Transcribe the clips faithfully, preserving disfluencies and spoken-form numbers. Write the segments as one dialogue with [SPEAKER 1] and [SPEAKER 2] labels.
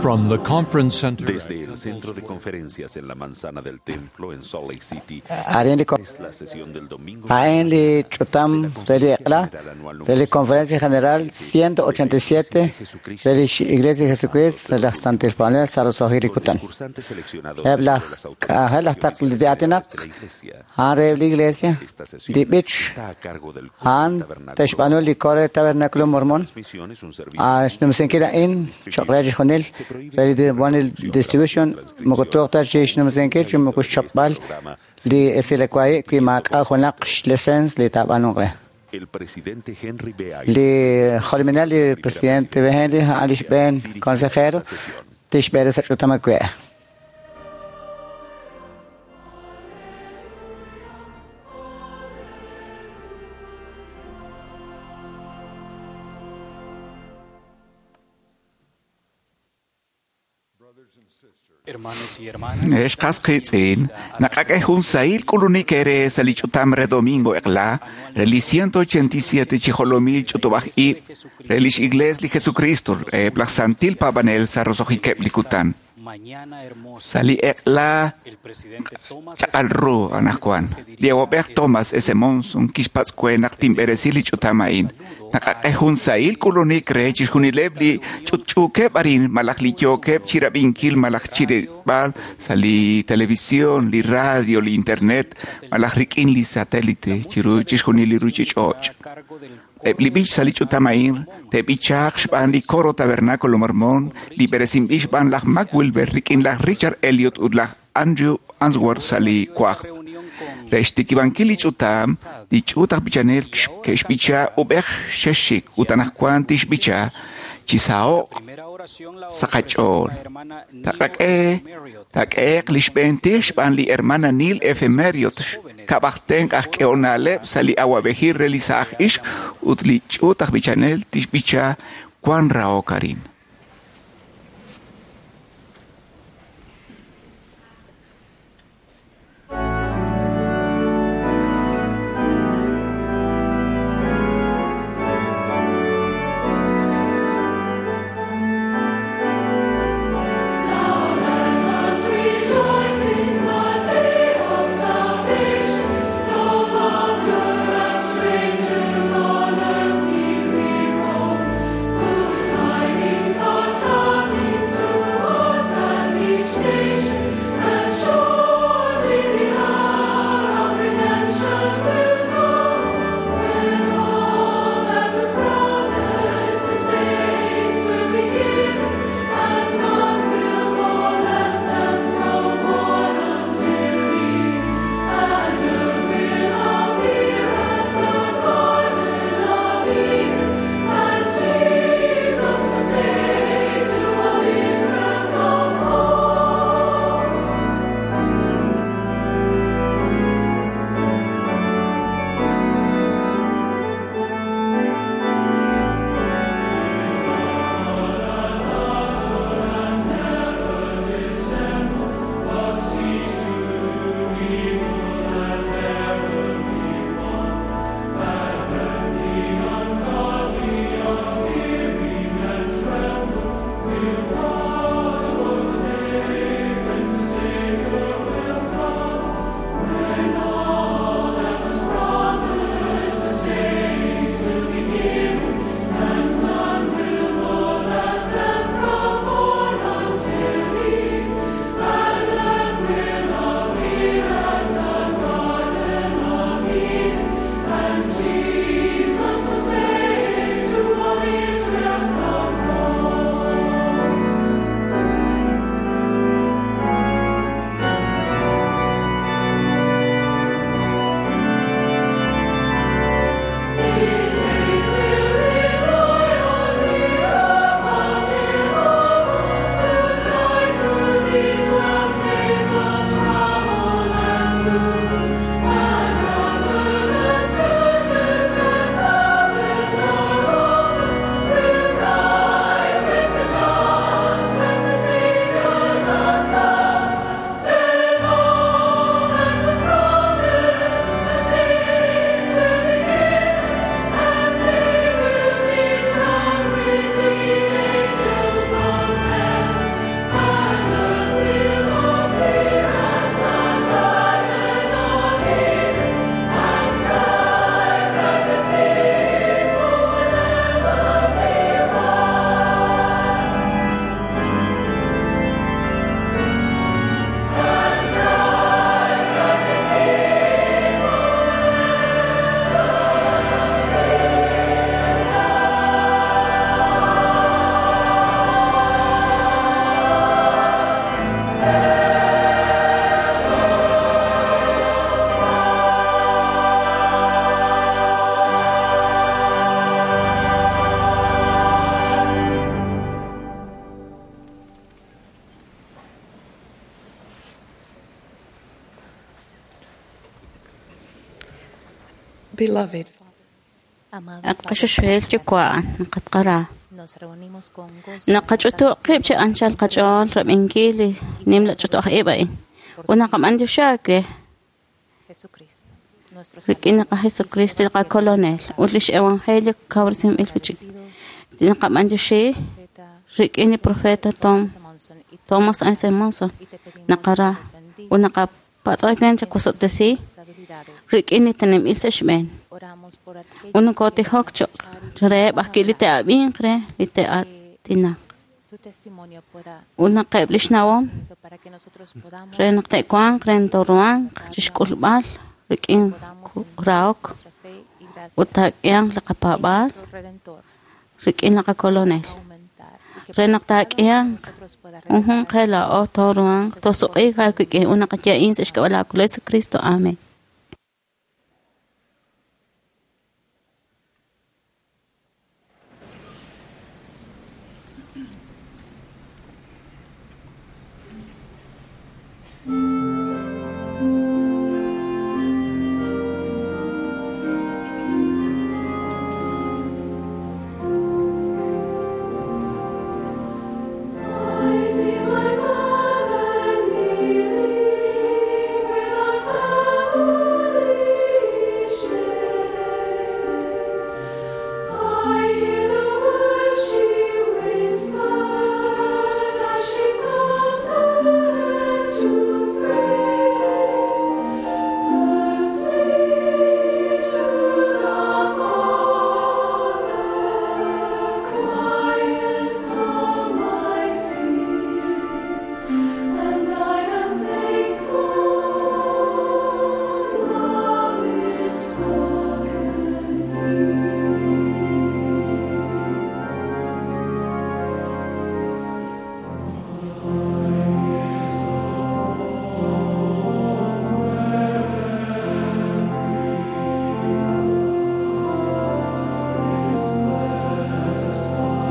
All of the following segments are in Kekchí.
[SPEAKER 1] From the conference center
[SPEAKER 2] Desde el centro de conferencias en la manzana del templo en Salt Lake City,
[SPEAKER 3] Arin li
[SPEAKER 2] es la sesión del domingo.
[SPEAKER 3] Ain li ch'utam re li eq'la re li Conferencia General ciento ochenta y siete re li Iglesia de Jesucristo re laj Santil Paanel sa roso'jik li
[SPEAKER 2] Los
[SPEAKER 3] kutan.
[SPEAKER 2] discursantes seleccionados
[SPEAKER 3] Eb
[SPEAKER 2] de
[SPEAKER 3] laj
[SPEAKER 2] las
[SPEAKER 3] k'ajel laj
[SPEAKER 2] autoridades
[SPEAKER 3] taql li aatinak
[SPEAKER 2] de la iglesia.
[SPEAKER 3] a'an re li Iglesia
[SPEAKER 2] Esta sesión
[SPEAKER 3] li b'ich
[SPEAKER 2] está a cargo del coro
[SPEAKER 3] a'an
[SPEAKER 2] Tabernáculo.
[SPEAKER 3] te'xb'aanu li coro de Tabernáculo Mormón.
[SPEAKER 2] Transmisión es un servicio
[SPEAKER 3] Ah, xnumsinkil a'in choq' re chixjunil re li One Distribution moko truuq ta chi xnumsinkil chi moko xchapb'al li esilekwai wi maak'a' junaq xlicens li taab'aanunq re.
[SPEAKER 2] El presidente Henry B.
[SPEAKER 3] Li jolominel li presidente B. Henry a'an li xb'een consejero tixb'ere sa' ch'utam awe'.
[SPEAKER 4] Hermanos y hermanas,
[SPEAKER 5] Ex qasqitz'in, naqak'ej jun sahil k'ulunik ere sa li ch'utam re domingo eq'la, re li ciento ochenta y siete chijolomil ch'utub'aj ib', re lix Iglesia li Jesucristo, re laj Santil Pabanel sa roso'jikeb' li kutan.
[SPEAKER 4] mañana hermosa,
[SPEAKER 5] Sa li eq'la
[SPEAKER 4] el presidente Thomas
[SPEAKER 5] chaq'al ru anajwan. Li awab'ej Thomas S. Monson kixpatz'kue naq tinb'eresi li ch'utam a'in. Naqak'ej jun sahil k'ulunik re chixjunileb' li ch'utch'uukeb' arin malaj li yookeb' chirab'inkil malaj chirib'al sa li televisión, li radio, li internet, malaj rik'in li satélite chiru chixjunil li ruchich'och'.
[SPEAKER 4] a cargo del
[SPEAKER 5] Eb' li b'ich sa li ch'utam a'in te'b'ichaaq xb'aan li coro Tabernáculo Mormón, li b'eresinb'il xb'aan laj Mac Wilber rik'in laj Richard Elliot ut laj Andrew Answorth sa li kwaj.
[SPEAKER 4] reunión con
[SPEAKER 5] Re xtikib'ankil li ch'utam, li ch'uut aj b'ichanel ke'xb'icha ub'ej xexik ut anajwan tixb'icha chisaho'q
[SPEAKER 4] primera oración la
[SPEAKER 5] sa qach'ool.
[SPEAKER 4] ofreció la hermana Neil
[SPEAKER 5] Taqak'e,
[SPEAKER 4] Marriott.
[SPEAKER 5] taq'eeq li xb'een tij xb'aan li hermana Neil F. Marriott kab'ajtenq aj k'eonaleb' sa li awab'ejil re li sa'aj ixq ut li ch'uut aj b'ichanel tixb'icha Juan Rahok arin.
[SPEAKER 6] Rejoice in the day of salvation, no longer as strangers on earth need we roam. Good tidings
[SPEAKER 1] Beloved
[SPEAKER 7] At qaxuxuel yuwa' naqatqara. Naqach'utu' qib' chi anchal qach'ool rab'inkil li nimla ch'utu' aj ib' a'in. Ut naqab'antioxi rik'in li Jesucristo li qakolonel ut lix evangelio kawresinb'il wi'chik. Naqab'antioxi rik'in li profeta Tom Thomas S. Monson naqara ut naqapatz'aken chakusob'tesi rik'in li teneb'il sa' xb'een. Ut nokotijok choq reheb' ajwi' li te'ab'inq re li te'aatinaq. Ut naqeb' lix nawom re naq te'wanq re ntoruhanq chixk'ulb'al rik'in rahok ut taak'ihanq li qapaab'aal rik'in li qakolonel. Re naq taak'ihanq junjunq qe laa'o tooruhanq toosuq'iik aawik'in ut naqaya'in sa' xk'ab'a' laa Kolonel Jesucristo. Amén.
[SPEAKER 6] I see my mother kneeling with a family share. I hear the words she whispers as she bows her head to pray. Her plea to the Father quiets all my fears, and I am thankful love is spoken And I am thankful,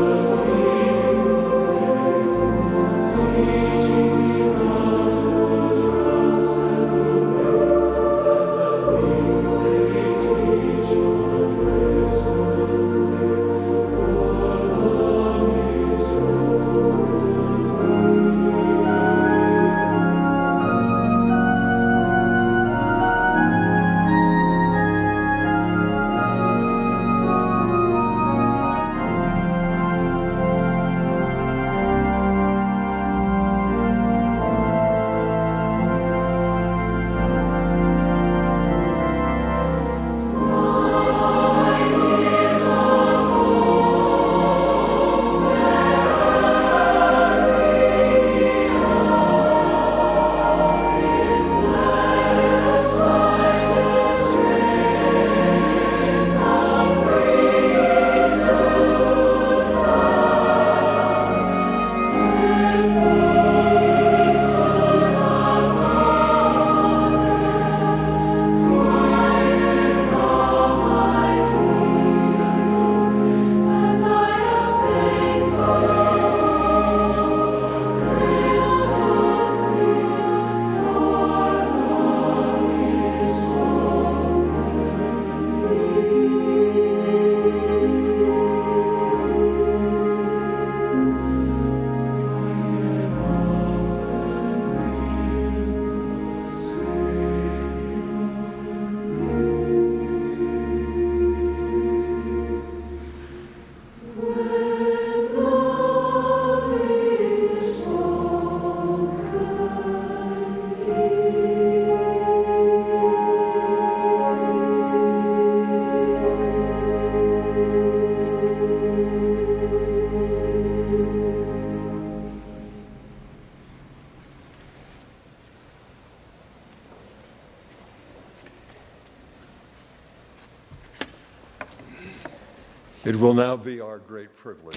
[SPEAKER 6] Christus lives, for love is spoken. When love is spoken
[SPEAKER 8] It will now be our great privilege.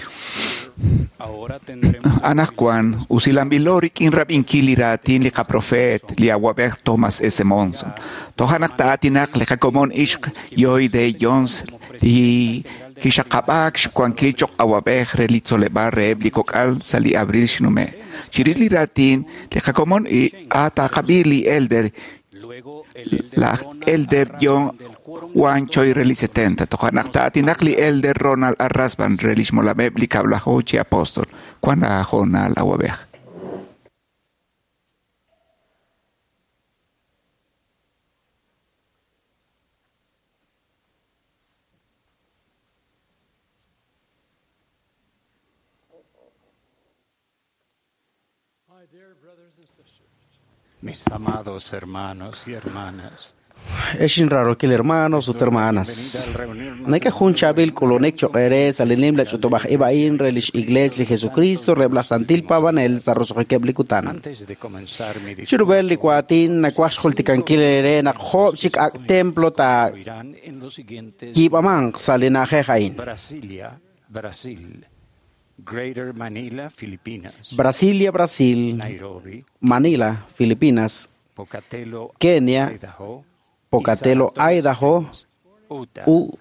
[SPEAKER 5] Anaqwan usilanb'ilo rik'in rab'inkil li raatin li qaprofeet li awab'ej Thomas S. Monson. Toja' naq taa'aatinaq li qakomon ixq Lloyd D. Jones li kixaqab'aak xwankil choq' awab'ej re li tzoleb'aal reheb' li kok'al sa' li abril xnume'. Chirix li raatin li qakomon a taaqab'i li elder laj Elder John Juan Choi re li setenta. Toja' naq taa'aatinaq li Elder Ronald R. Rasband re lix molameb' li kab'laju chi apóstol. Wan aahoonal awab'ej.
[SPEAKER 1] Mis amados hermanos y hermanas,
[SPEAKER 8] Exin rarokil hermanos ut hermanas. Neke jun chabil k'ulunik choq' sa' li nim la ch'utub'aj ib' a'in re lix iglees li Jesucristo reb' laj Santil Paab'anel sa' roso'jikeb' li kutan.
[SPEAKER 1] antes de comenzar mi
[SPEAKER 8] Chirub'el li waatin nawaj xjultikankil eere naq joob' chik ak' templo ta
[SPEAKER 1] oirán en los siguientes
[SPEAKER 8] yiib'amanq sa' li na'ajej a'in.
[SPEAKER 1] Brasilia, Brasil, Greater Manila, Filipinas,
[SPEAKER 8] Brasilia, Brasil,
[SPEAKER 1] Nairobi,
[SPEAKER 8] Manila, Filipinas,
[SPEAKER 1] Pocatello,
[SPEAKER 8] Kenia,
[SPEAKER 1] Idaho,
[SPEAKER 8] Pocatello,
[SPEAKER 1] y Saratoga
[SPEAKER 8] Idaho,
[SPEAKER 1] Springs, Utah.
[SPEAKER 8] u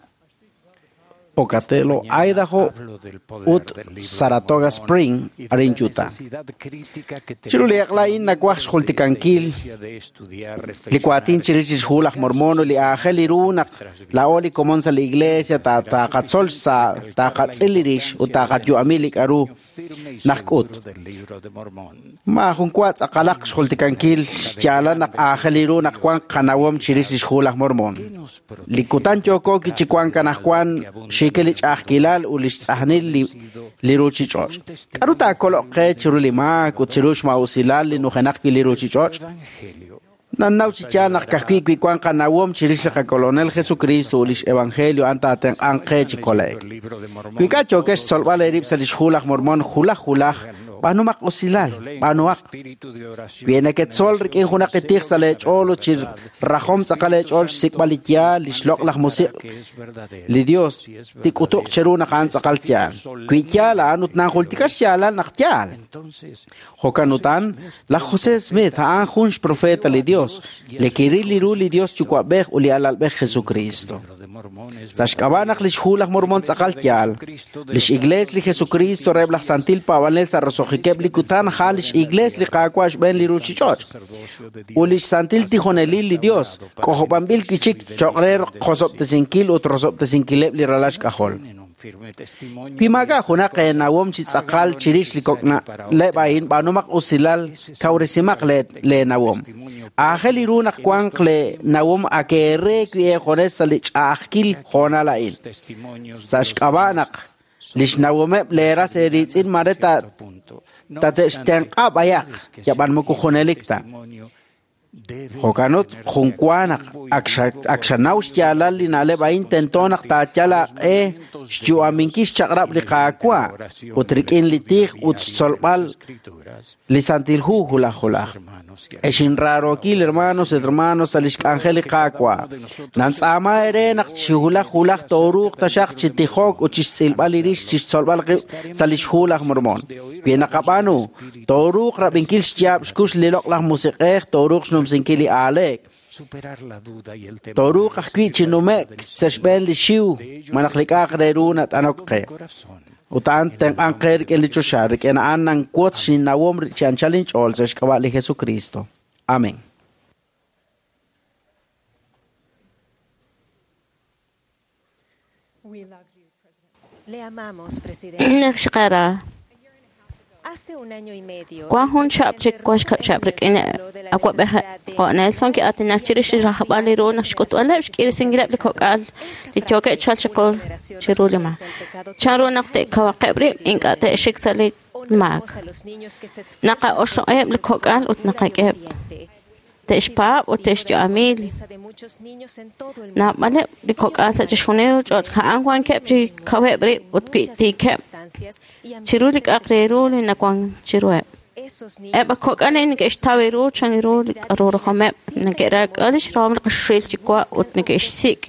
[SPEAKER 8] Pocatello,
[SPEAKER 1] Mañana
[SPEAKER 8] Idaho,
[SPEAKER 1] hablo del poder
[SPEAKER 8] ut
[SPEAKER 1] del libro de
[SPEAKER 8] Saratoga
[SPEAKER 1] Mormón
[SPEAKER 8] Spring,
[SPEAKER 1] y de la
[SPEAKER 8] arin Utah.
[SPEAKER 1] necesidad crítica que
[SPEAKER 8] Chiru li
[SPEAKER 1] tenemos
[SPEAKER 8] aqla'in nawaj
[SPEAKER 1] como miembros de esta
[SPEAKER 8] xjultikankil
[SPEAKER 1] iglesia de estudiar,
[SPEAKER 8] li waatin
[SPEAKER 1] reflexionar
[SPEAKER 8] chirix lix hu laj Mormón li aajel ru naq laa'o li komon sa' li iglesia ta taqatzol sa' taqatz'il li rix ut taqayu'ami li k'a'ru
[SPEAKER 1] firme y
[SPEAKER 8] najk'ut.
[SPEAKER 1] seguro del libro de Mormón.
[SPEAKER 8] Maajun wa tz'aqalaq xjultikankil xyaalal naq aajel ru naq wan qanawom chirix lix hu laj Mormón. Li kutan yooko kichiwank anaqwan xiikil li ch'a'ajkilal ut lix tz'ajnil li li ruchich'och'. K'a'ru taakoloq qe chiru li maak ut chiru xma'usilal li nujenaq wi' li ruchich'och'?
[SPEAKER 1] Evangelio
[SPEAKER 8] Nannaw chi yaal naq ka'ajwi' wi wan qanawom chirix li qakolonel Jesucristo ut lix evangelio a'an taatenq'anq qe chi kole'k.
[SPEAKER 1] el libro de Mormón
[SPEAKER 8] Wi ink'a' yookex xtzolb'al eerib' sa' lix hu laj Mormón julaj julaj, b'aanumaq usilal, b'aanuhaq.
[SPEAKER 1] espíritu de oración
[SPEAKER 8] Wi neketzol rik'in junaq itij sa' leech'ool ut chi rajom tz'aqal eech'ool xsik'b'al li yaal, li xloq' laj musiq'
[SPEAKER 1] que es verdadero.
[SPEAKER 8] li Dios tik'utuq cheru naq a'an tz'aqal yaal. Wi yaal a'an ut nanjultika xyaalal naq yaal.
[SPEAKER 1] Entonces,
[SPEAKER 8] Jo'kan utan, laj José Smith a'an jun xprofeta li Dios, li kiril li ru li Dios yuwa'b'ej ut li alalb'ej Jesucristo.
[SPEAKER 1] el libro de Mormón es
[SPEAKER 8] Sa' xk'ab'a' naq lix hu laj Mormón tz'aqal yaal, lix iglees li Jesucristo reheb' laj Santil Paab'anel sa' roso'jikeb' li kutan a'an lix iglees li Qaawa' xb'een li ruchich'och'.
[SPEAKER 1] sacerdocio de
[SPEAKER 8] Ut lix santil tijonelil li Dios k'ojob'anb'il kichik choq' re qosob'tesinkil ut rosob'tesinkileb' li ralal xk'ajol.
[SPEAKER 1] tienen un firme testimonio
[SPEAKER 8] Wi maak'a' junaq eenawom chi tz'aqal chirix li kok'na'leb' a'in b'aanumaq usilal kawresimaq le- leenawom. Aajel ru naq wanq leenawom akeere wi eejones sa' li ch'a'ajkil hoonal a'in.
[SPEAKER 1] testimonios
[SPEAKER 8] Sa' xk'ab'a' naq lix nawomeb' leeras eeritz'in mare ta
[SPEAKER 1] punto. No
[SPEAKER 8] tate'xtenq'a b'ayaq yab'an moko junelik ta.
[SPEAKER 1] testimonio debe
[SPEAKER 8] Jo'kan ut jun wa naq ak xa- ak xanaw xyaalal li na'leb' a'in tento naq taayal aaq'e xyu'aminkil xchaq'rab' li Qaawa' ut rik'in li tij ut xtzolb'al
[SPEAKER 1] escrituras,
[SPEAKER 8] li Santil Hu julaj julaj.
[SPEAKER 1] hermanos y
[SPEAKER 8] Exin raarokil hermanos et hermanos sa' lix k'anjel li Qaawa'. Nantz'aama eere naq chi julaj julaj tooruuq taxaq chi tijok ut chixtz'ilb'al li rix chixtzolb'al qib' sa' lix hu laj Mormón. Wi naqab'aanu, tooruuq rab'inkil xyaab' xkux li loq' laj musiq'ej, tooruuq xnumsinkil li aaleek.
[SPEAKER 1] superar la duda y el temor
[SPEAKER 8] Tooruuq ajwi' chi nume'k sa' xb'een li xiw malaj li k'a'aq re ru nat'anok qe.
[SPEAKER 1] corazón.
[SPEAKER 8] Ut a'an tenq'anq qe rik'in li choxa, rik'in a'an nanwotz xinnawom chi anchal inch'ool sa' xk'ab'a' li Jesucristo. Amén.
[SPEAKER 6] We love you, President.
[SPEAKER 9] Le amamos, presidente.
[SPEAKER 7] Naq xqara
[SPEAKER 9] Hace un año y medio,
[SPEAKER 7] wan jun chab' chik wan xkab' chab' rik'in awab'ej jo' Nelson ki'aatinak chirix li rajb'al li ru naq xk'utb'aleb' xk'irisinkileb' li kok'al li yookeb' chalk chiqu chiru li maak. Chan ru naq te'kawaqeb' rib' ink'a' te'xik sa' li maak.
[SPEAKER 9] honramos a los niños que se esfuerzan
[SPEAKER 7] Naqa'oxloq'eb' li kok'al ut naqak'eheb'
[SPEAKER 9] ferviente.
[SPEAKER 7] te'xpaab' ut te'xyu'ami
[SPEAKER 9] Esa de muchos niños en todo el mundo.
[SPEAKER 7] naab'aleb' li kok'al sa' chixjunil ruchich'och' a'an wankeb' chi kaweb' rib' ut wi tiikeb'
[SPEAKER 9] Circunstancias y
[SPEAKER 7] chiru li k'a'aq re ru li nawan chiruheb'.
[SPEAKER 9] esos niños
[SPEAKER 7] Eb' kok'al a'in neke'xtaw ru chan ru li k'a'ru rajomeb', neke'raak'a lix rahom li qaxuxil yuwa' ut neke'xsik'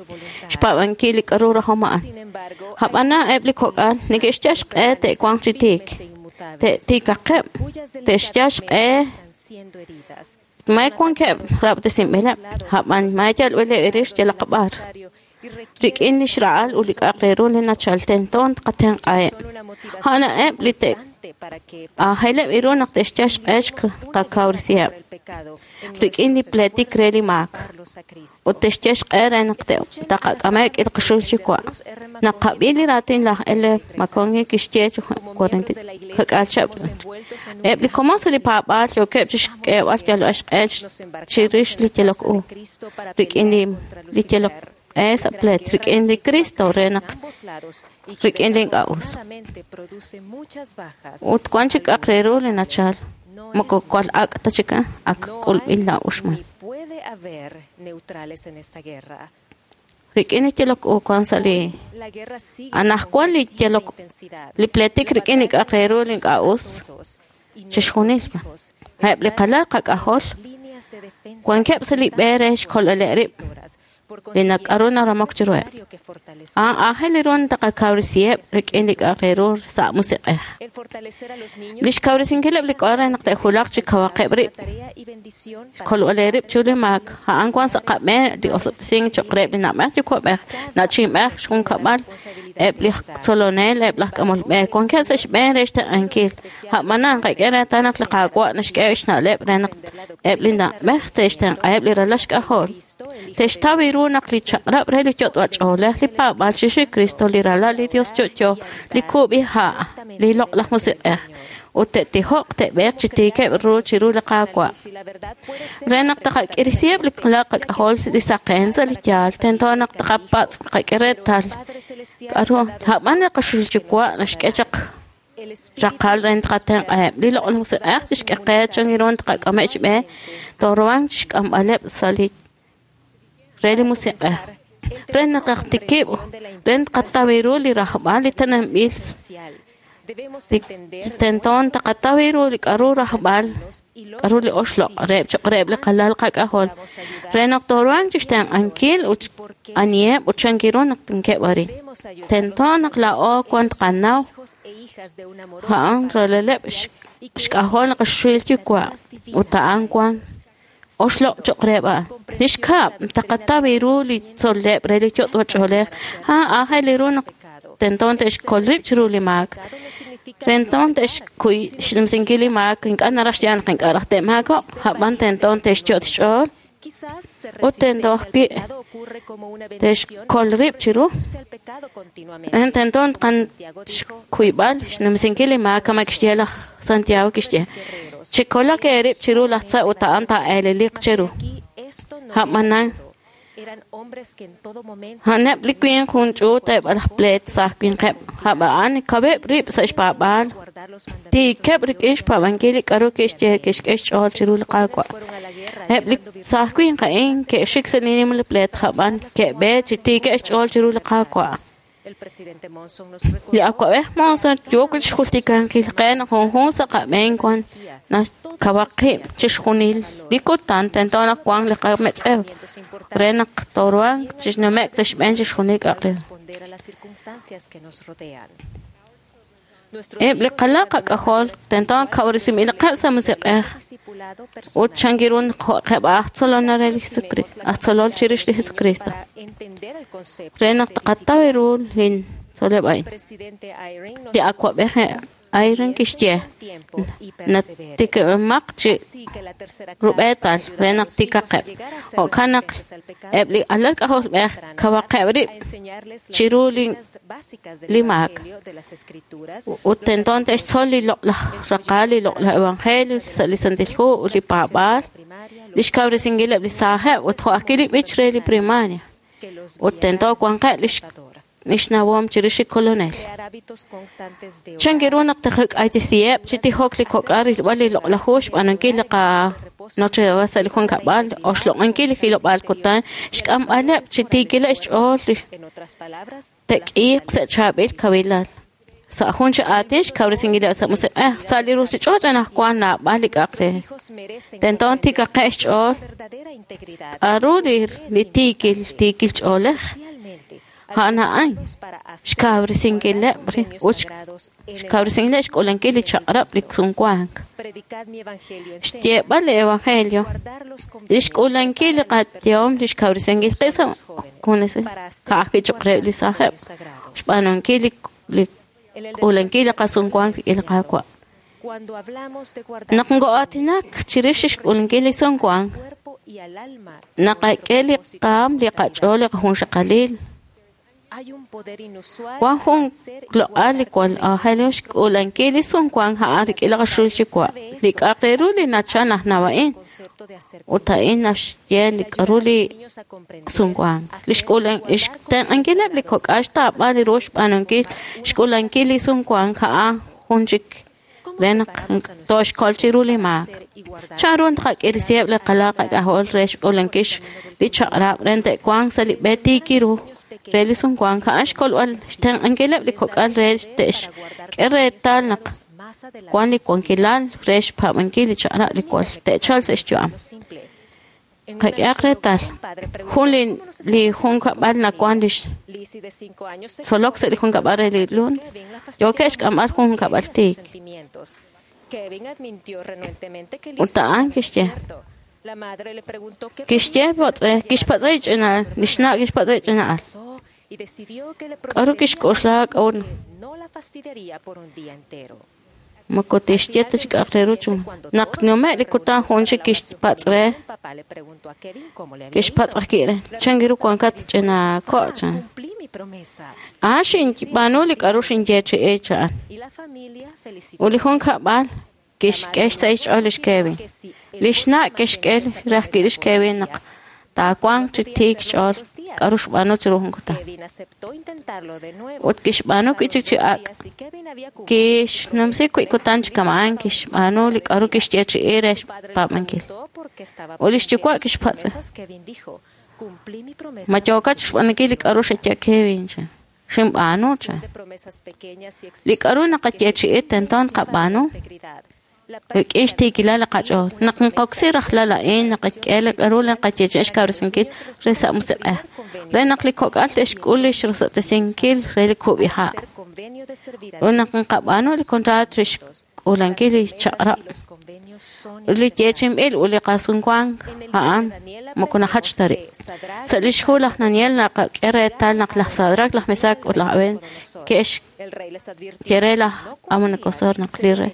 [SPEAKER 7] xpaab'ankil li k'a'ru rajom a'an.
[SPEAKER 9] Sin embargo,
[SPEAKER 7] Ab'anan eb' li kok'al neke'xyal xq'e te'wanq chi tiik. Te'tiikaqeb', te'xyal xq'e may wankeb' rab'tesinb'ileb', a'b'an may yalb'ileb' rix yalaq b'ar. Rik'in li xra'al ut li k'a'aq re ru li nachal tento tqatenq'aheb'. A'aneb' li te'aajeleb' ru naq te'xyal xq'e xqakawresiheb' rik'in li pleetik re li maak ut te'xyal xq'e re naq taqak'ameb' k'il qaxul chi wa'. Naqab'i li raatin laj L. McConkie kixye chi kak'aal chihab'. Eb' li komon sa' li paab'aal yookeb' chixk'eeb'al yalb'al xq'e chirix li yalok u rik'in li yalok q'e sa' pleet rik'in li Cristo re naq rik'in li ink'a' us. Ut wan chik k'a'aq re ru li nachal moko cual ak' ta chik ak k'ulb'il na'uxman. Rik'in li yalok u wan sa' li anajwan li yalok li pleetik rik'in li k'a'aq re ru li ink'a' us chixjunil b'an. Eb' li qalal qak'ajol wankeb' sa' li b'e re xkolb'aleb' rib' li nak'aru naramok chiruheb'. A'an aajel ru taqakawresiheb' rik'in li k'a'aq re ru sa' musiq'ej. Li xkawresinkileb' li k'o'ol re naq te'julaq chi kawaqeb' rib', xkolb'aleb' rib' chiru li maak. A'an wan sa' qab'een li osob'tesink cho'q reheb' li na'b'ej yuwa'b'ej, na'chinb'ej, xjunkab'al, eb' li tzolonel, eb' laj k'amol b'e wankeb' sa' xb'een re xtenq'ankil. A'b'anan qak'e reetal naq li Qaawa' naxk'e xna'leb' re naq eb' li na'b'ej te'xtenq'aheb' li ralal xk'ajol. Te'xtaw ru naq li chaq'rab' re li yot'b'ach'oolej li paab'aal chirix li Cristo, li ralal li Dios yo'yo, li kub'iha', li loq'laj musiq'ej, ut te'tijoq te'b'eeq chi tiikeb' ru chiru li Qaawa'. Re naq taqak'irisiheb' li qalal qak'ajol li saqen sa' li yaal, tento naq taqapatz' qak'e reetal k'a'ru a'b'an li qaxul yuwa' naxk'e chaq raqal re taqatenq'aheb'. Li loq'laj musiq'ej tixk'e qe chan ru taqak'ameb' xb'e tooruhanq chixk'amb'aleb' sa' li re li musiq'ej. Re naq tikib' re tqataw ru li rajb'al li tenanb'il li tento taqataw ru li k'a'ru rajb'al k'a'ru li oxloq' reheb' cho'q reheb' li qalal qak'ajol re naq tooruhanq chixtenq'ankil ut aniheb' ut chan ru naq tinkeb' arin. Tento naq laa'o wan tqanaw a'an ralaleb' xk'ajol qaxuxil yuwa' ut a'an wan oxloq' cho'q reheb' a'an. Li xkab' taqataw ru li tzol'leb' re li yot'b'ach'oolej a'an aajel ru naq tento te'xkol rib' chiru li maak. Tento te'xkuy xnumsinkil li maak ink'a' naraj xyaal naq ink'a' raj te'maako'q, a'b'an tento te'xyot' xch'ool ut tento ajwi' te'xkol rib' chiru. Tento tqan xkuyb'al xnumsinkil li maak kama kixye laj Santiago kixye. Chikolaq eerib' chiru laj tza ut a'an taa'eleliq cheru. A'b'anan a'aneb' li winq jun ch'uut eb' laj pleet sa' winqeb', a'b'an kaweb' rib' sa' xpaab'aal, tiikeb' rik'in xpaab'ankil li k'a'ru kixye kixk'e xch'ool chiru li Qaawa'. Eb' li saaj winq a'in ke'xik sa' li nimla pleet, a'b'an ke'b'eek chi tiikeb' xch'ool chiru li Qaawa'. Li awa'b'ej Monson yook chixjultikankil qe naq junjunq sa' qab'een wan nakawaq qib' chixjunil li kutan tento naq wanq li qametz'ew re naq tooruhanq chixnume'k sa' xb'een chixjunil k'a'aq re ru. Eb' li qalal qak'ajol tento kawresinb'ilaqeb' sa' musiq'ej ut chan ru jo'qeb' aj tzolonel re li Jesucristo, aj tzolol chirix li Jesucristo re naq taqataw ru li tzol'leb' a'in. Li awa'b'ej Eyring kixye natikib'emaq chi rub'eetal re naq tiikaqeb'. Jo'kan naq eb' li alal k'ajolb'ej kawaqeb' rib' chiru li li maak ut tento te'xtzol li loq'laj raqal, li loq'laj evangelio sa' li Santil Hu ut li paab'aal, li xkawresinkileb' li saajeb' ut jo' ajwi' li b'ich re li primaria ut tento wanqeb' li xnawom chirix li Kolonel. Chan ru naq taqak'aytesiheb' chi tijok li kok'al rilb'al li loq'laj hu, xb'aanunkil li qanoche sa' li junkab'al, oxloq'ankil li hilob'aal kutan, xk'amb'aleb' chi tiikileb' xch'ool li te'k'iiq sa' chaab'il kawilal. Sa' jun chi aatin xkawresinkileb' sa' musiq'ej, sa' li ruchich'och' anaqwan naab'al li k'a'aq re. Tento tiikaqeb' xch'ool k'a'ru li tiikil tiikil ch'oolej. A'an a'an xkawresinkileb' ut xkawresinkileb' xk'uulankil li chaq'rab' li sumwank. Xyeeb'al li evangelio, li xk'uulankil li qayehom, li xkawresinkil qib' sa' junes ka'ajwi' cho'q reheb' li saajeb', xb'aanunkil li li k'uulankil li qasumwank rik'in li Qaawa'. Naq nko'aatinak chirix xk'uulankil li sumwank, naqak'e li qaam, li qach'ool, li qajunxaqalil. Wan jun loq'al li jwal aajel ru xk'uulankil li sumwank a'an rik'in li qaxul yuwa', li k'a'aq re ru li nachal najnaw a'in, ut a'in naxye li k'a'ru li sumwank. Li xk'uulan xtenq'ankileb' li kok'al xtaab'al ru xb'aanunkil xk'uulankil li sumwank a'an jun chik re naq tooxkol chiru li maak. Chan ru tqak'irisiheb' li qalal qak'ajol re xk'uulankil li chaq'rab' re te'wanq sa' li b'e tiik ru re li sumwank a'an xkolb'al xtenq'ankileb' li kok'al re te'xk'e reetal naq wan li wankilal re xpaab'ankil li chaq'rab' li jwal te'chalq sa' xyu'am. Qak'ehaq reetal jun li li junkab'al nawan li tzolok sa' li junkab'al re li lunes yookeb' xk'amb'al jun junkab'al tiik. Ut a'an kixye kixye patz'e kixpatz'e ch'ina'al li xna' kixpatz'e ch'ina'al k'aru kixk'oxla k'a'ut moko tixye ta chi k'a'aq re ru chu naq nume' li kutan jun chik kixpatz' re kixpatz' ajwi' re chan ru wankat ch'ina ko' chan a'an xinb'aanu li k'a'ru xinyeechi'i chan ut li junkab'al kixk'e xsahil xch'ool lix Kevin. Li xna' kixk'e re ajwi' lix Kevin naq taawanq chi tiik xch'ool k'a'ru xb'aanu chiru jun kutan. Ut kixb'aanu wi'chik chi ak' kixnumsi wi' kutan chi kama'an kixb'aanu li k'a'ru kixyeechi'i re xpaab'ankil. Ut lix yuwa' kixpatz' ma yookat xb'aanunkil li k'a'ru xaye Kevin chan xinb'aanu chan. Li k'a'ru naqayeechi'i tento naqab'aanu rik'in xtiikilal li qach'ool. Naq nqoksi rajlal a'in naqak'e li k'a'ru li naqayeechi'i xkawresinkil re sa' musiq'ej, re naq li kok'al te'xk'ul li xrosob'tesinkil re li kub'iha'. Ut naq nqab'aanu li kontraat re xk'uulankil li chaq'rab' ut li yeechinb'il ut li qasumwank a'an moko najach ta rib'. Sa' lix hu laj Daniel naqak'e reetal naq laj Sadrac, laj Mesac ut laj Abed ke'xye re laj Nabucodonosor naq li rey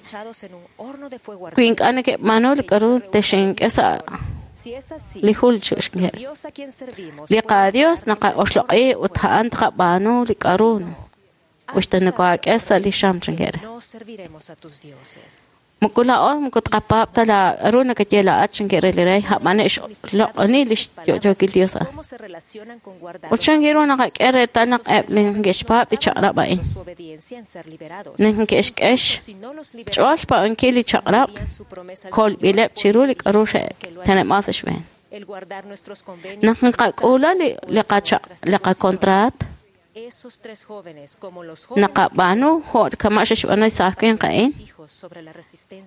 [SPEAKER 7] wi ink'a' neke'b'aanu li k'a'ru te'xink'e sa' li jul xe'xye. Li qaDios naqa'oxloq'i ut a'an tqab'aanu li k'a'ru uxta nokohaak'e sa' li xam chanke re. Moko laa'o moko tqapaab' ta la k'a'ru nakaye laa'at chanke re li rey a'b'an xloq'oni li xyo'yookil Dios a'an. Ut chan ru naqak'e reetal naq eb' li neke'xpaab' li chaq'rab' a'in neke'xk'e xch'ool xpaab'ankil li chaq'rab' kolb'ileb' chiru li k'a'ru xe'teneb'an sa' xb'een. Naq nqak'uula li li qachaq li qakontraat naqab'aanu jo' kama' xe'xb'aanu li saaj winq a'in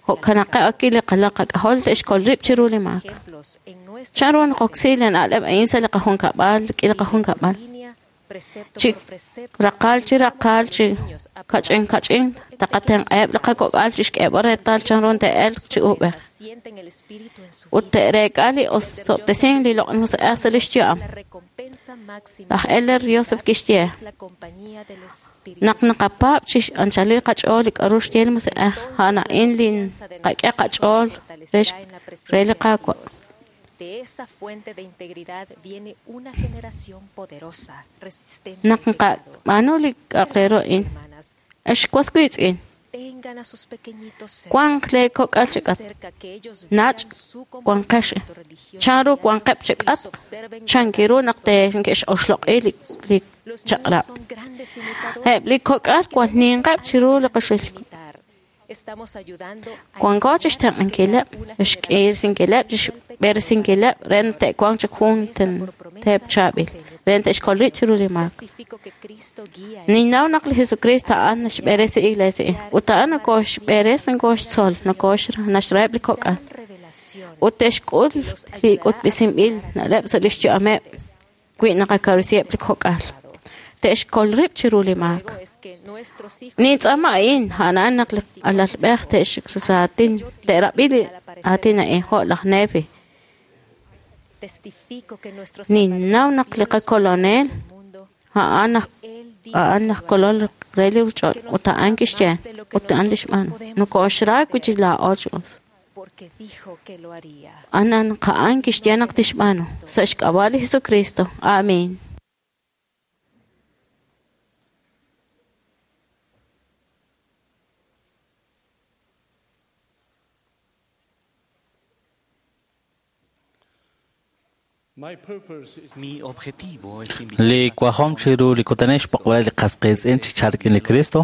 [SPEAKER 7] jo'kanaqeb' ajwi' li qalal qak'ajol te'xkol rib' chiru li maak. Chan ru naqoksi li na'leb' a'in sa' li qajunkab'al rik'in li qajunkab'al chi raqal chi raqal chi kach'in kach'in taqatenq'aheb' li qakok'al chi xk'eeb'al reetal chan ru te'elq chi uub'ej ut te'reek'a li osob'tesink li loq'laj musiq'ej sa' lix yu'am. Laj Elder Joseph kixye naq naqapaab' chi anchalil qach'ool li k'a'ru xye li musiq'ej a'an a'in li nqak'e qach'ool re re li Qaawa'. Naq nqab'aanu li k'a'aq re ru a'in, ex was wiitz'in, wanq lee kok'al chi k'atq, nach' wanqex, chan ru wanqeb' chi k'atq, chan ru naq te'xoxloq'i li li chaq'rab'. Eb' li kok'al jwal ninqeb' chiru li qaxul. Wanko chi xtenq'ankileb', xk'irisinkileb', xb'eresinkileb' re naq te'wanq chi jun teep chaab'il, re naq te'xkol rib' chiru li maak. Ninnaw naq li Jesucristo a'an naxb'eresi iglesia ut a'an nokoxb'eres nokoxtzol, nokoxnaxraheb' li kok'al ut te'xk'ul li k'utb'esinb'il na'leb' sa' lix yu'ameb' wi naqakawresiheb' li kok'al. Te'xkol rib' chiru li maak. Nintz'aama a'in, a'an naq li alalb'ej te'xraatin te'rab'i li aatin a'in jo' laj Nefi. Ninnaw naq li qakolonel a'an aj a'an aj kolol re li ruuchich'och' ut a'an kixye ut a'an tixb'aanu. Nokoxra wi' chi laa'o chi us. A'an a'an kixye naq tixb'aanu. Sa' xk'ab'a' li Jesucristo. Amén.
[SPEAKER 10] Li kwajom chiru li kutanex poqb'al li qasqiitz'in chi chalk li Cristo.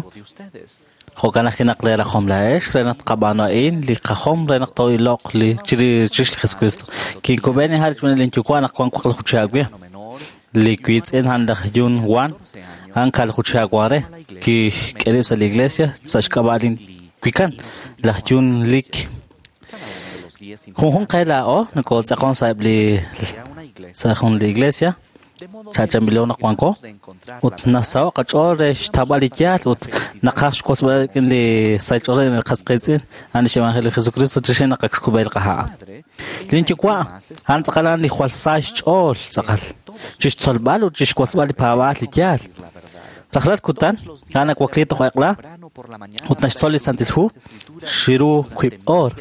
[SPEAKER 10] Jo'kan ajwi' naq leerajom laa'ex re naq tqab'aanu a'in li qajom re naq too'iloq li chirix li Jesucristo. Kinkub'en inha' rik'in linyuwa' naq wank waqlaju chihab' li wiitz'in a'an laj Jun Wan a'an kaalaju chihab' wan re kixk'e rib' sa' li iglesia sa' xk'ab'a' lin wikan laj Jun Lik. Junjunq qe laa'o nokootz'aqon sa'eb' li sa' jun li iglesia chachanb'ilo naq wanko ut nasaho' qach'ool re xtawb'al li yaal ut naqaj xwotzb'al rik'in li sahil ch'oolej li qasqiitz'in a'an lix evangelio li Jesucristo chixi naq ak xkub'e li qaha'. Linyuwa' a'an tz'aqal a'an li jwal sa xch'ool tz'aqal chixtzolb'al ut chixwotzb'al li paab'aal li yaal. Rajlal kutan a'an nawakli toj eq'la ut naxtzol li Santil Hu chiru wiib' oor.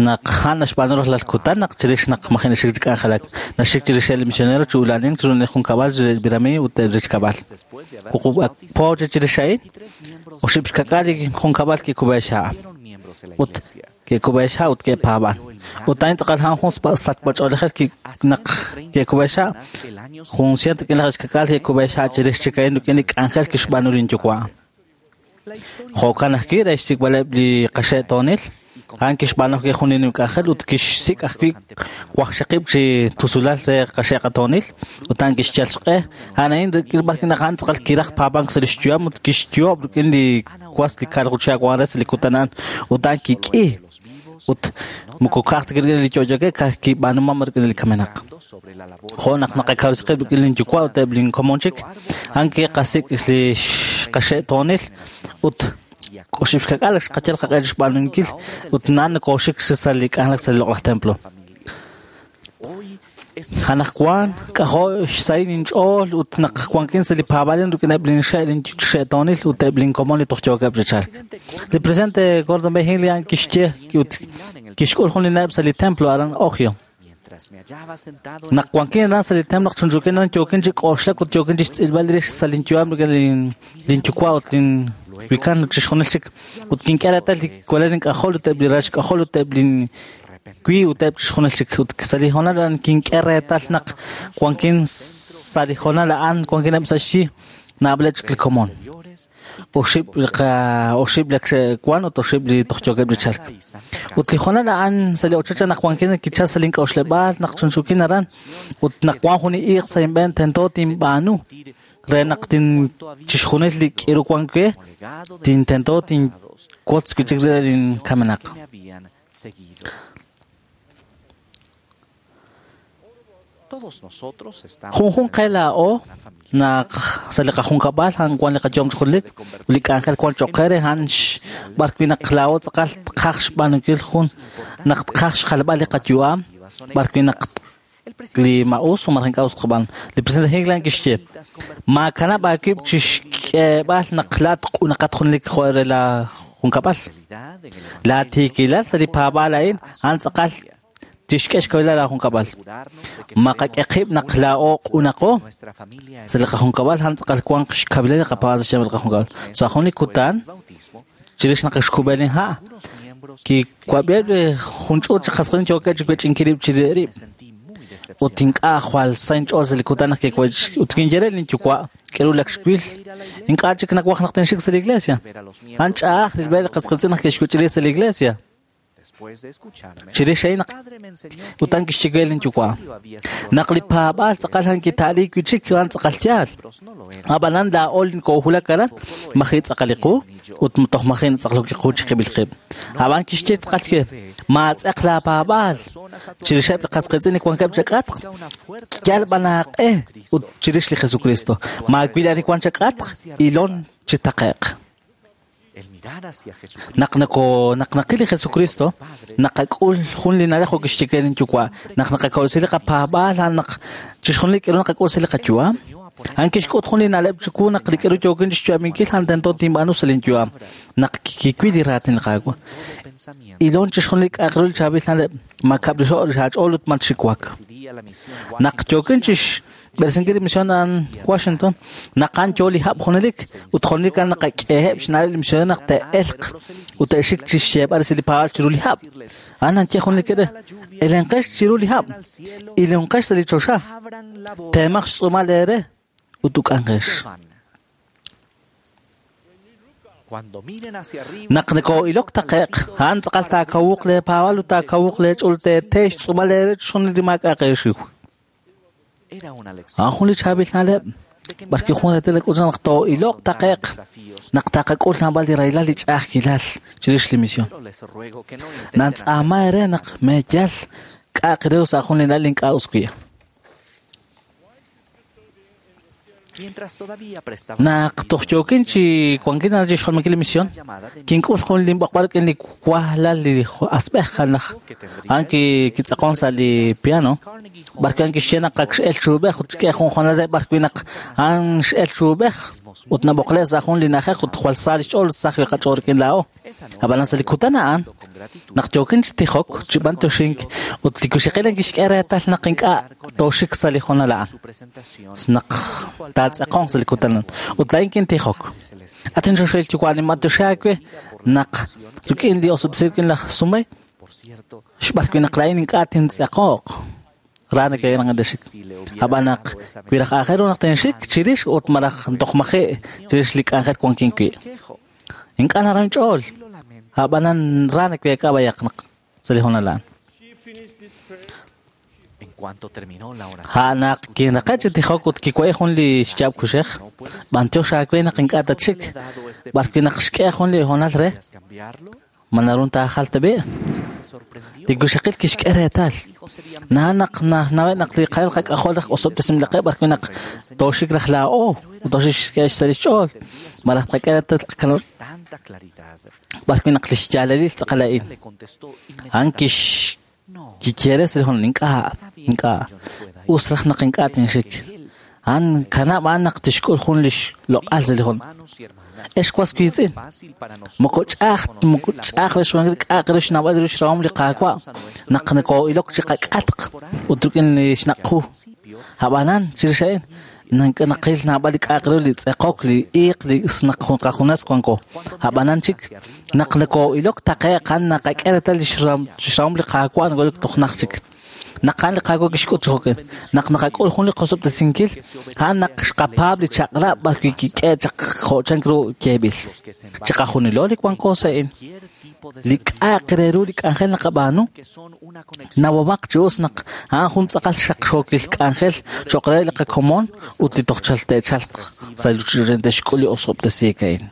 [SPEAKER 10] Naq a'an naxb'aanu rajlal kutan naq chirix naq maji' naxik chi k'anjelak naxik chirix li misionero chi ula'anink chiru li junkab'al li birami ut rech kab'al. Wuqub' ak po chirix a'in oxib' xkak'al li junkab'al kikub'e xha' ut ke'kub'e xha' ut ke'paab'an. Ut a'in tz'aqal a'an jun sachb'ach'oolejil naq ke'kub'e xha' jun ciento rik'in laj xkak'al ke'kub'e xha' chirix chik a'in rik'in li k'anjel kixb'aanu linyuwa'. Jo'kan ajwi' re xsik'b'aleb' li qaxe'toonil a'an kixb'aanu ajwi' jun li nim k'anjel ut kixsik' ajwi' waqxaqib' chi tusulal re qaxe'qatoonil ut a'an kixyal xq'e. A'an a'in rik'in b'ar naq a'an tz'aqal kiraj paab'ank sa' li xyu'am ut kixyoob' rik'in li was li kaalaju chihab' wan re sa' li kutan a'an ut a'an kik'i ut moko ka'aj ta rik'in li yo'yookeb' ka'aj kib'aanumam rik'in li kamenaq. Jo' naq naqakawresi qib' rik'in linyuwa' ut eb' linkomon chik a'an kiqasik' li qaxe'toonil ut oxib' xkak'al xqayal qaq'e xb'aanunkil ut na'an nokooxik sa' li k'anjelak sa' li loq'laj templo. Anaqwan k'ajo' xsahil inch'ool ut naq wankin sa' li paab'aalin rik'in eb' linxe' linxe'toonil ut eb' linkomon li toj yookeb' chi chalk. Li presidente Gordon B. Hinckley a'an kixye ut kixk'ul jun li na'leb' sa' li templo aran Ohio. Naq wankin aran sa' li templo naq chunchukin aran yookin chi k'oxlak ut yookin chi xtz'ilb'al rix sa' linyu'am rik'in linyuwa' ut lin wikan chixjunil chik ut kink'e reetal li walal ink'ajol ut eb' li ral xk'ajol ut eb' lin wi ut eb' chixjunil chik ut sa' li hoonal a'an kink'e reetal naq wankin sa' li hoonal a'an wankin eb' sa' xyi naab'aleb' chik li komon. Oxib' oxib' li wan ut oxib' li toj yookeb' chi chalk. Ut li hoonal a'an sa' li ochoch naq wankin kichal sa' link'a'uxleb'aal naq chunchukin aran ut naq wan jun li iiq sa' inb'een tento tinb'aanu re naq tin chixjunil li k'iru wan we tintento tinwotz wi' chik re linkamenaq. Junjunq qe laa'o naq sa' li qajunkab'al a'an wan li qayom ch'oolej li k'anjel wan cho'q qe re a'an b'ar wi' naq laa'o tz'aqal tqaj xb'aanunkil jun naq tqaj xjalb'al li qayu'am b'ar wi' naq li ma'us o malaj ink'a' us tqab'aanu. Li presidente Hinckley kixye maakanab' aawib' chixk'eeb'al naq laa'at q'unaqat junlik jo' re la junkab'al. Laatiikilal sa' li paab'aal a'in a'an tz'aqal tixk'e xkawilal laajunkab'al. Maqak'e qib' naq laa'o q'unaqo sa' li qajunkab'al a'an tz'aqal wanq xkawilal li qapaab'aal sa' xyanq li qajunkab'al. Sa' jun li kutan chirix naq xkub'e linha' kiwab'iheb' li jun ch'uut chi qasqiitz'in yookeb' chi wech'inkil rib' chirix rib'. Ut ink'a' jwal sa inch'ool sa' li kutan naq kiwech ut kinye re linyuwa' k'eru lak xwil ink'a' chik nawaj naq tinxik sa' li iglesia. A'an ch'a'aj rilb'al li qasqiitz'in naq ke'xwech'i rib' sa' li iglesia. Chirix a'in naq utan kixye we lin yuwa' naq li paab'aal tz'aqal han kita'liik wi' chik a'an tz'aqal yaal. Ab'anan laa'o li koohulak aran maji' tz'aqal li qu ut toj maji' natz'aqlok li qu chiqib'il qib'. Ab'an kixye tz'aqal ke maatz'eq laapaab'aal chirixeb' li qas qiitz'in li wankeb' chak'atq yal b'an aaq'e ut chirix li Jesucristo maawil ani wan chak'atq ilon chi taqe'q. Naq nako naq naqil li Jesucristo naqak'ul jun li na'leb' jo' kixye we lin yuwa' naq naqakawresi li qapaab'aal a'an naq chixjunil li k'aru naqak'ul sa' li qayu'am a'an kixk'ut jun li na'leb' chiwu naq li k'aru yookin chixyu'aminkil a'an tento tinb'aanu sa' lin yu'am naq kiwil li raatin li Qaawa' ilon chixjunil li k'a'aq ru li chaab'il na'leb' makab'rixo' li aach'ool ut matxiwak. Naq yookin chixb'eresinkil li misión a'an Washington naq a'an yoo li hab' junelik ut junelik a'an naqak'eheb' xna'leb' li misionero naq te'elq ut te'xik chixyeeb'al resil li paab'aal chiru li hab'. A'an nanye junelik re elenqex chiru li hab' ilonqex sa' li choxa teemaq xtz'uumal eere ut uk'anqex. Naq nakoo'ilok taqe'q a'an tz'aqal taakawuq leepaab'aal ut taakawuq leech'ool teetee xtz'uumal eere chixjunil li maak'a'aq eexiw. A'an jun li chaab'il na'leb' b'arwi' jun reetal nak'ut naq too'iloq taqe'q naq taqak'ul naab'al li rahilal li ch'a'ajkilal chirix li misión. Nantz'aama eere naq meeyal k'a'aq re sa' jun li na'leb' ink'a' us wi'. Naq toj yookin chi wankin aran chixjolomikil li misión kink'ul jun linb'oqb'al rik'in li wajlal li asb'ej naq a'an kitz'aqon sa' li piano b'arwi' a'an kixye naq ak x'el chuub'ej ut xk'e jun jonal re b'arwi' naq a'an x'el chuub'ej ut nab'oqle' sa' jun li na'ajej ut jwal sa li xch'ool ut saj li qach'ool rik'in laa'o. Ab'anan sa' li kutan a'an naq yookin chi tijok chi b'antoxink ut li kuxeqil a'an kixk'e reetal naq ink'a' tooxik sa' li jonal a'an naq taatz'aqonq sa' li kutan a'an ut laa'in kintijok. At inxoxel yuwa' ninb'antoxi aawe naq rik'in li osob'tesiik rik'in laj Sumay xb'arwi' naq laa'in ink'a' tintz'aqoq ra nake'naq'antexik. Ab'an naq wi raj aajel ru naq tinxik chirix ut malaj toj maji' chirix li k'anjel wankin wi'. Ink'a' naram inch'ool ab'anan ra naweek'a b'ayaq naq sa' li honal a'an. A'an naq kinraqe' chi tijok ut kiwa'e jun li xyaab' kuxej b'antiox aawe naq ink'a' tatxik b'arwi' naq xk'e jun li honal re ma narun taajal tab'i'. Li kuxaqil kixk'e reetal naa naq nawe' naq li qalal qak'ajol raj osob'tesinb'ilaqeb' b'arwi' naq tooxik raj laa'o ut tooxik sa' li xch'ool malaj tqak'e reetal tqakanab' b'arwi' naq li xyaalalil tz'aqal a'in. A'an kix kixye sa' li honal ink'a' ink'a' us raj naq ink'a' tinxik. A'an kanab' a'an naq tixk'ul jun li xloq'al sa' li honal. Ex was wiitz'in moko ch'a'aj moko ch'a'aj xwankil k'a'aq re xnawb'al ru xrahom li Qaawa' naq nakoo'ilok chi qak'atq ut rik'in li xnaq' qu. Ab'anan chirix a'in naqil naab'al li k'a'aq ru li tz'eqok li iiq li naq qajunes wanko. Ab'anan chik naq nakoo'ilok taqe'q a'an naqak'e reetal li xrahom li Qaawa' nakoo'ilok toj naj chik. Naq a'an li Qaawa' kixk'ut chi jo'kan naq naqak'ul jun li qosob'tesinkil a'an naq xqapaab' li chaq'rab' b'arwi' kik'e chaq jo' chank ru yeeb'il. Chiqajunilo li wanko sa' a'in li k'a'aq re ru li k'anjel naqab'aanu nawab'aq chi us naq a'an jun tz'aqal xaqxookil k'anjel cho'q re li qakomon ut li toj chal te'chalq sa' li ruuchich'och' te'xk'ul li osob'tesiik a'in.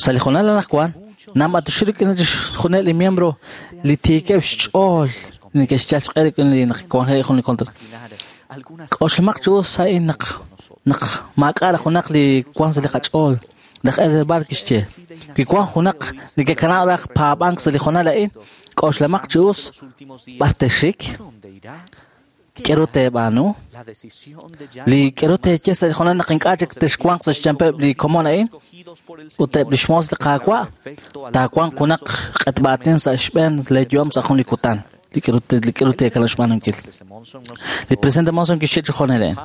[SPEAKER 10] Sa' li honal anaqwan naab'atoxi rik'in chixjunil li miembro li tiikeb' xch'ool neke'xyal xq'e rik'in li naq wanjel jun li kontra. K'oxlamaq chi us a'in naq naq maak'a' raj junaq li wan sa' li qach'ool. Laj Elder Barr kixye wi wan junaq neke'kanab' raj paab'ank sa' li honal a'in k'oxlamaq chi us b'ar texik k'aru teeb'aanu li k'aru teeye sa' li honal naq ink'a' chik texwanq sa' xyanqeb' li komon a'in ut eb' li xmoos li Qaawa' taawanq junaq q'etb'aatin sa' xb'een leeyu'am sa' jun li kutan. Li k'aru teekanab' xb'aanunkil. Li presidente Monson kixye chi jonel a'in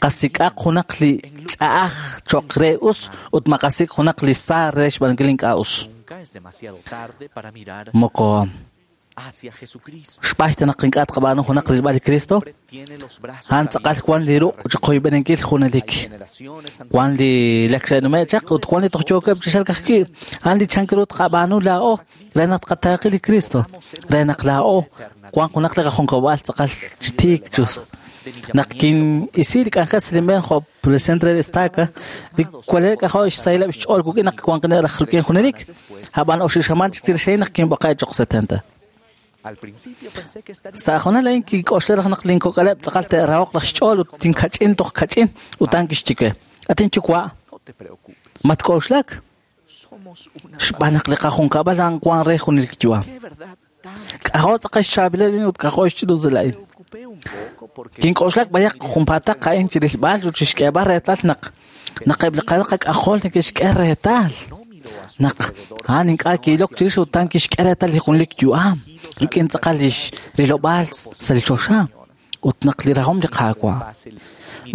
[SPEAKER 10] qasik'aq junaq li ch'a'aj cho'q re us ut maqasik' junaq li sa re xb'aanunkil ink'a' us. Moko Xb'ayta naq ink'a' tqab'aanu junaq rilb'al li Cristo, a'an tz'aqal wan li ruq' chiqoyb'eninkil junelik. Wan li lakxe'nume' chaq ut wan li toj yookeb' chi xalk ajwi'. A'an li chank ru tqab'aanu laa'o re naq tqataaqi li Cristo, re naq laa'o wan junaq li qajunkab'al tz'aqal chi tiik chus. Naq kin'isi li k'anjel sa' linb'een jo' presidente re estaca, li kwalel k'ajo' xsahileb' xch'ool wuk'in naq wanqine' raj rik'in junelik, ab'an oxib' xamaan chik chirix a'in naq kinb'oqe' choq' setenta. Sa' junal a'in kink'oxla raj naq linkok'aleb' tz'aqal te'rahoq raj xch'ool ut tinkach'in toj kach'in ut a'an kixye we, "At inyuwa', matk'oxlak, xb'aan naq li qajunkab'al a'an wan re junelik yu'am. K'ajo' tz'aqal xchaab'ilal a'in ut k'ajo' xch'ina'usil a'in." Kink'oxlak b'ayaq junpaataq a'in chirilb'al ut chixk'eeb'al reetal naq naq eb' li qalal qak'ajol neke'xk'e reetal naq a'an ink'a' ki'ilok chirix ut a'an kixk'e reetal li junelik yu'am rik'in tz'aqal lix rilob'aal sa' li choxa ut naq li rajom li Qaawa'.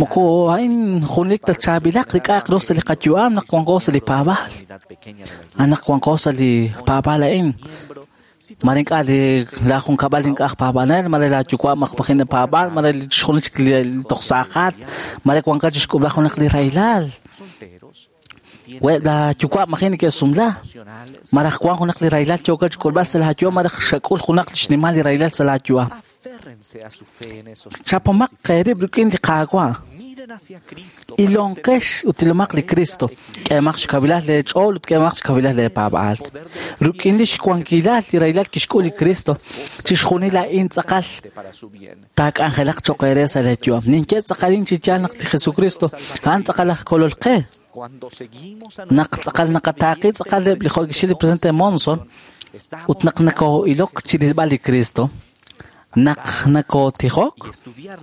[SPEAKER 10] Moko a'in junelik ta chaab'ilaq li k'a'aq ru sa' li qayu'am naq wanko sa' li paab'aal. A'an naq wanko sa' li paab'aal a'in. Mare ink'a' li la junkab'al ink'a' aj paab'anel, mare la yuwa' maqpajin paab'aal, mare li chixjunil chik li toj saaqat, mare wanka chixk'ub'la junaq li rahilal. Web' la yuwa' majin neke'sumla, maraj wan junaq li rahilal yooka chixk'ulb'al sa' la yu'am, maraj xak'ul junaq li xnimal li rahilal sa' la yu'am. Chapomaq qeerib' rik'in li Qaawa'. Ilonqex ut ilomaq li Cristo, k'eemaq xkawilal leech'ool ut k'eemaq xkawilal leepaab'aal. Rik'in li xwankilal li rahilal kixk'ul li Cristo, chixjunil a'in tz'aqal taak'anjelaq cho'q eere sa' leeyu'am. Ninye tz'aqalin chi yaal naq li Jesucristo a'an tz'aqal aj kolol qe. Naq tz'aqal naqataaqi tz'aqal eb' li jo' kixye li presidente Monson ut naq nakoo'ilok chirilb'al li Cristo, naq nakootijok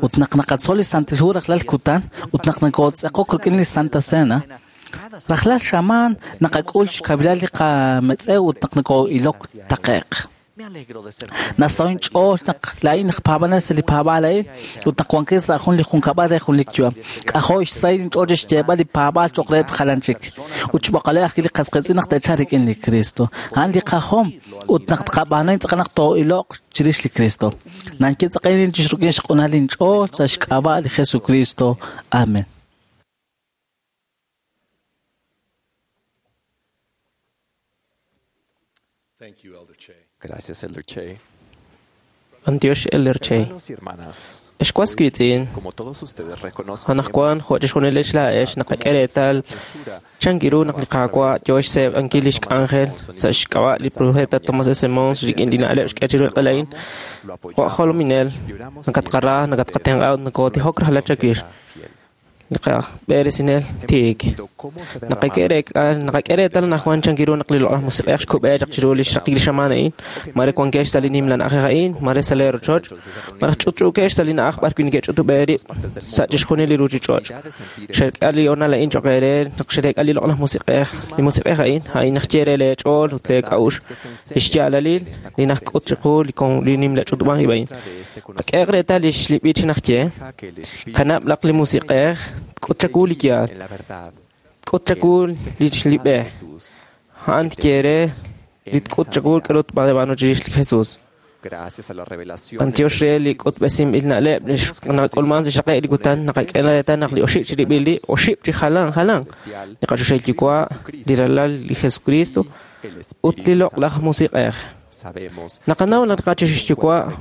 [SPEAKER 10] ut naq naqatzol li Santil Hu rajlal kutan ut naq nakootz'eqok rik'in li Santa Cena, rajlal xamaan naqak'ul xkawilal li qametz'ew ut naq nakoo'ilok taqe'q. Nasoy ch'ool naq laa'in aj paab'anel sa' li paab'aal a'in ut naq wankin sa' jun li junkab'al re jun li yu'am. K'ajo' xsahil inch'ool chi xyeeb'al li paab'aal cho'q reheb' jalan chik ut xb'oqaleb' ajwi' li qasqiitz'in naq te'chalq rik'in li Cristo. A'an li qajom ut naq tqab'aanu tz'aqal naq too'iloq chirix li Cristo. Nanye tz'aqal chixruk'in xq'unal inch'ool sa' xk'ab'a' li Jesucristo. Amen.
[SPEAKER 11] Thank you, Elder Che.
[SPEAKER 12] Gracias, Elder Che.
[SPEAKER 13] Antiox Elder Che.
[SPEAKER 12] Hermanos y hermanas,
[SPEAKER 13] Xwas wiitz'in,
[SPEAKER 12] como todos ustedes reconozco
[SPEAKER 13] anaqwan jo' chixjunil laa'ex naqak'e reetal chankiru naq li Qaawa' yoo xseeb'ankil lix k'anjel sa' xk'ab'a' li profeta Thomas S. Mons rik'in li na'leb' xk'e chiru li q'elain. Jo' aj jolominel, nakatqara, nakatqatenq'a ut nakootijok rajlal chawix. Li qab'eresinel tiik. Naqak'e reek'al, naqak'e reetal anaqwan chankiru naq li loq'laj musiq'ej xkub'e chaq chiru li xraqik li xamaan a'in, mare wankex sa' li nimla na'ajej a'in, mare sa' lee rochoch, maraj ch'utch'uukex sa' li na'aj b'ar wi' neke'ch'utub'e rib' sa' chixjunil li ruuchich'och'. Xe'k'a li honal a'in cho'q eere naq xe'reek'a li loq'laj musiq'ej, li musiq'ej a'in, a'in naq ye re leech'ool ut leek'a'uxl, li xyaalalil li najk'ut chiqu li kon li nimla ch'utub'ank ib' a'in. Qak'ehaq reetal li xlib'ich naq ye, kanab' laq li musiq'ej k'ut chaku li yaal, k'ut chaku li xlib'e, a'an tye re li tk'ut chaku k'aru tb'aanu chirix li Jesús.
[SPEAKER 12] Gracias a la revelación
[SPEAKER 13] Antiox re li k'utb'esinb'il na'leb' li nak'ulman sa' xraqe' li kutan naqak'e reetal naq li oxib' chirib'il li oxib' chi jalan jalan li qachoxahil yuwa', li ralal li Jesucristo ut li loq'laj musiq'ej.
[SPEAKER 12] sabemos
[SPEAKER 13] Naqanaw naq qachoxahil yuwa'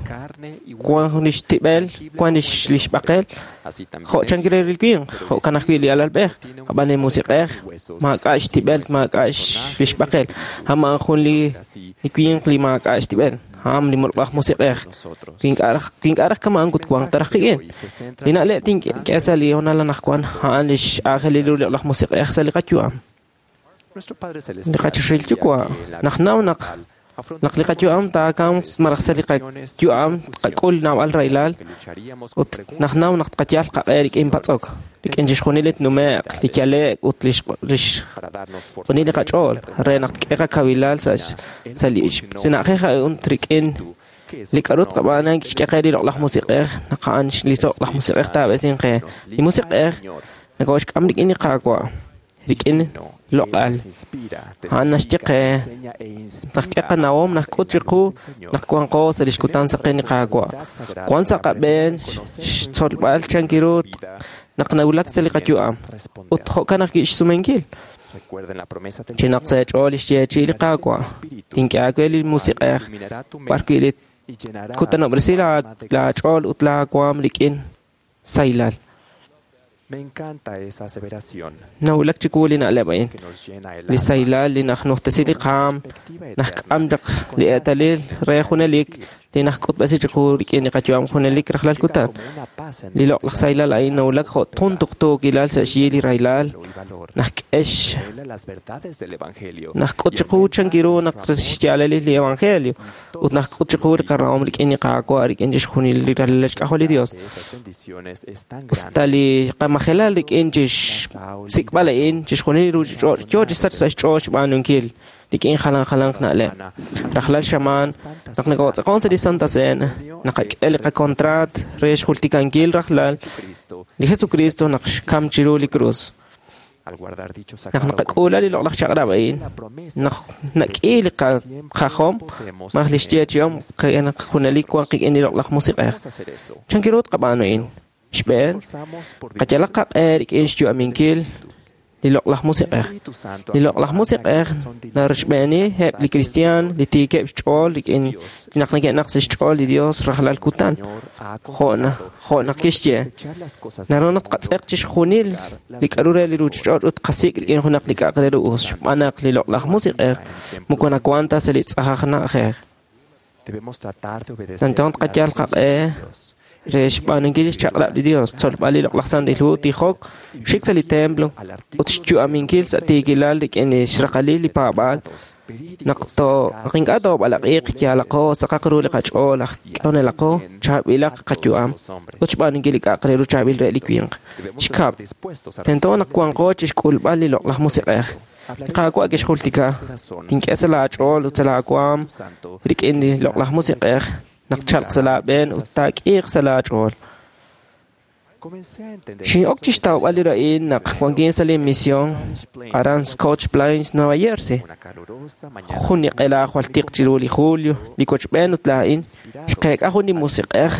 [SPEAKER 13] wan lix tib'el, wan lix lix b'aqel,
[SPEAKER 12] así también
[SPEAKER 13] jo' chankil li winq, jo'kan ajwi' li alalb'ej, ab'an li musiq'ej maak'a' xtib'el, maak'a' lix b'aqel, a'an jun li li winq li maak'a' xtib'el, a'an li loq'laj musiq'ej. Wi ink'a' raj kama'an ut wanq ta raj qik'in. Li na'leb' tink'e sa' li honal anaqwan a'an li x'aajelil ru li loq'laj musiq'ej sa' li qayu'am.
[SPEAKER 12] nuestro Padre
[SPEAKER 13] Li
[SPEAKER 12] Celestial
[SPEAKER 13] qachoxahil yuwa' naqnaw naq naq li qayu'am taakamq maraj sa' li qayu'am tqak'ul naab'al rahilal ut naqnaw naq tqayal qaq'e rik'in patz'ok, rik'in chixjunil li tnume'q, li yale'k ut lix lix xjunil li qach'ool re naq tk'e qakawilal sa' sa' li na'ajej a'in rik'in li k'aru tqab'aanu kixk'e qe li loq'laj musiq'ej naq a'an li loq'laj musiq'ej taab'esinq qe. Li musiq'ej nakoxk'am rik'in li Qaawa'. rik'in loq'al. A'an naxye qe naq k'e qanawom naq k'ut chiqu naq wanqo sa' lix kutan saqen li Qaawa'. Wan sa' qab'een xtzolb'al chankiru naq nawulak sa' li qayu'am ut jo'kan ajwi' xsumenkil. Chinaq sa' eech'ool li xyeechi'i li Qaawa', tink'e aawe li Musiq'ej b'arwi' li kutanob'resi laach'ool ut laawaam rik'in sahilal. Nawulak chiwu li na'leb' a'in. Li sahilal li najnujtesi li qaam, najk'am chaq li eetalil re junelik li najk'utb'esi chiqu rik'in li qayu'am junelik rajlal kutan. Li loq'laj sahilal a'in nawulak jo' jun tuqtuukilal sa' xyi li rahilal, najk'e najk'ut chiqu chankiru naq xyaalalil li evangelio ut najk'ut chiqu li qarahom rik'in li Qaawa' rik'in chixjunil li ralal xk'ajol li Dios. Usta li qamajelal rik'in chixsik'b'al a'in chixjunil li ruuchich'och' yoo chi sach sa' xch'ool xb'aanunkil rik'in jalan jalanq na'leb'. Rajlal xamaan naq nokootz'aqon sa' li Santa Cena, naqak'e li qakontraat re xjultikankil rajlal li Jesucristo naq xkam chiru li krus. Naq naqak'uula li loq'laj chaq'rab' a'in, naq nak'i li qajom malaj li xyeechi'om naq junelik wan qik'in li loq'laj Musiq'ej. Chankiru tqab'aanu a'in? Xb'een, qayalaq qaq'e rik'in xyu'aminkil li loq'laj Musiq'ej. Li loq'laj Musiq'ej narochb'eeni eb' li kristiaan li tiikeb' xch'ool rik'in naq neke'naq sa' xch'ool li Dios rajlal kutan. Jo' jo' naq kixye, naru naq tqatz'eq chixjunil li k'a'ru re li ruuchich'och' ut qasik' rik'in junaq li k'a'aq re ru us, xb'aan naq li loq'laj Musiq'ej moko nawank ta sa' li tz'ajaj na'ajej. Tento tqayal qaq'e re xb'aanunkil li xchaq'rab' li Dios, tzolb'al li loq'laj Santil Hu, tijok, xik sa' li templo ut xyu'aminkil sa' tiikilal rik'in li xraqalil li paab'aal. Naq to naq ink'a' toob'alaq'iq, yaalaqo, saqaq ru li qach'ool, aj k'anelaqo, chaab'ilaq qayu'am ut xb'aanunkil li k'a'aq re ru chaab'il re li winq. Xkab', tento naq wanqo chixk'ulb'al li loq'laj Musiq'ej. Li Qaawa' kixjultika, tink'e sa' laach'ool ut sa' laawaam rik'in li loq'laj Musiq'ej naq chalq sa' laab'een ut taak'iiq sa' laach'ool. Xin'ok chixtawb'al li ra'in naq wankin sa' li misión aran Scotch Plains, Nueva Jersey. Jun li q'ela jwal tiq chiru li julio, li wochb'een ut laa'in xqeek'a jun li musiq'ej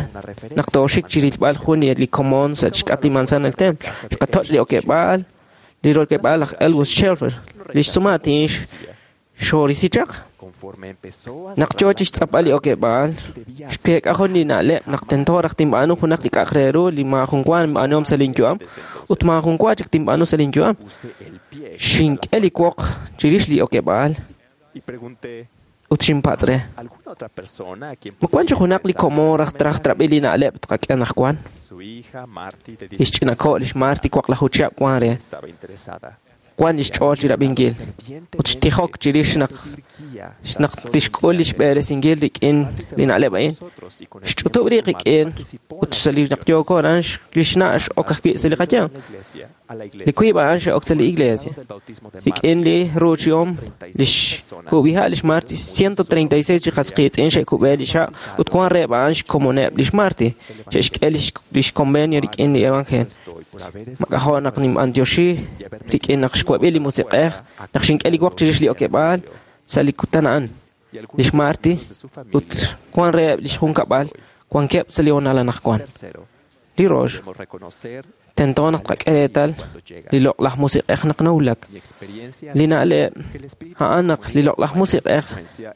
[SPEAKER 13] naq tooxik chirilb'al jun li komon sa' xk'atq li manzana del templo. Xqatoch' li okeb'aal, li rokeb'aal laj Elwood Shelfer, li xsumaatin xorisi chaq. Naq yoo chixtz'apb'al li okeb'aal, xkeek'a jun li na'leb' naq tento raj tinb'aanu junaq li k'a'aq re ru li maajun wa nb'aanuhom sa' linyu'am ut maajun wa chik tinb'aanu sa' linyu'am. Xink'e li woq chirix li okeb'aal ut xinpatz' re. Ma wan chi junaq li komon raj traj trab'i li na'leb' tqak'e anaqwan? Li xch'inako' lix Marty waqlaju chihab' wan re. Wan li xch'ool chirab'inkil ut xtijok chirix naq naq tixk'ul li xb'eresinkil rik'in li na'leb' a'in. Xch'utub' rib' qik'in ut sa' li naq yooko aran li xna' x'ok ajwi' sa' li qayanq. Li wiib' a'an xe'ok sa' li iglesia. Rik'in li ruuchihom li xkub'iha' lix Marty ciento treinta y seis chi qas qiitz'in xe'kub'e li xa' ut wan reheb' a'an xkomoneb' lix Marty xe'xk'e lix convenio rik'in li evangelio. Mak'ajo' naq ninb'antioxi rik'in naq xwab'i li Musiq'ej naq xink'e li woq chirix li okeb'aal sa' li kutan a'an. Lix Marty ut wan reheb' lix junkab'al wankeb' sa' li honal anaqwan. Li rox, tento naq tqak'e reetal li loq'laj Musiq'ej naq nawulak. Li na'leb' a'an naq li loq'laj Musiq'ej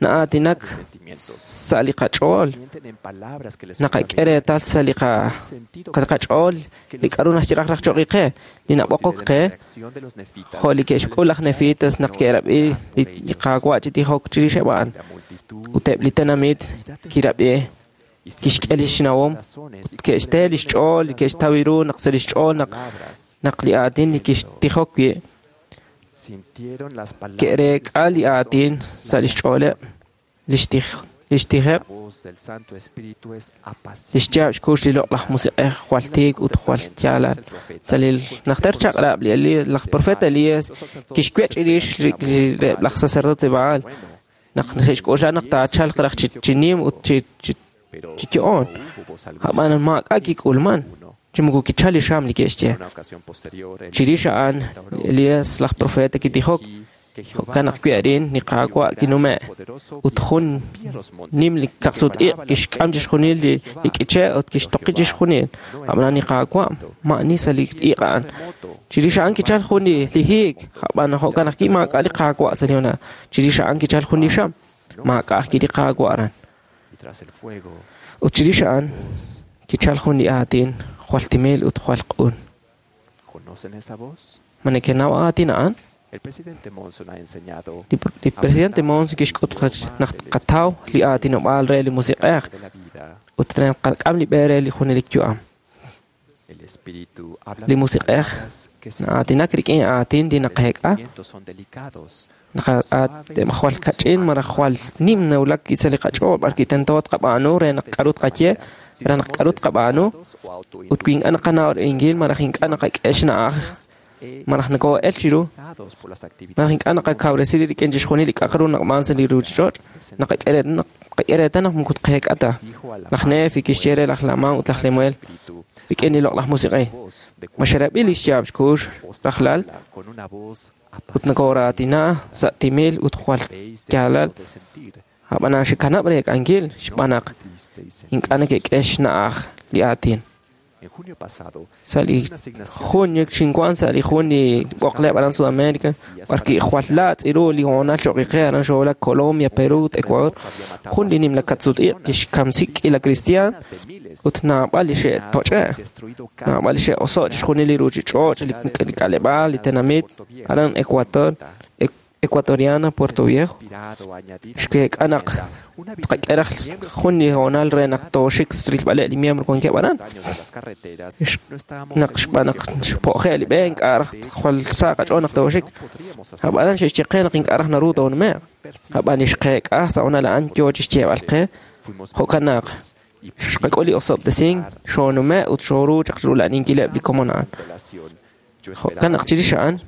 [SPEAKER 13] na'aatinak sa' li qach'ool, naqak'e reetal sa' li qach'ool li k'a'ru naxye raj raj choq' qe, li nab'oqok qe, jo' li ke'xk'ul laj Nefitas naq ke'rab'i li Qaawa' chi tijok chirixeb' a'an. Ut eb' li tenamit kirab'i kixk'e li xnawom ut ke'xte li xch'ool, ke'xtaw ru naq sa' li xch'ool naq naq li aatin li kixtijok wi' ke'reek'a li aatin sa' li xch'ooleb' li xtij li xtijeb' li xyaab' xkux li loq'laj Musiq'ej jwal tiik ut jwal yaalal. Sa' li najter chaq'rab' li Elías, laj profeta Elías kixwech' chirix reheb' laj sacerdote Baal naq xe'xk'oxla naq taachalq raj chi nim ut chi chi yo'on. Ab'an maak'a' kik'ulman. Chi moko kichal li xam li ke'xye. Chirix a'an, Elías laj profeta kitijok, jo'kan ajwi' arin li Qaawa' kinume' ut jun nim li kaqsut-iq' kixk'am chixjunil li li k'iche' ut kixtoqi chixjunil. Ab'anan li Qaawa' ma'ani sa' li iq' a'an. Chirix a'an kichal jun li li hiik, ab'an jo'kan ajwi' maak'a' li Qaawa' sa' li honal. Chirix a'an kichal jun li xam, maak'a' ajwi' li Qaawa' aran. Ut chirix a'an kichal jun li aatin jwal timil ut jwal q'un. Ma nekenaw aatin a'an? Li presidente Monson kixk'ut naq tqataw li aatinob'aal re li musiq'ej ut re naqak'am li b'e re li junelik yu'am. Li musiq'ej na'aatinak rik'in aatin li naqeek'a jwal kach'in malaj jwal nim nawulak sa' li qach'ool b'ar wi' tento tqab'aanu re naq k'aru tqaye, re naq k'aru tqab'aanu ut wi ink'a' naqanaw ri'inkil malaj ink'a' naqak'e xna'aj malaj nokoo'el chiru malaj ink'a' naqakawresi rik'in chixjunil li k'a'aq ru naqb'aan sa' li ruuchich'och' naqak'e reetal naq moko tqeek'a ta. Laj Nefi kixye re laj Laman ut laj Lemuel rik'in li loq'laj musiq'ej, ma xerab'i li xyaab' xkux rajlal ut nokooraatina sa' timil ut jwal yaalal, ab'anan xekanab' reek'ankil xb'aan naq ink'a' neke'k'e xna'aj li aatin. Sa' li junio xinwan sa' li jun li b'oqleb' aran Sudamérica b'ar wi' jwal laatz' ru li hoonal cho'q qe aran xoowulak Colombia, Perú ut Ecuador. Jun li nimla kaqsut-iq' kixkamsi k'iila kristiaan ut naab'al li xe'toch'e', naab'al li xe'oso' chixjunil li ruuchich'och', li k'aleb'aal, li tenamit aran Ecuador, Ecuatoriana, Puerto Viejo. Xkeek'a naq tqak'e raj jun li hoonal re naq tooxik rilb'aleb' li miembro wankeb' aran. Naq xb'aan naq xpo'je' li b'e ink'a' raj jwal sa' qach'ool naq tooxik. Ab'anan xe'xye qe naq ink'a' raj naru toonume'q. Ab'an li xqeek'a sa' hoonal a'an yoo chi xyeeb'al qe jo'kan naq xqak'ul li osob'tesink, xoonume' ut xooru chaq rula'aninkileb' li komon a'an. Jo'kan naq chirix a'an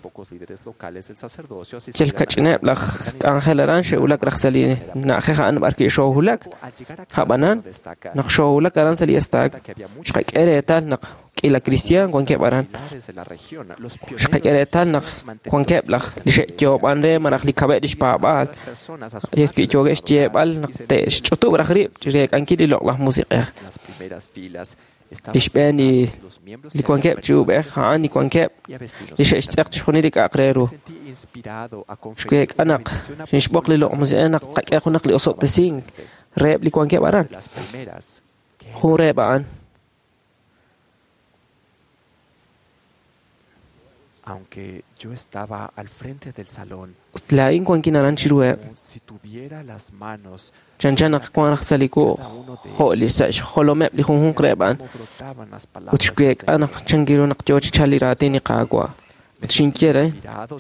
[SPEAKER 13] yal kach'ineb' laj k'anjel aran xe'wulak raj sa' li na'ajej a'an b'ar wi' xoowulak. Ab'anan naq xoowulak aran sa' li estaak, xqak'e reetal naq k'iila kristiaan wankeb' aran. Xqak'e reetal naq wankeb' laj li xe'yoob'an re malaj li kaweb' li xpaab'aal. Yookeb' xyeeb'al naq te'xch'utub' raj rib' chi reek'ankil li loq'laj musiq'ej. Li xb'een li li wankeb' chi ub'ej a'an li wankeb' li xe'xtz'eq chixjunil li k'a'aq re ru. Xweek'a naq xinxb'oq li loq' musiq'ej naq tqak'e junaq li osob'tesink reheb' li wankeb' aran. Jun reheb' a'an.
[SPEAKER 12] Aunque yo estaba al frente del salón,
[SPEAKER 13] Ut laa'in wankin aran chiruheb'.
[SPEAKER 12] como si tuviera las manos
[SPEAKER 13] Chanchan naq wan raj sa' li wuq' jo' li sa' xjolomeb' li junjunq reheb' a'an.
[SPEAKER 12] brotaban las
[SPEAKER 13] Ut
[SPEAKER 12] palabras del
[SPEAKER 13] xweek'a naq chankiru naq yoo chi chalk li raatin li Qaawa'. Ut xinye re,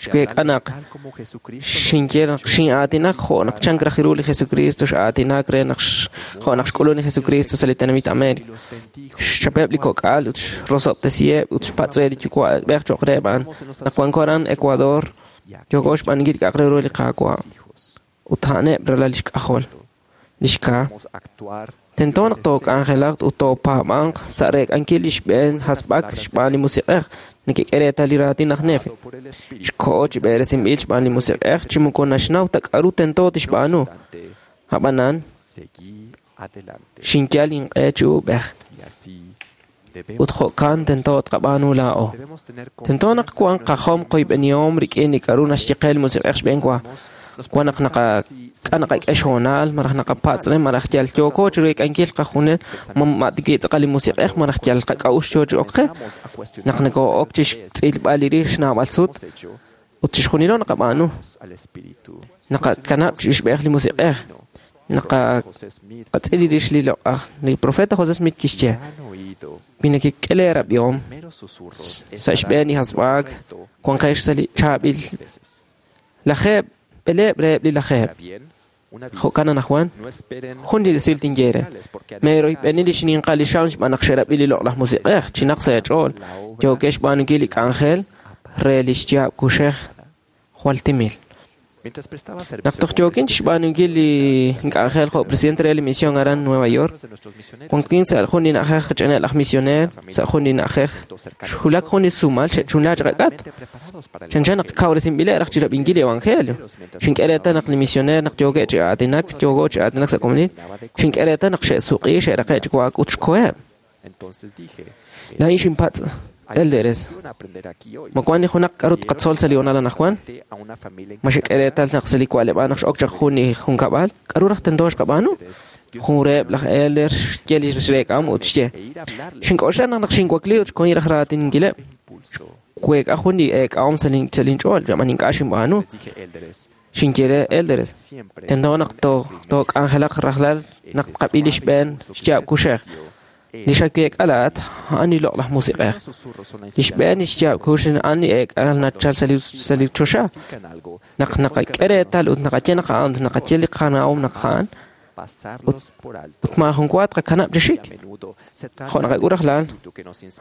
[SPEAKER 13] xweek'a naq
[SPEAKER 12] tal como Jesucristo lo
[SPEAKER 13] xinye naq xin'aatinak jo' naq chank raj ru li Jesucristo x'aatinak re naq jo' naq xk'ulun li Jesucristo sa' li tenamit América. Xchapeb' li kok'al ut xrosob'tesiheb' ut xpatz' re li yuwa'b'ej cho'q reheb' a'an. Naq wanko aran Ecuador, yooko xb'aanunkil k'a'aq re ru li Qaawa' ut a'aneb' ralal li xk'ajol, li xkaa.
[SPEAKER 12] actuar
[SPEAKER 13] Tento naq took'anjelaq ut toopaab'anq sa' reek'ankil li xb'een hasb'ak xb'aan li musiq'ej neke'k'e reetal li raatin laj Nefi. Xko'o chi b'eresinb'il xb'aan li musiq'ej chi moko naxnaw ta k'aru tento tixb'aanu. Ab'anan
[SPEAKER 12] seguí adelante.
[SPEAKER 13] xinyal inq'e chi ub'ej
[SPEAKER 12] Y así
[SPEAKER 13] ut jo'kan tento tqab'aanu laa'o.
[SPEAKER 12] debemos tener
[SPEAKER 13] Tento naq wanq qajom qoyb'enihom rik'in li k'aru naxye qe li musiq'ej xb'een wa. Wan naq naqak'a naqak'e xhoonal malaj naqapatz' re malaj yal yooko chi reek'ankil qajunel ma ma tik'i tz'aqal li musiq'ej malaj yal qak'a'uxl yoo chi ok qe. Naq nokoo'ok chi xtz'ilb'al li rix naab'al sut ut chixjunilo naqab'aanu.
[SPEAKER 12] al Espíritu.
[SPEAKER 13] Naqakanab' chi xb'ej li musiq'ej. Naqatz'il li rix li loq'aj. Li profeta José Smith kixye
[SPEAKER 12] Han oído
[SPEAKER 13] wi nekek'e leerab'ihom
[SPEAKER 12] primeros susurros
[SPEAKER 13] sa' xb'een li hasb'aak wanqex sa' li chaab'il
[SPEAKER 12] veces.
[SPEAKER 13] lajeeb' b'eleeb' reheb' li lajeeb'.
[SPEAKER 12] Bien, un aviso.
[SPEAKER 13] Jo'kan anajwan
[SPEAKER 12] No esperen
[SPEAKER 13] jun li resil tinye re. Meeroyb'eni li xninqal li xam xb'aan naq xerab'i li loq'laj musiq'ej chinaq sa' eech'ool. Yookeb' xb'aanunkil li k'anjel re li xyaab' kuxej jwal timil. Naq toj yookin chixb'aanunkil li k'anjel jo' presidente re li misión aran Nueva York, wankin sa' jun li na'ajej qach'anel aj misioner, sa' jun li na'ajej xwulak jun li sumal xe'chunla chaqak'at. Chanchan naq kawresinb'ileb' raj chirab'inkil li evangelio. Xink'e reetal naq li misioner naq yookeb' chi aatinak, yooko chi aatinak sa' komonil, xink'e reetal naq xe'suq'i, xe'raqe' chi wa'ak ut xkoheb'. Laa'in xinpatz' Elderes, ma wan li junaq k'aru tqatzol sa' li honal anaqwan? Ma xek'e reetal naq sa' li wa'leb'aal naq x'ok chaq jun li junkab'al, k'aru raj tento xqab'aanu? Jun reheb' laj elder xye li xreek'am ut xye. Xink'oxla naq naq xinwakli ut xkohin raj raatininkileb'. Xweek'a jun li eek'ahom sa' linch'ool, ab'an ink'a' xinb'aanu. Xinye re elderes, tento naq took'anjelaq rajlal naq tqab'i li xb'een xyaab' kuxej. Li xaweek'a laa'at a'an li loq'laj musiq'ej. Li xb'een li xyaab' kux a'an li eek'al nachal sa' li choxa. Naq naqak'e reetal ut naqaye naq a'an ut naqaye li qana'om naq a'an, ut maajun wa tqakanab' chi xik. Jo' naqak'ul rajlal,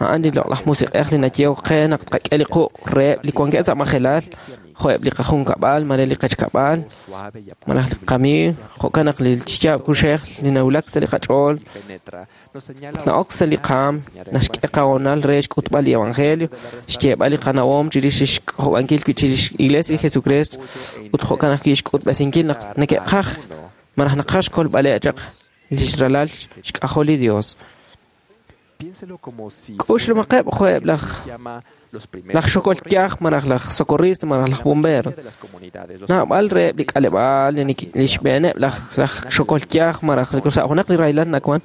[SPEAKER 13] a'an li loq'laj musiq'ej li nayehok qe naq tqak'e li quq' reheb' li wankeb' sa' majelal, jo'eb' li qajunkab'al malaj li qechkab'al, malaj li qamiiw, jo'kan naq li xyaab' kuxej li nawulak sa' li qach'ool ut na'ok sa' li qaam, naxk'e qahonal re xk'utb'al li evangelio, xyeeb'al li qanawom chirix xk'ojob'ankil wi' chirix Iglesia li Jesucristo, ut jo'kan ajwi' xk'utb'esinkil naq neke'qaj malaj naqaj xkolb'aleb' chaq li ralal xk'ajol li Dios. K'uxlumaqeb' jo'eb' laj laj xokol yaj malaj laj socorrista malaj laj bombero. Naab'al reheb' li k'aleb'aal li xb'eeneb' laj laj xokol yaj malaj sa' junaq li rahilal nawan,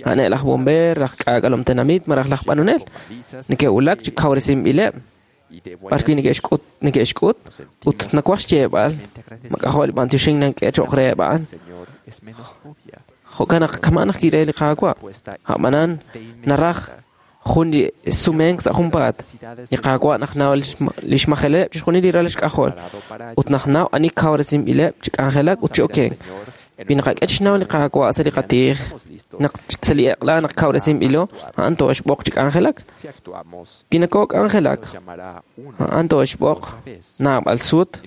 [SPEAKER 13] a'aneb' laj bomber, laj k'aak'alom tenamit malaj laj b'anonel. Neke'wulak chi kawresinb'ileb' b'arwi' neke'xk'ut neke'xk'ut ut nawaj xyeeb'al mak'ajo' li b'antioxink nank'e cho'q reheb' a'an. Jo'kan naq kama' naq kiree li Qaawa', a'b'anan naraj jun li sumenk sa' junpaat. Li Qaawa' naq naw li xmajeleb' chixjunil li ralal xk'ajol ut naq naw ani kawresinb'ileb' chi k'anjelak ut chi okenk. Wi naqak'e chixnaw li Qaawa' sa' li qatiij, naq sa' li eq'la naq kawresinb'ilo, a'an tooxb'oq chi k'anjelak. Wi nakok'anjelak, a'an tooxb'oq naab'al sut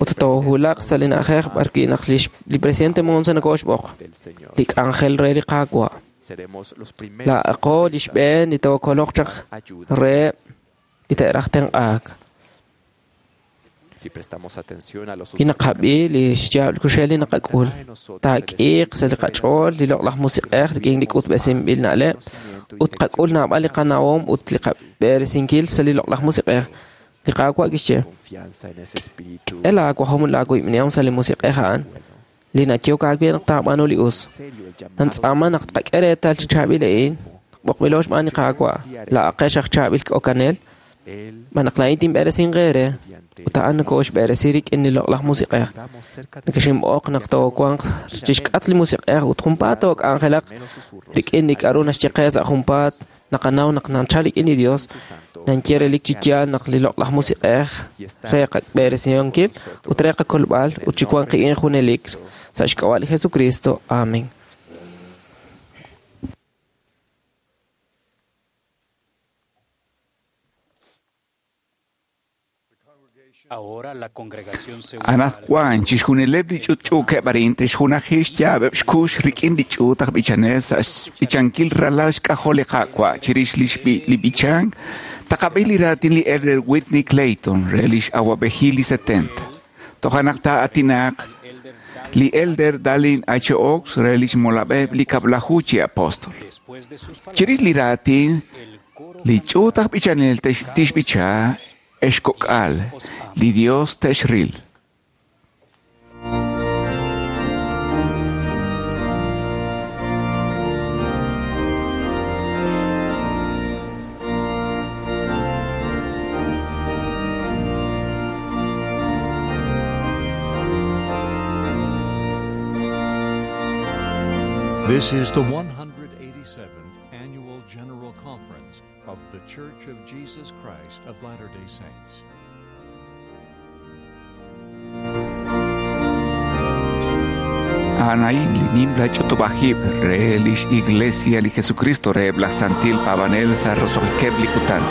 [SPEAKER 13] ut toowulaq sa' li na'ajej b'arwi' naq li presidente Monson nakooxb'oq, li k'anjel re li Qaawa'. Laa'aqo li xb'een li tookoloq chaq reheb' li te'raj tenq'aak. Wi naqab'i li xyaab' kuxej li naqak'ul, taak'iiq sa' li qach'ool li loq'laj musiq'ej rik'in li k'utb'esinb'il na'leb' ut tqak'ul naab'al li qanawom ut li qab'eresinkil sa' li loq'laj musiq'ej. Li Qaawa' kixye, k'e laawajom ut laawiib'nihom sa' li musiq'ej a'an, li nayehok aawe naq taab'aanu li us. Nantz'aama naq tqak'e reetal chi chaab'il a'in, b'oqb'ilo xb'aan li Qaawa', laa'aqex aj chaab'il k'okanel, xb'aan naq laa'in tinb'eresinq eere ut a'an nakooxb'eresi rik'in li loq'laj musiq'ej. Nekexinb'oq naq toowanq chixk'atq li musiq'ej ut junpaat took'anjelaq rik'in li k'aru naxye qe sa' junpaat naqanaw naq nachal rik'in li Dios, nanye relik chi yaal naq li loq'laj musiq'ej re qab'eresinkil ut re qakolb'al ut chi wanq qik'in junelik sa' xk'ab'a' li Jesucristo. Amén.
[SPEAKER 5] Anaqwan chixjunileb' li ch'utch'uukeb' arin te'xjunaji xyaab'eb' xkux rik'in li ch'uut aj b'ichanel sa' xb'ichankil ralal xk'ajol li Qaawa' chirix li b'ichank, taqab'i li raatin li Elder Whitney Clayton re lix awab'ejil li setenta. Toja' naq taa'atinaq li Elder Dallin H. Oaks re lix molab'eb' li kab'laju chi apóstol. Chirix li raatin, li ch'uut aj b'ichanel tixb'icha exk'ok'al, li Dios texril.
[SPEAKER 14] This is the one hundred eighty-seventh Annual General Conference of The Church of Jesus Christ of Latter-day Saints.
[SPEAKER 5] Anaí linimla chotobajib re lix iglesia li Jesucristo re bla santil pavanel sa rosohikeb likutan.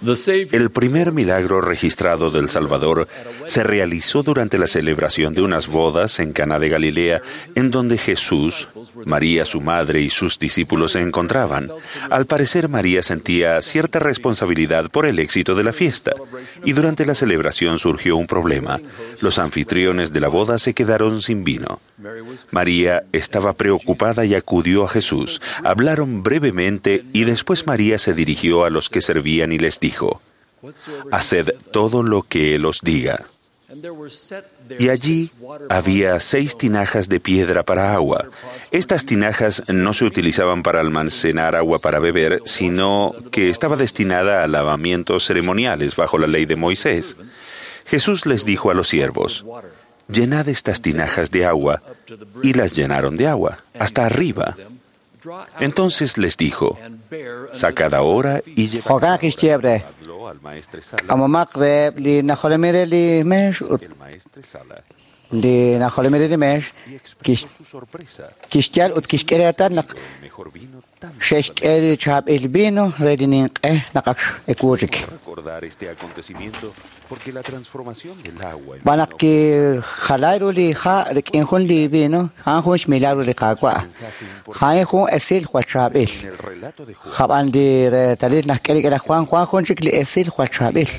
[SPEAKER 2] El primer milagro registrado del Salvador se realizó durante la celebración de unas bodas en Caná de Galilea, en donde Jesús, María su madre y sus discípulos se encontraban. Al parecer, María sentía cierta responsabilidad por el éxito de la fiesta, y durante la celebración surgió un problema. Los anfitriones de la boda se quedaron sin vino. María estaba preocupada y acudió a Jesús. Hablaron brevemente y después María se dirigió a los que servían y les dijo: Haced todo lo que él os diga. Y allí había seis tinajas de piedra para agua. Estas tinajas no se utilizaban para almacenar agua para beber, sino que estaba destinada a lavamientos ceremoniales bajo la ley de Moisés. Jesús les dijo a los siervos: Llenad estas tinajas de agua, y las llenaron de agua, hasta arriba. Entonces les dijo: Sacad ahora y
[SPEAKER 3] Jo'kan kixye
[SPEAKER 2] llevadlo al maestresala.
[SPEAKER 3] K'amomaq reheb li najolomil li meex ut
[SPEAKER 2] El maestresala
[SPEAKER 3] li najolomil li meex kix
[SPEAKER 2] su sorpresa
[SPEAKER 3] kixyal ut kixk'e reetal naq
[SPEAKER 2] mejor vino tanto
[SPEAKER 3] xe'xk'e li chaab'il vino re li ninq'e naq ak x'ekuuchik.
[SPEAKER 2] recordar este acontecimiento porque la transformación del agua en
[SPEAKER 3] B'an naq kijalay ru li ha' rik'in jun li vino, a'an jun xmilagro li Qaawa'. A'in jun esil jwal chaab'il.
[SPEAKER 2] el relato de Juan
[SPEAKER 3] Jab'an li reetalil naq k'e rik'in laj Juan, Juan jun chik li esil jwal chaab'il.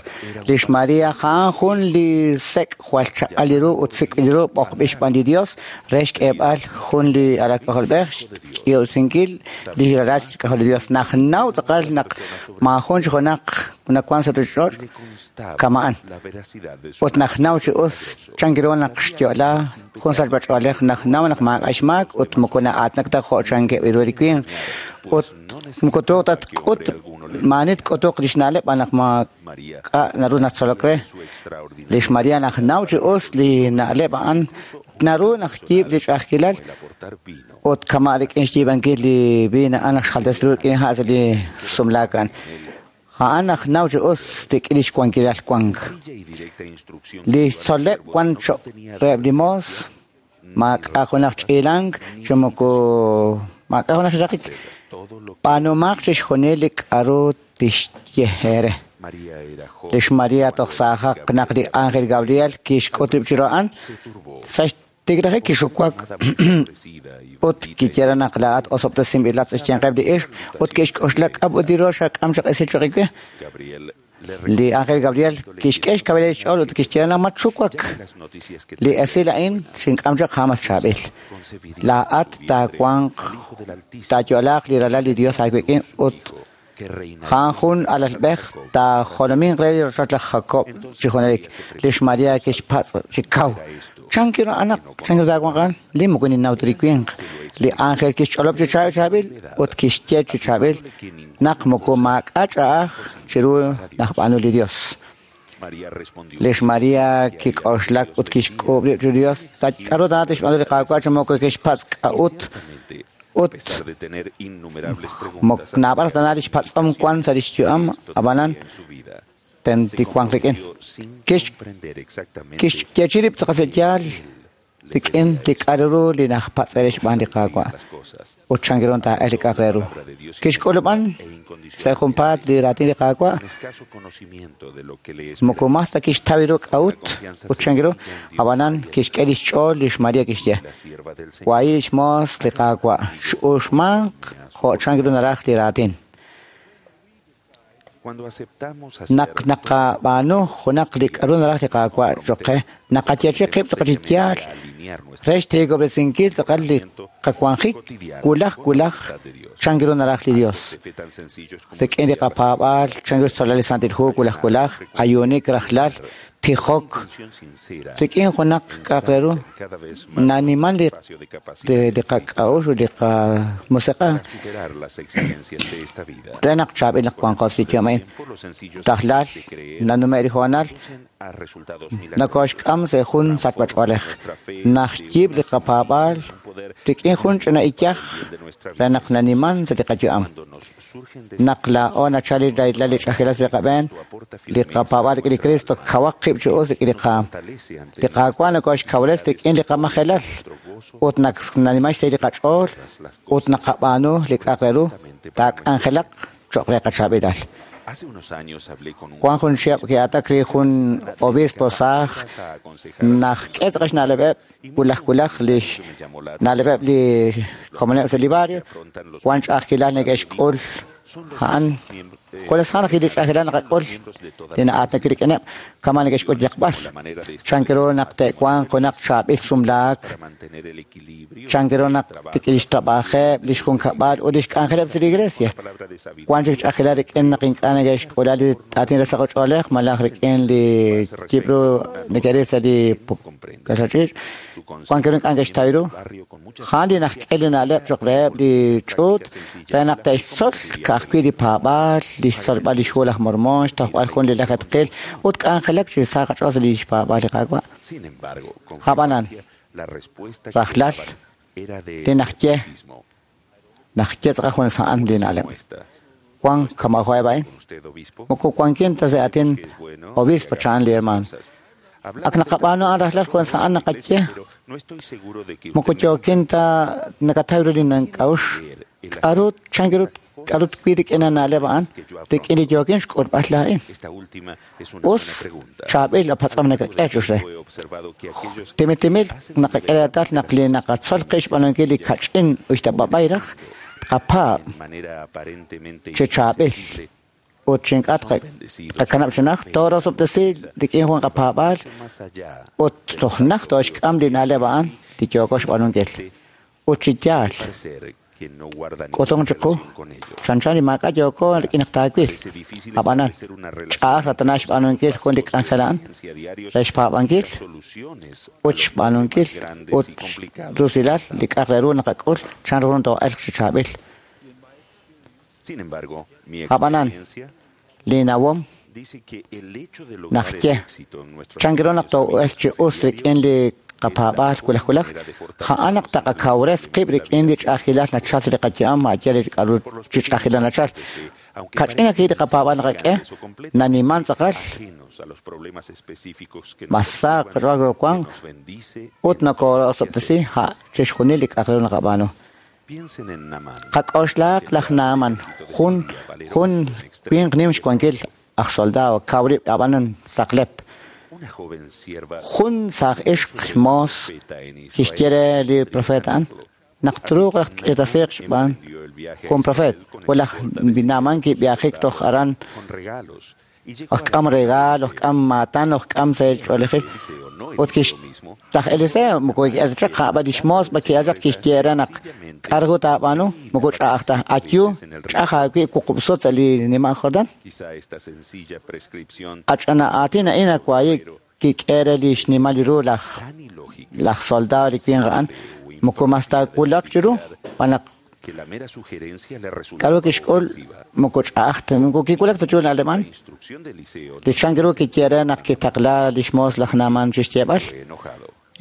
[SPEAKER 3] Lix María a'an jun li sek' jwal chaq'al li ru ut sik'b'il ru b'oqb'il xb'aan li Dios re xk'eeb'al jun li alal k'ajolb'ej xk'iyo'sinkil li ralal xk'ajol li Dios. Naj naw tz'aqal naq maajun chi junaq nawan sa' ruchich'och' kama'an.
[SPEAKER 2] la veracidad de su
[SPEAKER 3] Ut naj naw chi us chan ru naq xyo'la jun sachb'ach'oolej naj naw naq maak'a' xmaak ut moko na'aatnak ta jo' chan keb'il ru li winq. Ut moko tuuq ta tk'ut maani tk'utuq lix na'leb' b'an naq maak'a' naru natzolok re.
[SPEAKER 2] su extraordinario
[SPEAKER 3] Lix María naj naw chi us li na'leb' a'an naru naq yiib' li ch'a'ajkilal
[SPEAKER 2] el aportar vino
[SPEAKER 3] ut kama' rik'in xyiib'ankil li vino a'an naq xjaltas ru rik'in ha' sa' li sumlaak a'an. A'an naj naw chi us rik'in lix wankilal wank.
[SPEAKER 2] sencilla y directa instrucción
[SPEAKER 3] Li tzol'leb' wan choq' reheb' li moos maak'a' junaq ch'iilank chi moko maak'a' junaq xraqik.
[SPEAKER 2] todo lo
[SPEAKER 3] B'aanumaq chixjunil li k'aru tixye eere.
[SPEAKER 2] María era joven
[SPEAKER 3] Lix María toj saajaq naq li ángel Gabriel kixk'ut rib' chiru a'an
[SPEAKER 2] se turbó
[SPEAKER 3] sa' xtiklajik kixuwak
[SPEAKER 2] ofrecida y
[SPEAKER 3] ut kiyera naq laa'at osob'tesinb'ilat sa' xyanqeb' li ixq ut kixk'oxla k'ab' ut li ru xak'am chaq esil choq iwe.
[SPEAKER 2] Gabriel le
[SPEAKER 3] Li ángel Gabriel kixk'e xkab'il xch'ool ut kixye naq matxuwak.
[SPEAKER 2] las noticias que
[SPEAKER 3] Li esil a'in xink'am chaq jamas chaab'il.
[SPEAKER 2] concebiría
[SPEAKER 3] Laa'at taawanq
[SPEAKER 2] hijo del Altísimo
[SPEAKER 3] taayo'laaq li ralal li Dios aawik'in ut
[SPEAKER 2] que reina
[SPEAKER 3] a'an jun alalb'ej taajolominq re li rochoch laj Jacob chi junelik. Lix María kixpatz' chi kaw. Chan quiero anaq, chan quiero taawanq a'an? Li moko ninnaw ta li winq. Li ángel kixch'olob' chi chaab'il chaab'il ut kixye chi chaab'il naq moko maak'a' ch'a'aj chiru naj b'aanu li Dios.
[SPEAKER 2] María respondió
[SPEAKER 3] Lix María kik'oxlak ut kixk'uub' rib' chiru Dios. K'aru tana tixb'aanu li Qaawa' chi moko kixpatz' k'a'ut
[SPEAKER 2] Ciertamente,
[SPEAKER 3] ut
[SPEAKER 2] a pesar de tener innumerables
[SPEAKER 3] mok
[SPEAKER 2] preguntas
[SPEAKER 3] naab'al tana lix patz'om wan sa' lix yu'am ab'anan
[SPEAKER 2] en su vida,
[SPEAKER 3] tenti wanq rik'in.
[SPEAKER 2] comprometió sin
[SPEAKER 3] Kix
[SPEAKER 2] comprender exactamente
[SPEAKER 3] kixyechi rib' tz'aqal sa' yaal rik'in li k'aru ru li najpatz'e re xb'aan li Qaawa'
[SPEAKER 2] las cosas
[SPEAKER 3] ut chan ru taa'el li k'a'aq re ru. Kixk'ulub'an sa' junpaat li raatin li Qaawa'
[SPEAKER 2] un escaso conocimiento de lo que le
[SPEAKER 3] moko mas ta kixtaw ru k'a'ut ut chan ru ab'anan kixk'e lix ch'ool lix María kixye
[SPEAKER 2] la sierva del Señor
[SPEAKER 3] wahi lix moos li Qaawa' x'uxmanq jo' chan ru naraj li raatin.
[SPEAKER 2] Cuando aceptamos hacer
[SPEAKER 3] Naq naqab'aanu junaq li k'aru naraj li Qaawa' choq qe naqayechi qib' tz'aqal chi yaal
[SPEAKER 2] alinear nuestro
[SPEAKER 3] re xtiikob'resinkil tz'aqal li qawanjik wulaj wulaj chan ru naraj li Dios.
[SPEAKER 2] de fe tan sencillos como
[SPEAKER 3] Rik'in li qapaab'aal chan ru xtzolal li Santil Hu wulaj wulaj ayuunik rajlal tijok
[SPEAKER 2] intención sincera
[SPEAKER 3] rik'in junaq k'a'aq re ru
[SPEAKER 2] cada vez más
[SPEAKER 3] naniman li
[SPEAKER 2] espacio de capacidad
[SPEAKER 3] li li qak'a'uxl ut li qamusiq'a
[SPEAKER 2] para superar las exigencias de esta vida.
[SPEAKER 3] re naq chaab'il naq wanqo sa' li yu'am a'in.
[SPEAKER 2] Tiempo, los sencillos
[SPEAKER 3] Rajlal
[SPEAKER 2] de creer
[SPEAKER 3] nanume' li hoonal
[SPEAKER 2] conducen a resultados milagrosos.
[SPEAKER 3] nakoxk'am sa' jun sachb'ach'oolej naj yiib' li qapaab'aal rik'in jun ch'ina iyaj
[SPEAKER 2] de nuestra
[SPEAKER 3] re naq naniman sa' li qayu'am.
[SPEAKER 2] Cuando nos surgen
[SPEAKER 3] Naq laa'o nachal li rahilal li ch'a'ajkilal sa' li qab'een li qapaab'aal rik'in li Cristo kawaq qib' chi us rik'in li qaam.
[SPEAKER 2] fortalece ante
[SPEAKER 3] Li Qaawa' nakoxkawres rik'in li qamajelal ut naq naniman xsahil li qach'ool ut naqab'aanu li k'a'aq re ru taak'anjelaq choq' re qachaab'ilal. Wan jun chihab' ki'atak ri jun obispo saaj naj k'e tz'aqal xna'leb'eb' wulaj wulaj lix na'leb'eb' li komoneb' sa' li barrio wan ch'a'ajkilal neke'xk'ul a'an junes a'an li ch'a'ajkilal naqak'ul li na'aatinak rik'ineb' kama' neke'xk'ul yaqb'al chan ru naq te'wanq junaq chaab'il sumlaak chan ru naq rik'in lix trab'ajeb' lix junkab'al ut lix k'anjeleb' sa' li iglesia wan chik ch'a'ajkilal rik'in naq ink'a' neke'xk'ula li aatin re saqoch'oolej malaj rik'in li yib'ru neke'ril sa' li kaxal ch'iich' wan ru ink'a' neke'xtaw ru a'an li najk'e li na'leb' cho'q reheb' li ch'uut re naq te'xtzol ka'ajwi' li paab'aal li xtzolb'al li xhu laj Mormón xtojb'al jun li lajetqil ut k'anjelak chi sa qach'ool sa' li xpaab'aal li Qaawa'. Ab'anan rajlal li najye najye tz'aqal junes a'an li na'leb' wan kama' jo'eb' a'in moko wankin ta sa' aatin obispo chan li hermano ak naqab'aanu a'an rajlal junes a'an naqaye moko yookin ta nakataw ru li nank'a'uxl k'a'ru chan ru k'a'ru twi' rik'in na'leb' a'an rik'in li yookin xk'ulb'al laa'in us chaab'il apatz'am nakak'e chux re timitimil naqak'e reetal naq li naqatzol qi xb'aanunkil li kach'in uxtab'ab'ay raj tqapaab' chi chaab'il ut chi ink'a' tqakanab' chi naj toorosob'tesi rik'in jun qapaab'aal ut toj naj tooxk'am li na'leb' a'an li yooko xb'aanunkil ut chi yaal k'utung chiqu chanchan li maak'a' yooko rik'in naq taawil ab'anan ch'a'aj ratana xb'aanunkil jun li k'anjel a'an re xpaab'ankil ut xb'aanunkil ut rusilal li k'a'aq re ru naqak'ul chan ru too'elq chi chaab'il ab'anan li nawom najye chan ru naq too'elq chi us rik'in li qapaab'aal wulaj wulaj a'an naq taqakawres qib' rik'in li ch'a'ajkilal nachal sa' li qayu'am ma'yal li k'a'ru chi ch'a'ajkilal nachal kach'in ajwi' li qapaab'aal naqak'e naniman tz'aqal mas sa qach'ool wan ut nokorosob'tesi a' chixjunil li k'a'aq re ru naqab'aanu qak'oxlaaq laj Naaman jun jun winq nim xwankil aj soldado kaw rib' ab'anan saqlep jun saaj ixq moos kixye re li profeta a'an naq truuq raj tk'irtasiiq xb'aan jun profet ut laj Naaman kib'ihajik toj aran ojk'am regaal ojk'am maatan ojk'am sa' ch'oolejil ut kix laj Eliseo moko ki'elchaq a'b'an lix moos ma ki'elchaq kixye re naq k'a'ru taab'aanu moko ch'a'aj ta ayu ch'aj aawib' wuqub' sut sa' li nima' Jordán ach'ana aatin a'in awayi kik'e re li xnimal ru laj laj soldado li winq a'an moko mas taawulaq chiru xb'aan naq k'a'ru kixk'ul moko ch'a'aj ta moko kiwulak ta chiru na'leb' a'an li chan ru kiye re naq kitaqla lix moos laj Naaman chixyeeb'al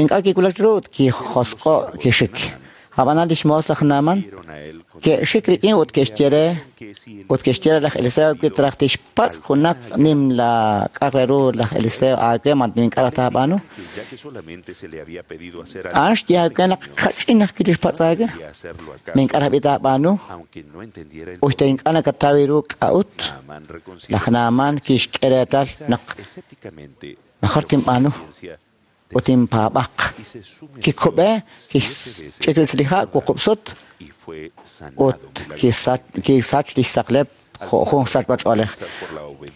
[SPEAKER 3] ink'a' kiwulak chiru ut kijosq'o' kixik ab'anan lix moos laj Naaman ke'xik rik'in ut ke'xye re ut ke'xye re laj Eliseo wi traj tixpatz' junaq nim la k'a'aq re ru laj Eliseo aawe ma ink'a' raj taab'aanu a'an xye aawe naq kach'in ajwi' tixpatz' aawe ma ink'a' raj b'i taab'aanu uxta ink'a' nakataw ru k'a'ut laj Naaman kixk'e reetal naq mejor tinb'aanu ut inpaab'aq kikub'e kixch'ik li ha' wuqub' sut ut kisach lix saqlep jo' jun sachb'ach'oolej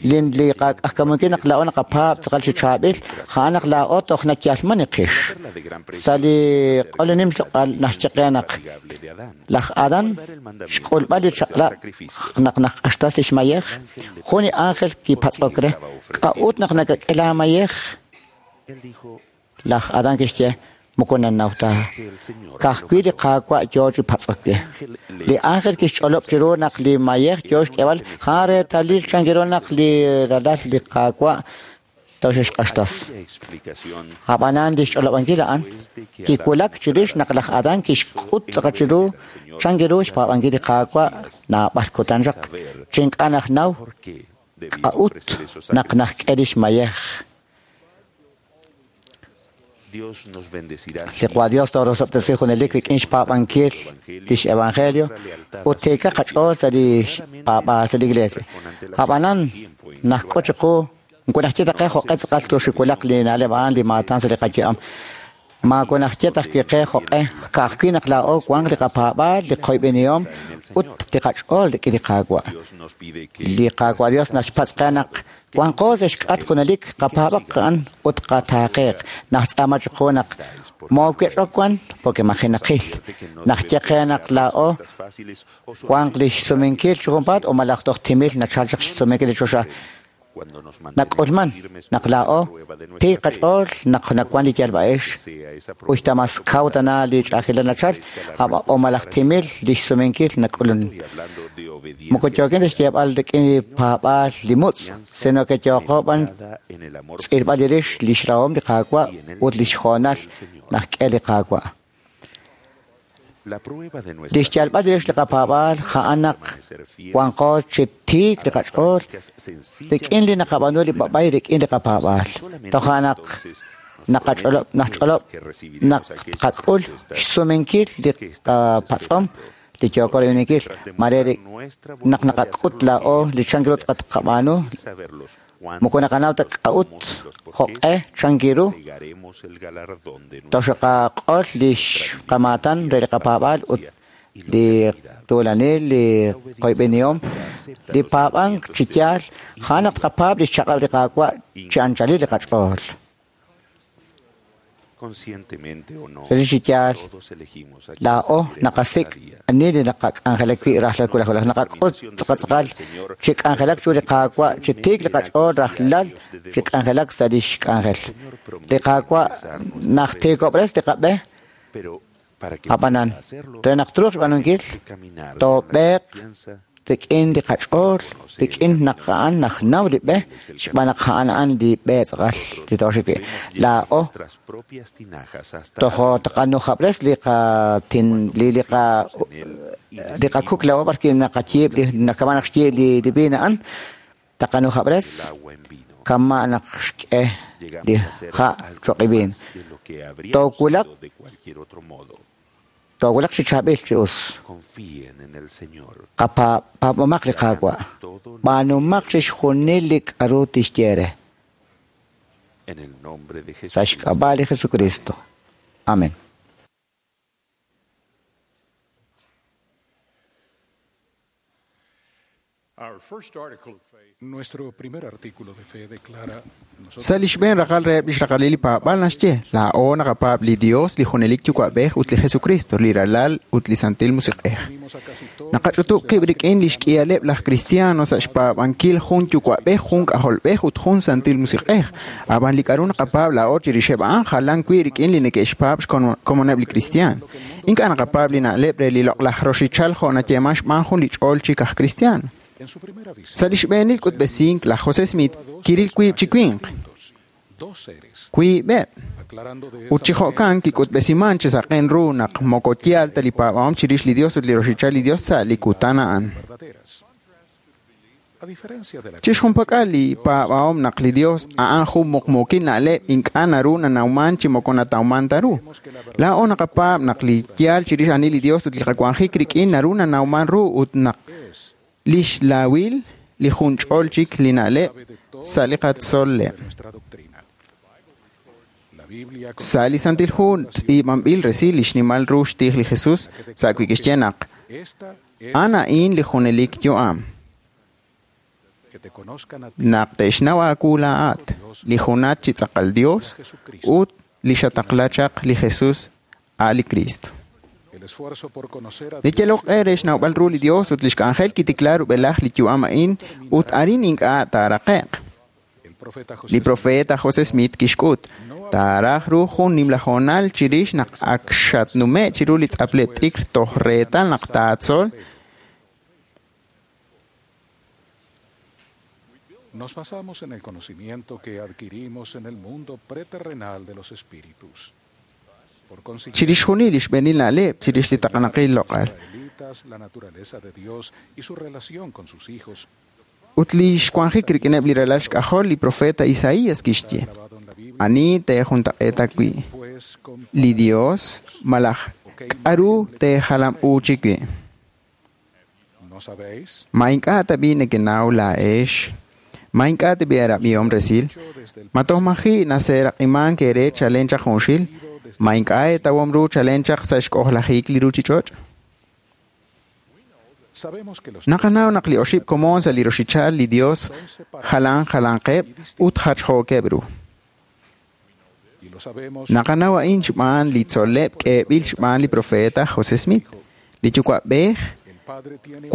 [SPEAKER 3] li li qak'ajkamunkil naq laa'o naqapaab' tz'aqal chi chaab'il a'an naq laa'o toj nayalman iqix sa' li q'ol nim xloq'al naxye qe naq laj Adán xk'ulb'al li chaq'rab' naq naq'axtas lix mayej jun li ángel kipatz'ok re k'a'ut naq nakak'e laamayej laj Adán kixye moko nanaw ta ka'ajwi' li Qaawa' yoo chi patz'ok we li ángel kixch'olob' chiru naq li mayej yoo xk'eb'al a'an reetalil chan ru naq li ralal li Qaawa' toxexq'axtas ab'anan li xch'olob'ankil a'an kiwulak chirix naq laj Adán kixk'ut tz'aqal chiru chan ru xpaab'ankil li Qaawa' naab'al kutan chaq chi ink'a' najnaw k'a'ut naq najk'e lix mayej Li Qwa Dios toorosob'tesi junelik rik'in xpaab'ankil lix evangelio ut tiika qach'ool sa' li xpaab'aal sa' li iglesia. Ab'anan najk'o chiqu nkunajye taqe jo'q'e tz'aqal tuxiwulaq li na'leb' a'an li maatan sa' li qayu'am. Maakunajye tajwi' qe jo'q'e ka'ajwi' naq laa'o wanq li qapaab'aal, li qoyb'enihom ut li qach'ool rik'in li Qaawa'. Li Qaawa' Dios naxpatz' qe naq wanqo sa' xk'at junelik qapaab'aq a'an ut qataaqeeq. Najtz'aama chiqu naq moowech'ok wan porque majinaqil. Najye qe naq laa'o wanq li xsumenkil chi junpaat o malaj toj timil nachal chaq xsumenkil li choxa. Nak'ulman naq laa'o tiik qach'ool naq nawan li yalb'a'ex uxta mas kaw tana li ch'ajilal nachal o malaj timil li xsumenkil nak'ulun. Moko yookin ta xyeeb'al rik'in li paab'aal li mutz', sino que yooqo b'an tz'ilb'al li rix li xrahom li Qaawa' ut li xjoonal najk'e li Qaawa'. Li xyalb'al li rix li qapaab'aal ja'an naq wanqo chi tiik li qach'ool rik'in li naqab'aanu li b'ab'ay rik'in li qapaab'aal. Toja' naq naqach'olob' najch'olob' naq tqak'ul xsumenkil li qapatz'om li yooko rib'inkil mare naq naqak'ut laa'o li chankiru tz'aqat qab'aanu moko naqanaw ta k'a'ut jo'q'e chankiru toxaqaq'ol li xqamaatan re li qapaab'aal ut li tuulanil li qoyb'enihom li paab'ank chi yaal ja'an naq tqapaab' li xchaq'rab' li Qaawa' chi anchalil li qach'ool. Rik'in chi yaal laa'o naqasik' ani li naqak'anjelak wi' rajlal wulaj wulaj. Naqak'ut tz'aqal chi k'anjelak chiru li Qaawa' chi tiik li qach'ool rajlal chi k'anjelak sa' lix k'anjel. Li Qaawa' najtiikob'res li qab'e ab'anan re naq truuq xb'aanunkil toob'eeq rik'in li qach'ool rik'in naq a'an najnaw li b'e xb'aan naq a'an a'an li b'e tz'aqal li tooxik wi'. Laa'o tojo taqanujab'res li qatin li li qa li qakuk laa'o b'arki naqayiib' li nakama naq xyiib' li li viin a'an taqanujab'res kama' naq xk'e li ha' choq' li viin. Toowulaq toowulaq chi chaab'il chi us. Qapaab'omaq li Qaawa'. B'aanumaq chixjunil li k'aru tixye re. Sa' xk'ab'a' li Jesucristo. Amén.
[SPEAKER 5] Sa' li xb'een raqal reheb' li xraqalil li paab'aal naxye, laa'o naqapaab' li Dios, li junelik Yuwa'b'ej ut li Jesucristo, li Ralal ut li Santil Musiq'ej. Naqach'utub' qib' rik'in li xk'ihaleb' laj Cristiano sa' xpaab'ankil jun Yuwa'b'ej, jun K'ajolb'ej ut jun Santil Musiq'ej. Ab'an li k'aru naqapaab' laa'o chirixeb' a'an jalan wi' rik'in li neke'xpaab' xkomoneb' li cristian. Ink'a' naqapaab' li na'leb' re li loq'laj roxichal jo' nayeeman xb'aan jun li ch'ool chik aj cristiano. Sa' li xb'eenil k'utb'esink laj José Smith kiril wiib' chi winq, wiib'eb', ut chi jo'kan kik'utb'esiman chi saqen ru naq moko yaal ta li paab'ahom chirix li Dios ut li roxichal li Dios sa' li kutan a'an. Chixjunpak'al li paab'ahom naq li Dios a'an jun muqmuukil na'leb' ink'a' naru nanawman chi moko natawman ta ru. Laa'o naqapaab' naq li yaal chirix ani li Dios ut li qawanjik rik'in naru nanawman ru ut naq lix laawil li jun ch'ol chik li na'leb' sa' li qatzol'leb'. Sa' li Santil Hu tz'iib'anb'il resil li xnimal ru xtij li Jesus sa' wi' kixye naq a'an a'in li junelik yu'am. Naq te'xnaw aawu laa'at, li junat chi tz'aqal Dios ut li xataqla chaq li Jesus a' li Cristo. Li yalok q'e re xnawb'al ru li Dios ut lix k'anjel kitikla rub'elaj li yu'am a'in ut arin ink'a' taaraqe'q. Li profeta José Smith kixk'ut, taaraj ru jun nimla hoonal chirix naq ak xatnume' chiru li tz'apleb' t'ikr toj reetal naq taatzol.
[SPEAKER 14] Nos basamos en el conocimiento que adquirimos en el mundo preterrenal de los espíritus.
[SPEAKER 5] Chirix junil li xb'eenil na'leb' chirix li taqanaqil loq'al.
[SPEAKER 14] La naturaleza de Dios y su relación con sus hijos.
[SPEAKER 5] Ut li xwanjik rik'ineb' li ralal xk'ajol li profeta Isaías kixye, ani teejuntaq'eeta wi'. li Dios malaj k'aru teejalam'uuchi wi'. Ma ink'a' tab'i' nekenaw laa'ex, ma ink'a' tab'i' eerab'ihom resil, ma toj maji' naseeraq'imank eere chalen chaq junxil, ma ink'a' eetawom ru chalen chaq sa' xk'ojlajik li ruuchich'och'. Naqanaw naq li oxib' komon sa' li roxichal li Dios jalan jalanqeb' ut jachjookeb' ru. Naqanaw a'in xb'aan li tzol'leb' k'eeb'il xb'aan li profeta José Smith, li yuwa'b'ej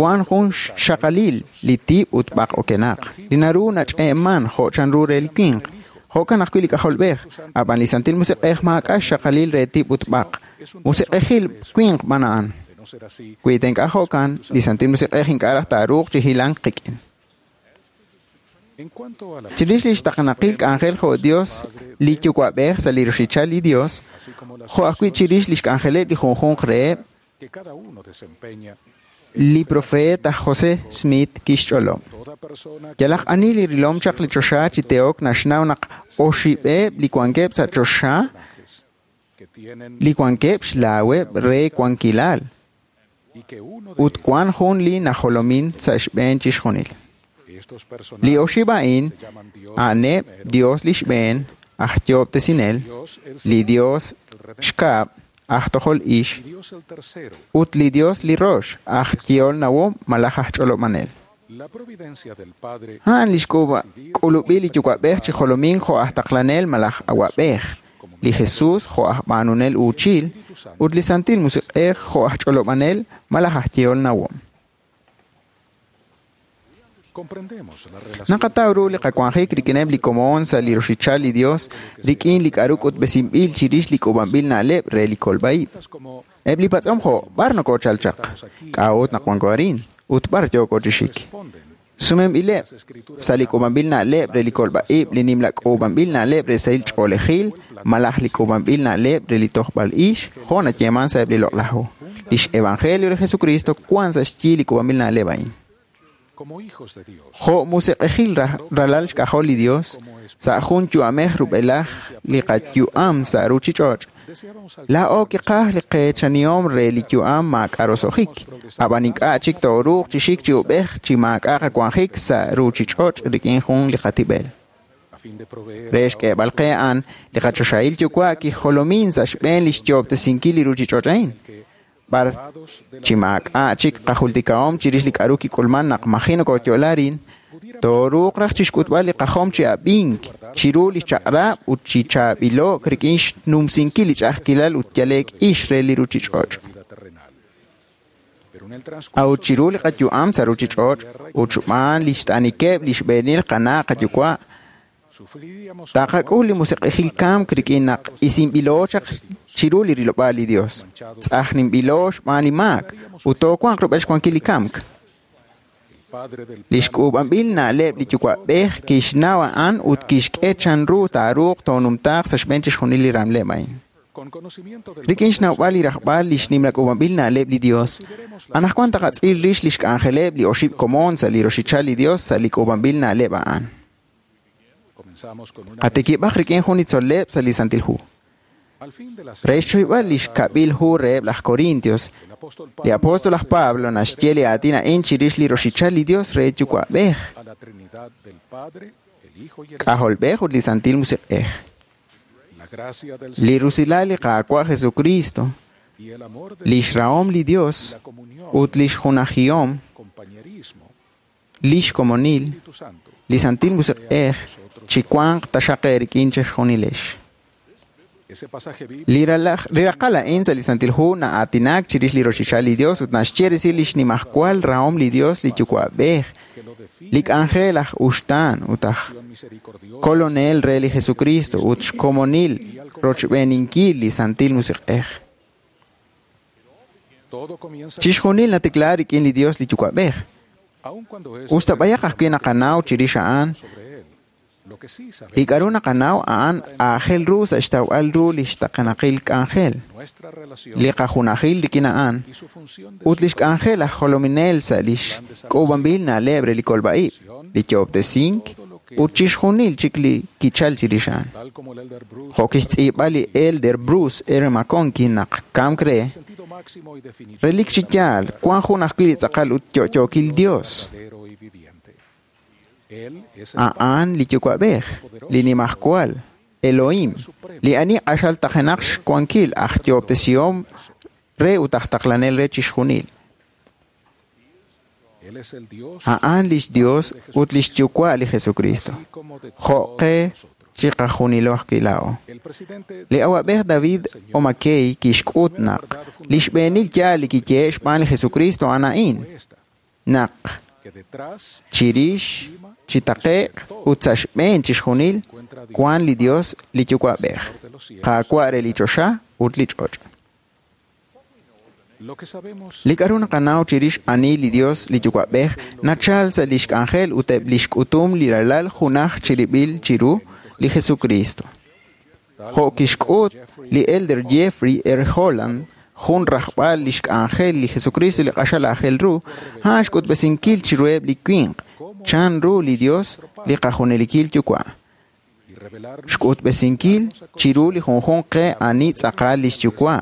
[SPEAKER 5] wan jun xxaqalil li tib' ut b'aq okenaq, li naru nach'eeman jo' chanru re li winq, jo'kan ajwi' li k'ajolb'ej, ab'an li Santil Musiq'ej maak'a' xxaqalil re tib' ut b'aq, musiq'ejil winq b'an a'an. Wi ta ink'a' jo'kan, li Santil Musiq'ej ink'a' raj taaruuq chi hilank qik'in. Chirix li xtaqenaqil k'anjel jo' Dios, li yuwa'b'ej sa' li roxichal li Dios, jo' ajwi' chirix li xk'anjeleb' li junjunq reheb', li profeet aj José Smith kixch'olob'. Yalaq ani li rilom chaq li choxa chi teok naxnaw naq oxib'eb' li wankeb' sa' choxa, li wankeb' xlaaweb' re wankilal, ut wan jun li najolomin sa' xb'een chixjunil. Li oxib' a'in a'aneb' Dios li xb'een, aj yoob'tesinel, li Dios xkab', aj tojol ix, ut li Dios li rox, aj yehol nawom malaj aj ch'olob'anel. A'an li xk'ulub'il li yuwa'b'ej chi jolomin jo' aj taqlanel malaj awa'b'ej, li Jesús jo' aj b'aanunel uuchil, ut li Santil Musiq'ej jo' aj ch'olob'anel malaj aj yehol nawom. Naqataw ru li qawanjik rik'ineb' li komon sa' li roxichal li Dios rik'in li k'aru k'utb'esinb'il chirix li k'uub'anb'il na'leb' re li kolb'a'ib'. Eb' li patz'om jo' b'ar nokoochal chaq, k'a'ut naq wanko arin, ut b'ar yooko chi xik. Sumenb'ileb' sa' li k'uub'anb'il na'leb' re li kolb'a'ib', li nimla k'uub'anb'il na'leb' re sahil ch'oolejil, malaj li k'uub'anb'il na'leb' re li tojb'al ix, jo' nayeeman sa' eb' li loq'laj hu. Lix Evangelio li Jesucristo wan sa' xyi li k'uub'anb'il na'leb' a'in. Jo' musiq'ejil ralal xk'ajol li Dios, sa' jun yu'amej rub'elaj li qayu'am sa' ruuchich'och'. Laa'o kiqaj li qeechanihom re li yu'am maak'a' roso'jik, ab'an ink'a' chik tooruuq chi xik chi ub'ej chi maak'a' qawanjik sa' ruuchich'och' rik'in jun li qatib'el. Re xk'eeb'al qe a'an, li qachoxahil yuwa' kijolomin sa' xb'een li xyoob'tesinkil li ruuchich'och' a'in. B'ar chi maak'a' chik qajultikahom chirix li k'aru kik'ulman naq maji nokooyo'la arin, tooruuq raj chixk'utb'al li qajom chi ab'ink chiru li chaq'rab' ut chi chaab'ilo'k rik'in xnumsinkil li ch'a'ajkilal ut yale'k ix re li ruuchich'och'. A'ut chiru li qayu'am sa' ruuchich'och' ut xb'aan li xt'anikeb' li xb'eenil qana' qayuwa', taqak'ul li musiq'ejil kamk rik'in naq isinb'ilo chaq chiru li rilob'aal li Dios, tz'ajninb'ilo xb'aan li maak, ut toowanq rub'el xwankil li kamk. Li xk'uub'anb'il na'leb' li yuwa'b'ej kixnaw a'an ut kixk'e chanru taaruuq toonumtaaq sa' xb'een chixjunil li ramleb' a'in. Rik'in xnawb'al li rajb'al li xnimla k'uub'anb'il na'leb' li Dios, anaqwan taqatz'il rix li xk'anjeleb' li oxib' komon sa' li roxichal li Dios sa' li k'uub'anb'il na'leb' a'an. Qatikib'aq rik'in jun li tzol'leb' sa' li Santil Hu. Re xchoyb'al li xkab'il hu reheb' laj Corintios, li apóstol aj Pablo naxye li aatin a'in chirix li roxichal li Dios re yuwa'b'ej, k'ajolb'ej ut li Santil Musiq'ej. Li rusilal li Qaawa' Jesucristo, li xrahom li Dios ut li xjunajihom, li xkomonil, li Santil Musiq'ej chi wanq taxaq eerik'in chixjunilex. Li raqal a'in sa' li Santil Hu na'aatinak chirix li roxichal li Dios ut naxye resil li xnimajwal rahom li Dios li yuwa'b'ej, li k'anjel aj uxtaan ut aj kolonel re li Jesucristo ut xkomonil rochb'eeninkil li Santil Musiq'ej. Chixjunil natikla rik'in li Dios li yuwa'b'ej. Usta b'ayaq ajwi' naqanaw chirix a'an, li k'aru naqanaw a'an aajel ru sa' xtawb'al ru li xtaqenaqil k'anjel, li qajunajil rik'in a'an, ut li xk'anjel aj jolominel sa' li xk'uub'anb'il na'leb' re li kolb'a'ib', li yoob'tesink, Ut chixjunil chik li kichal chirix a'an. Jo' kixtz'iib'a li Elder Bruce R. McConkie naq kamk re, relik chi yaal, wan jun ajwi' li tz'aqal ut yo'yookil Dios. A'an li Yuwa'b'ej, li Nimajwal, Elohim, li ani q'axal taqenaq xwankil aj yo'ob'tesihom re ut aj taqlanel re chixjunil. A'an lix Dios ut lix Yuwa' li Jesucristo. Jo' qe chiqajunilo ajwi' laa'o. Li awa'b'ej David O. McKay kixk'ut naq li xb'eenil yaal li kiyehe' xb'aan li Jesucristo a'an a'in, naq chirix, chi taqe'q ut sa' xb'een chixjunil wan li Dios li Yuwa'b'ej, Qaawa' re li choxa ut li ch'och'. Li k'a'ru naqanaw chirix ani li Dios li Yuwa'b'ej nachal sa' lix k'anjel ut eb' lix k'utum li ralal junaj chirib'il chiru li Jesucristo. Jo' kixk'ut li Elder Jeffrey R. Holland, jun rajb'al lix k'anjel li Jesucristo li q'axal aajel ru, a'an xk'utb'esinkil chiruheb' li winq chan ru li Dios li qajunelikil Yuwa'. Xk'utb'esinkil chiru li junjunq qe ani tz'aqal lix Yuwa',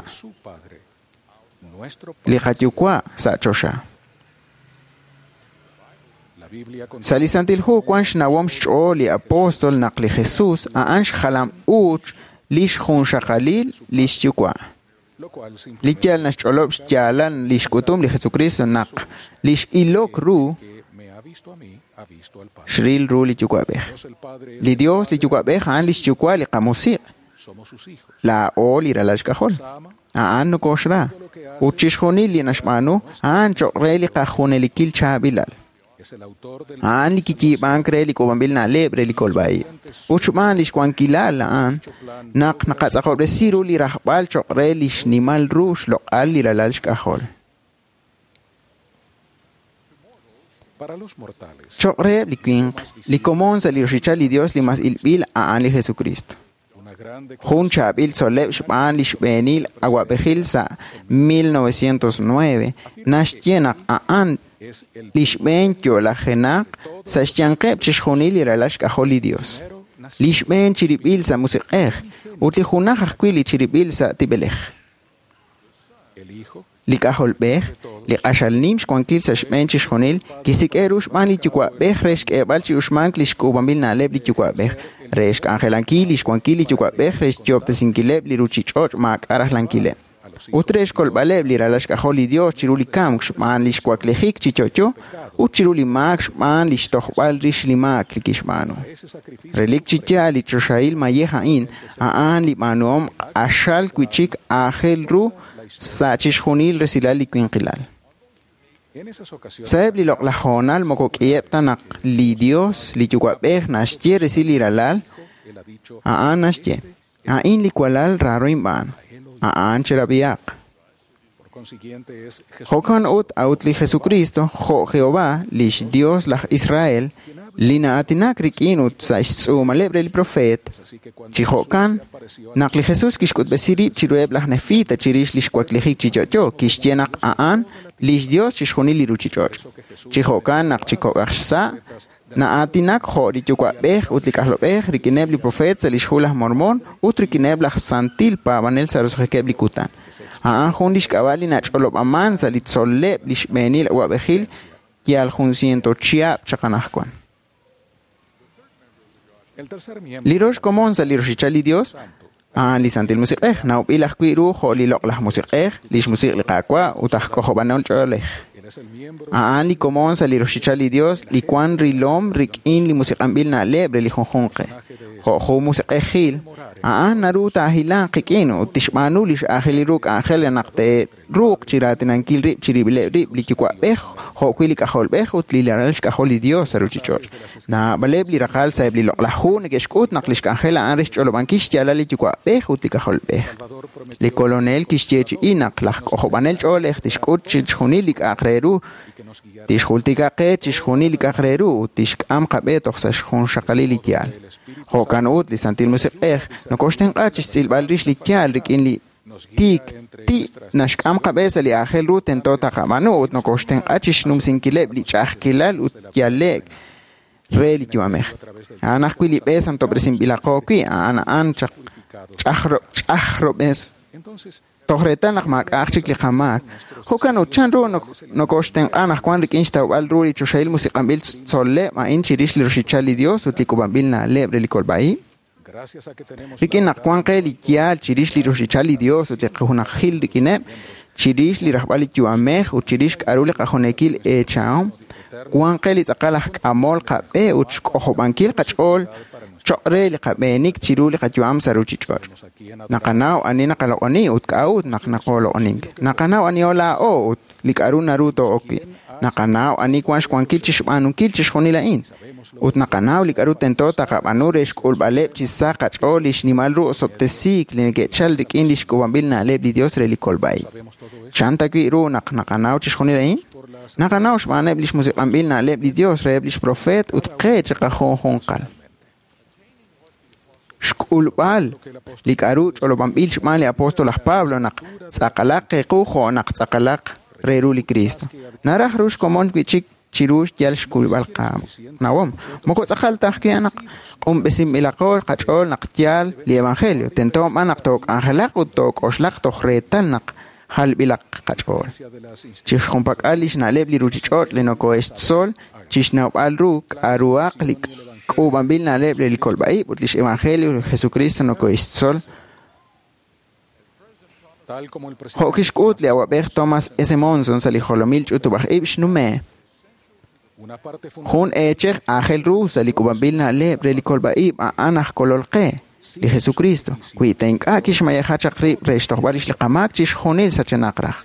[SPEAKER 5] li qaYuwa' sa' choxa. Sa' li Santil Hu wan xnawom xch'ool li apóstol naq li Jesús a'an xjalam uuch lix junxaqalil lix Yuwa'. Li yaal naxch'olob' xyaalal lix k'utum li Jesucristo naq lix ilok ru xril ru li Yuwa'b'ej. Li Dios li Yuwa'b'ej a'an lix Yuwa' li qamusiq', laa'o li ralal xk'ajol. A'an nokoxra ut chixjunil li naxb'aanu a'an cho'q re li qajunelikil chaab'ilal. A'an li kiyiib'ank re li k'uub'anb'il na'leb' re li kolb'a'ib'. Ut xb'aan lix wankilal a'an naq naqatz'aqob'resi ru li rajb'al cho'q re li xnimal ru xloq'al li ralal xk'ajol. Cho'q reheb' li winq, li komon sa' li roxichal li Dios li mas ilb'il a'an li Jesucristo. Jun chaab'il tzol'leb' xb'aan li xb'eenil awa'b'ejil sa' mil novecientos nueve naxye naq a'an li xb'een yo'lajenaq sa' xyanqeb' chixjunil li ralal xk'ajol li Dios. Li xb'een chirib'il sa' musiq'ej ut li junaj ajwi' li chirib'il sa' tib'elej. Li k'ajolb'ej, li q'axal nim xwankil sa' xb'een chixjunil, kisik'e ru xb'aan li Yuwa'b'ej re xk'eeb'al chi uxmank li xk'uub'anb'il na'leb' li Yuwa'b'ej, re xk'anjelankil li xwankil li Yuwa'b'ej re xyoob'tesinkileb' li ruchich'och' maak'a' rajlankileb', ut re xkolb'aleb' li ralal xk'ajol li Dios chiru li kamk xb'aan li xwaklejik chi yo'yo ut chiru li maak xb'aan li xtojb'al rix li maak li kixb'aanu. Relik chi yaal li choxahil mayej a'in, a'an li b'aanuhom q'axal wi'chik aajel ru sa' chixjunil resilal li winqilal. Sa'eb' li loq'laj hoonal moko k'iheb' ta naq li Dios li Yuwa'b'ej naxye resil li ralal, a'an naxye, a'in li walal raaro inb'aan, a'an cherab'ihaq. Jo'kan ut a'ut li Jesucristo, jo' Jehová, lix Dios laj Israel, li na'aatinak rik'in ut sa' xtz'uumaleb' re li profeet, chi jo'kan naq li Jesús kixk'utb'esi rib' chiruheb' laj Nefita chirix lix waklijik chi yo'yo, kixye naq a'an lix Dios chixjunil li ruchich'och'. Chi jo'kan naq chi kok'aj xsa' na'aatinak jo' li Yuwa'b'ej ut li K'ajlob'ej rik'ineb' li profeet sa' lix hu laj Mormon ut rik'ineb' laj santil paab'anel sa' roso'jikeb' li kutan. A'an jun lix k'ab'a' li nach'olob'aman sa' li tzol'leb' li xb'eenil awa'b'ejil yal jun ciento chihab' chaq anajwan. Li rox komon sa' li roxichal li Dios, a'an li Santil Musiq'ej, nawb'il ajwi' ru jo' li loq'laj musiq'ej, lix musiq' li Qaawa' ut aj k'ojob'anel ch'oolej. A'an li komon sa' li roxichal li Dios li wan rilom rik'in li musiq'anb'il na'leb' re li junjunqe. Jo' jun musiq'ejil, a'an naru taahilanq qik'in ut tixb'aanu lix aajel ru k'anjel re naq te'ruuq chiraatinankil rib' chirib'ileb' rib' li Yuwa'b'ej jo' wi' li K'ajolb'ej ut li ralal xk'ajol li Dios sa' ruchich'och'. Naab'aleb' li raqal sa'eb' li loq'laj hu neke'xk'ut naq lix k'anjel a'an re xch'olob'ankil xyaalal li Yuwa'b'ej ut li K'ajolb'ej. Li Kolonel kixyeechi'i naq laj k'ojob'anel ch'oolej tixk'ut chixjunil li k'a'aq re ru, tixjultika qe chixjunil li k'a'aq re ru ut tixk'am qab'e toj sa' xjunxaqalil li yaal. Jo'kan ut li Santil Musiq'ej nokoxtenq'a chixtz'ilb'al rix li yaal rik'in li tiik ti naxk'am qab'e sa' li aajel ru tento taqab'aanu ut nokoxtenq'a chixnumsinkileb' li ch'a'ajkilal ut yale'k re li yu'amej. A'an ajwi' li b'e santob'resinb'ilaqo wi', a'an a'an ch'ajrob'es toj reetal naq maak'a'aq chik li qamaak. Jo'kan ut chan ru nokoxtenq'a anaqwan rik'in xtawb'al ru li choxahil musiq'anb'il tzol'leb' a'in chirix li roxichal li Dios ut li k'uub'anb'il na'leb' re li kolb'a'ib'? Rik'in naq wan qe li yaal chirix li roxichal li Dios ut li qajunajil rik'ineb', chirix li rajb'al li yu'amej ut chirix k'a'ru li qajunekil eechahom, wan qe li tz'aqal aj k'amol qab'e ut xk'ojob'ankil qach'ool choq' re li qab'eenik chiru li qayu'am sa' ruchich'och'. Naqanaw ani naqaloq'oni ut k'a'ut naq naqoloq'onink. Naqanaw aniho laa'o ut li k'a'ru naru too'ok wi'. Naqanaw ani wan xwankil chixb'aanunkil chixjunil a'in. Ut naqanaw li k'a'ru tento taqab'aanu re xk'ulb'aleb' chi sa qach'ool li xnimal ru osob'tesiik li neke'chal rik'in li xk'uub'anb'il na'leb' li Dios re li kolb'a'ib'. Chan ta wi' ru naq naqanaw chixjunil a'in? Naqanaw xb'aaneb' li xmusiq'anb'il na'leb' li Dios reheb' lix profeet ut qe chiqajunjunqal. Xk'ulb'al li k'a'ru ch'olob'anb'il xb'aan li apóstol aj Pablo naq tz'aqalaq qequ jo' naq tz'aqalaq re ru li Cristo. Naraj ru xkomon wi'chik chiru yal xk'ulb'al qanawom. Moko tz'aqal ta ajwi' naq q'unb'esinb'ilaqo qach'ool naq yaal li evangelio. Tento b'an naq took'anjelaq ut took'oxlaq toj reetal naq jalb'ilaq qach'ool. Chixjunpak'al li xna'leb' li ruchich'och' li nokohe'xtzol chixnawb'al ru k'a'ruhaq li k'uub'anb'il na'leb' re li kolb'a'ib' ut lix evangelio li Jesucristo nokohe'xtzol. Jo' kixk'ut li awab'ej Thomas S. Monson sa' li jolomil ch'utub'aj-ib' xnume'. Jun eechej aajel ru sa' li k'uub'anb'il na'leb' re li kolb'a'ib' a'an aj kolol qe, li Jesucristo, wi ta ink'a' kixmayeja chaq rib' re xtojb'al rix li qamaak chixjunil sachenaq raj.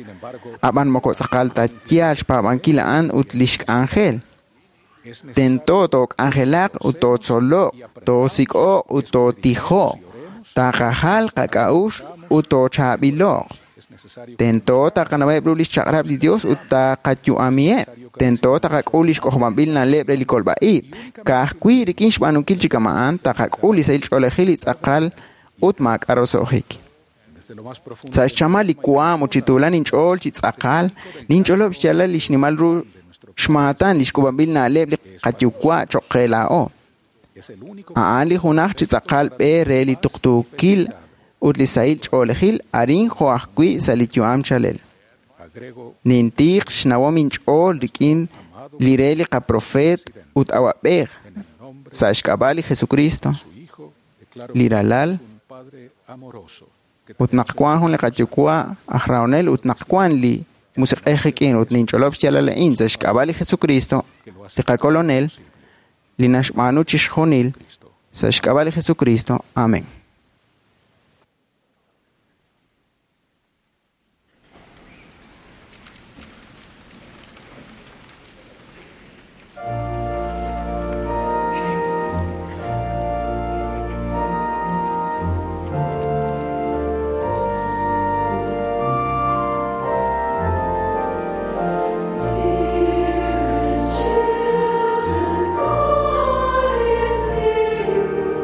[SPEAKER 5] Ab'an moko tz'aqal ta yaal xpaab'ankil a'an ut lix k'anjel. Tento took'anjelaq ut tootzoloq, toosik'oq ut tootijoq, taqajal qak'a'uxl ut toochaab'iloq. Tento taqanaweb' ru lix chaq'rab' li Dios ut taqayu'amiheb'. Tento taqak'ul lix k'ojob'anb'il na'leb' re li kolb'a'ib'. Ka'ajwi' rik'in xb'aanunkil chi kama'an taqak'ul li sahil ch'oolejil li tz'aqal ut maak'a' roso'jik. Sa' xchamal li waam ut chi tuulan inch'ool chi tz'aqal, ninch'olob' xyaalal li xnimal ru xmaatan li xk'uub'anb'il na'leb' li qayuwa' choq' qe laa'o. A'an li junaj chi tz'aqal b'e re li tuqtuukil ut li sahil ch'oolejil arin jo' ajwi' sa' li yu'am chalel. Nintiq xnawom inch'ool rik'in li re li qaprofeet ut awab'ej sa' xk'ab'a' li Jesucristo, li ralal, ut naq wan jun li qayuwa' aj rahonel ut naq wan li musiq'ej rik'in ut ninch'olob' xyaalal a'in sa' xk'ab'a' li Jesucristo, li qakolonel, li naxb'aanu chixjunil sa' xk'ab'a' li Jesucristo. Amén.
[SPEAKER 6] Dearest children, God is near you.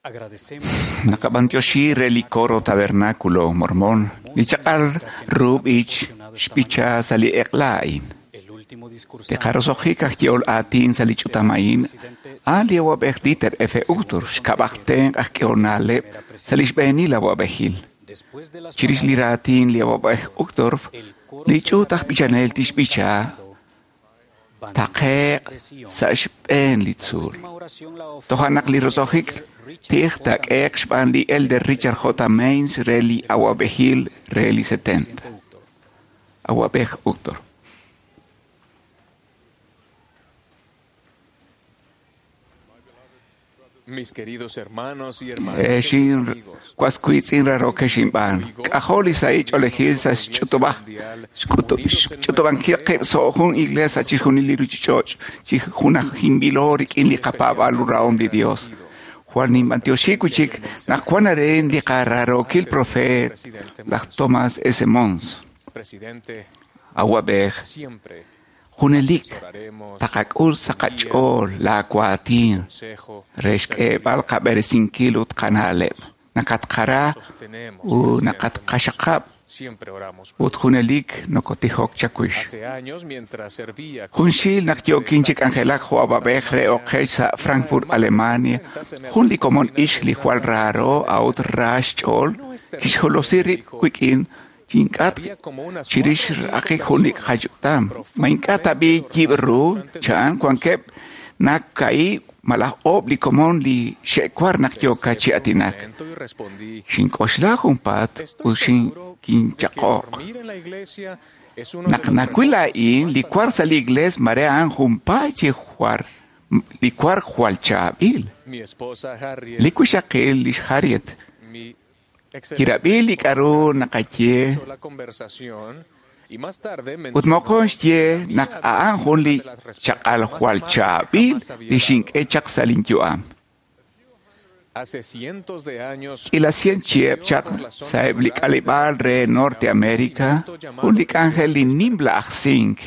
[SPEAKER 5] Naqab'antioxi re li coro Tabernáculo Mormón, li chaq'al ru b'ich xb'icha sa' li eq'la a'in. Li qarosojik aj ye'ol aatin sa' li ch'utam a'in, a'an li awab'ej Dieter F. Uchtdorf xkab'aj tenq' aj k'ehol na'leb' sa' li xb'eenil awab'ejil. Chirix li raatin li awab'ej Uchtdorf, li ch'uut aj b'ichanel tixb'icha taqe'q sa' xb'een li tzuul. Toja' naq li rosojik tij taak'e'q xb'aan li Elder Richard J. Maines re li awab'ejil re li setenta. Awab'ej Uchtdorf.
[SPEAKER 11] Mis queridos hermanos y hermanas,
[SPEAKER 5] Exin waskuitzin raroke xinb'an. K'ajol li sa'i ch'oolejil sa' xch'utub'aj xch'utub'ankil qib' so' jun iglesia chixjunil li ruchich'och' chi junajinb'ilo rik'in li qapab'al urahom li Dios. Jwal ninb'antioxi wichik naq wan aren li qararokil profet laj Thomas S. Monson.
[SPEAKER 11] presidente,
[SPEAKER 5] Awab'ej
[SPEAKER 11] siempre
[SPEAKER 5] junelik taqak'ul sa' qach'ool laawaatin re xk'eeb'al qab'eresinkil ut qana'leb'. Nakatqara ut nakatqaxaqab'
[SPEAKER 11] siempre oramos.
[SPEAKER 5] ut junelik nokotijok chawix.
[SPEAKER 11] Hace años, mientras servía
[SPEAKER 5] Junxil naq yookin chi k'anjelak jo' awab'ej re oqech sa' Frankfurt, Alemania, jun li komon ix li jwal raaro a'ut ra xch'ool kixjolosi rib' wik'in chink'at chirix raqik jun li qach'utam. Ma ink'a' tab'i yib' ru cha'an wankeb' nak ka'i malaj oob' li komon li xe'war naq yooka chi atinak.
[SPEAKER 11] y respondí,
[SPEAKER 5] Xink'oxla junpaat ut xinkinchaq'oq.
[SPEAKER 11] dormir en la iglesia es uno de
[SPEAKER 5] Naq
[SPEAKER 11] los
[SPEAKER 5] nakwil a'in li kwar sa' li iglees mare a'an junpaat chi jwar li kwar jwal chaab'il.
[SPEAKER 11] Mi esposa Harriet,
[SPEAKER 5] Li wixaqil lix Harriet
[SPEAKER 11] mi excelente
[SPEAKER 5] kirab'i li k'aru naqaye
[SPEAKER 11] escuchó la conversación y más tarde
[SPEAKER 5] ut moqon xye naq a'an jun li chaq'al jwal chaab'il li xink'e chaq sa' linyu'am.
[SPEAKER 11] Hace cientos de años
[SPEAKER 5] K'ila cien chiheb' chaq sa'eb' li k'aleb'aal re Norte America, jun li k'anjel li nimla aj sink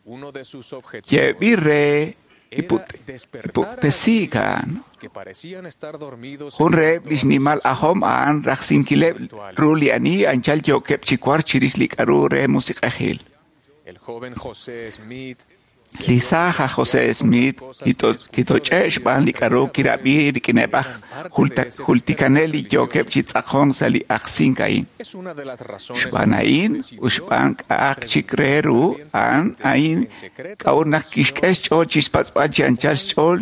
[SPEAKER 11] uno de sus objetivos
[SPEAKER 5] ye'b'il re
[SPEAKER 11] era despertar a
[SPEAKER 5] ipuktesiik a'an.
[SPEAKER 11] que parecían estar dormidos
[SPEAKER 5] Jun reheb' li xnimal ajom a'an rajsinkileb' ru li ani anchal yookeb' chi war chirix li k'aru re musiq'ejil.
[SPEAKER 11] El joven José Smith
[SPEAKER 5] Li saaj aj José Smith kitoch'e' xb'aan li k'aru kirab'i rik'ineb' aj jultikanel li yookeb' chi tz'aqon sa' li ajsink a'in.
[SPEAKER 11] es una de las razones
[SPEAKER 5] Xb'aan a'in ut xb'aan k'a'aq chik re ru a'an a'in k'a'ut naq kixk'e xch'ool chixpatz'b'al chi anchal xch'ool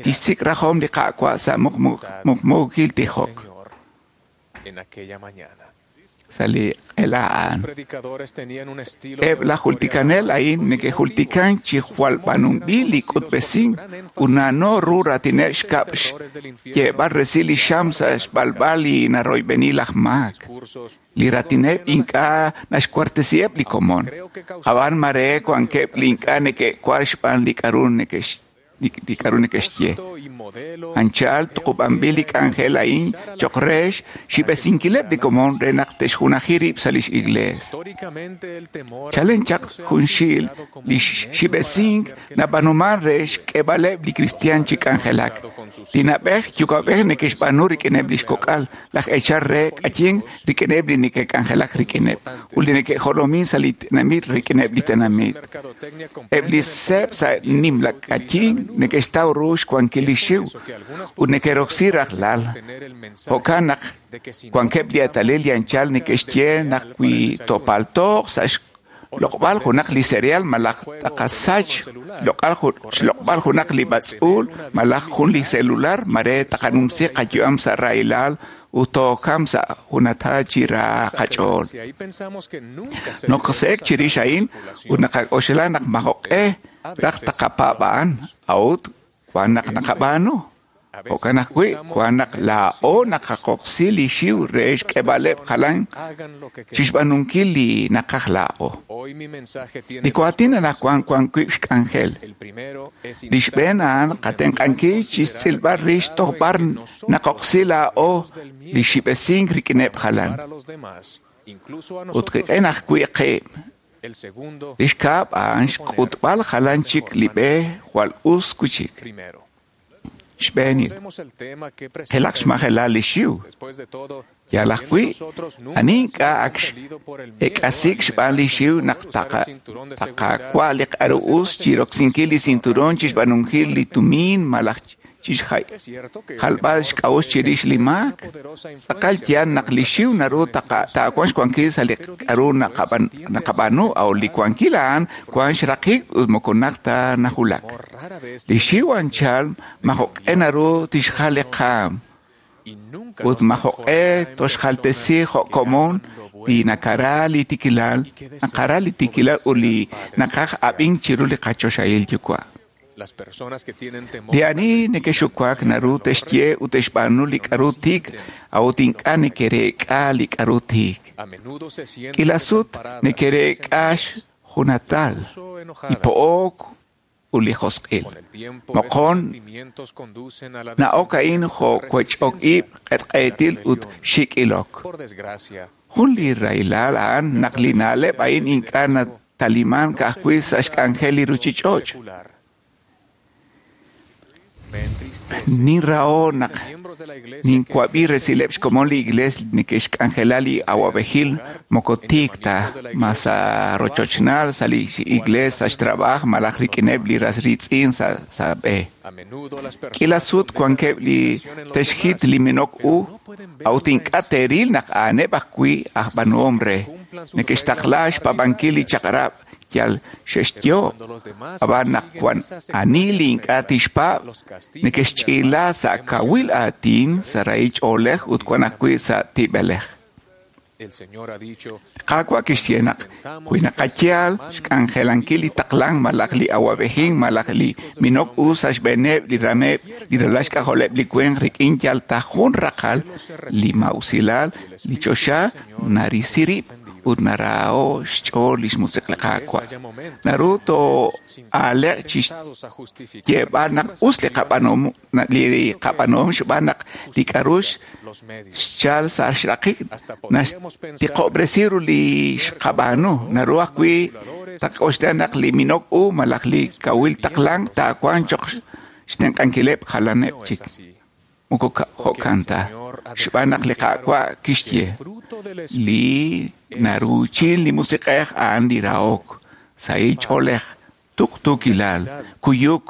[SPEAKER 5] tixsik' rajom li Qaawa' sa' muqmuukil tijok
[SPEAKER 11] en aquella mañana.
[SPEAKER 5] sa' li q'ela a'an.
[SPEAKER 11] Los predicadores tenían un estilo
[SPEAKER 5] Eb' laj jultikanel a'in neke'jultikan chi jwal b'aanunb'il li k'utb'esink ut na'no ru raatineb' xkab' xyeeb'al resil li xam sa' xb'alb'al li naroyb'eni laj maak. Li raatineb' ink'a' naxkuartesiheb' li komon. Ab'an mare wankeb' li ink'a' neke'war xb'aan li k'aru neke'x li k'aru neke'xye. Anchal tuqub'anb'il li k'anjel a'in cho'q re xib'esinkileb' li komon re naq te'xjunaji rib' sa' lix iglees.
[SPEAKER 11] históricamente el temor
[SPEAKER 5] Chalen chaq junxil li xib'esink nab'aanuman re xk'eeb'aleb' li kristiaan chi k'anjelak. Li na'b'ej yuwa'b'ej neke'xb'aanu rik'ineb' lix kok'al, laj eechal re k'ayin rik'ineb' li neke'k'anjelak rik'ineb' ut li neke'jolomin sa' li tenamit rik'ineb' li tenamit. Eb' li seeb' sa' nimla k'ayin neke'xtaw ru xwankil li xiw ut neke'roksi rajlal. Jo'kan naq wankeb' li eetalil li anchal neke'xye naq wi topaltoq sa' xloq'b'al junaq li cereal malaj taqasach xloq'al xloq'b'al junaq li b'atz'uul malaj jun li celular mare taqanumsi qayu'am sa' rahilal ut tookam sa' junata chi ra qach'ool.
[SPEAKER 11] y ahí pensamos que nunca se
[SPEAKER 5] Nokose'ek chirix a'in ut naqak'oxla naq majo'q'e raj taqapaab'a'an a'ut wan naq naqab'aanu. Jo'kan ajwi' wan naq laa'o naqaqoqsi li xiw re xk'eeb'aleb' jalan
[SPEAKER 11] hagan lo que
[SPEAKER 5] chixb'aanunkil li naqaj laa'o.
[SPEAKER 11] Hoy mi mensaje tiene
[SPEAKER 5] Li waatin anaqwan wan wib' xk'anjel.
[SPEAKER 11] el primero es
[SPEAKER 5] Li xb'een a'an qatenq'ankil chixtz'ilb'al rix toj b'ar naqoqsi laa'o li xib'esink rik'ineb' jalan.
[SPEAKER 11] a los demás, incluso a
[SPEAKER 5] Ut
[SPEAKER 11] nosotros.
[SPEAKER 5] qik'in ajwi' qib'.
[SPEAKER 11] El segundo,
[SPEAKER 5] Li xkab' a'an xk'utb'al jalan chik li b'e jwal us wichik.
[SPEAKER 11] primero.
[SPEAKER 5] Xb'eenil, qilaq xmajelal li xiw. Yal ajwi', ani ink'a' ak ek'asik xb'aan li xiw naq taqawa' li k'aru us chiroksinkil li cinturón chixb'aanunkil li tumin malaj chixjalb'al xk'a'uxl chirix li maak. Tz'aqal yaal naq li xiw naru taawanq xwankil sa' li k'aru naqab'aanu, a'ut li wankil a'an wank xraqik ut moko najt ta nawulak. Li xiw anchal majo'q'e naru tixjal li qaam ut majo'q'e toxjaltesi jo' komon li nakara li tiikilal, naqara li tiikilal ut li naqaj ab'ink chiru li qachoxahil Yuwa'. Li ani neke'xuwak naru te'xye ut te'xb'aanu li k'aru tiik, a'ut ink'a' neke'reek'a li k'aru tiik. K'iila sut neke'reek'a xjunatal, li po'ok ut li josq'il. Moqon na'ok a'in jo' wech'ok-ib', q'etq'etil ut xik'ilok. Jun li rahilal a'an naq li na'leb' a'in ink'a' nataliman ka'ajwi' sa' xk'anjel li ruchich'och'. Ninraho naq ninwab'i resileb' xkomon li iglees neke'xk'anjela li awab'ejil moko tiik ta, ma sa' rochochnal, sa' li iglees, sa' xtrab'aaj, malaj rik'ineb' li ras riitz'in sa' b'e. K'iila sut wankeb' li te'xjit li minok u, a'ut ink'a' te'ril naq a'aneb' ajwi' aj b'aanuhom re. Neke'xtaqla xpaab'ankil li chaq'rab' yal xe'xyo', ab'an naq wan ani li ink'a' tixpaab', neke'xch'iila sa' kawil aatin, sa' rahil ch'oolej ut wan ajwi' sa' tib'elej. Qaawa' kixye naq wi naqayal xk'anjelankil li taqlank malaj li awab'ejink malaj li minok u sa' xb'eeneb' li rameb' li ralal xk'ajoleb' li winq rik'in yal ta jun raqal li ma'usilal, li choxa narisi rib' ut naraho xch'ool li xmusiq li Qaawa'. Naru too'aaleq chi xyeeb'al naq us li qab'aanuhom li qab'aanuhom xb'aan naq li k'aru xchal sa' xraqik naxtiqob'resi ru li xqab'aanu. Naru ajwi' taqk'oxla naq li minok u malaj li kawil taqlank taawanq cho'q xtenq'ankileb' jalaneb' chik. Moko jo'kan ta, xb'aan naq li Qaawa' kixye li naruuchin li musiq'ej a'an li rahok, sahil ch'oolej, tuqtuukilal, kuyuk,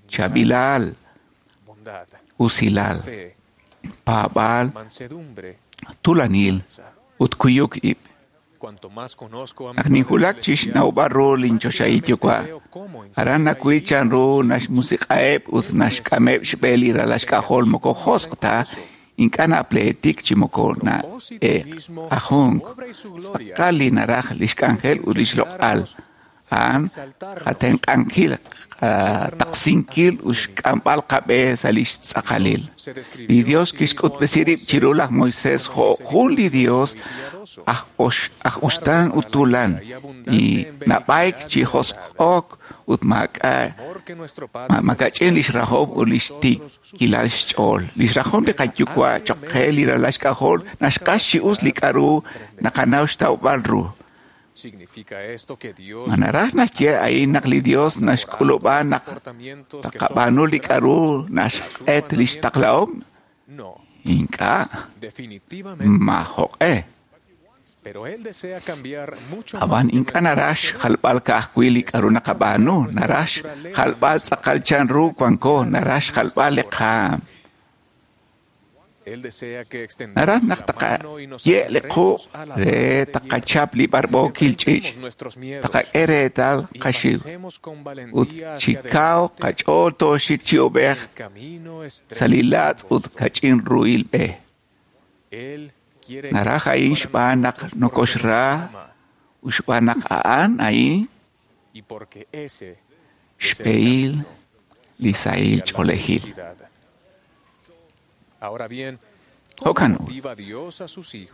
[SPEAKER 5] chaab'ilal, usilal, paab'aal, tuulanil ut kuyuk ib'. Naq ninwulak chi xnawb'al ru linchoxahil Yuwa', aran nawil chanru naxmusiq'aheb' ut naxk'ameb' xb'e li ralal xk'ajol moko josq' ta, ink'a' napleetik chi moko na'eeqajunk. Tz'aqal li naraj li xk'anjel ut li xloq'al, a'an qatenq'ankil, qataqsinkil ut xk'amb'al qab'e sa' li xtz'aqalil. Li Dios kixk'utb'esi rib' chiru laj Moisés jo' jun li Dios aj uxtaan ut tuulan, li nab'ayk chi josq'ok ut maak'a'ch'in li xrahom ut li xtiikilal xch'ool. Li xrahom li qaYuwa' cho'q qe li ralal xk'ajol naxq'ax chi us li k'aru naqanaw xtawb'al ru. Ma naraj naxye a'in naq li Dios naxk'ulub'a naq taqab'aanu li k'aru naxq'et li xtaqlahom? Ink'a', majo'q'e. Ab'an ink'a' naraj xjalb'al ka'ajwi' li k'aru naqab'aanu, naraj xjalb'al tz'aqal chanru wanko, naraj xjalb'al li qaam. Naraj naq taqaye' li quq' re taqachap li b'arb'ookil ch'iich', taqak'e reetal qaxiw, ut chi kaw qach'ool tooxik chi ub'ej sa' li laatz' ut kach'in ruhil b'e. Naraj a'in xb'aan naq nokoxra ut xb'aan naq a'an a'in xb'ehil li sahil ch'oolejil. Jo'kan ut,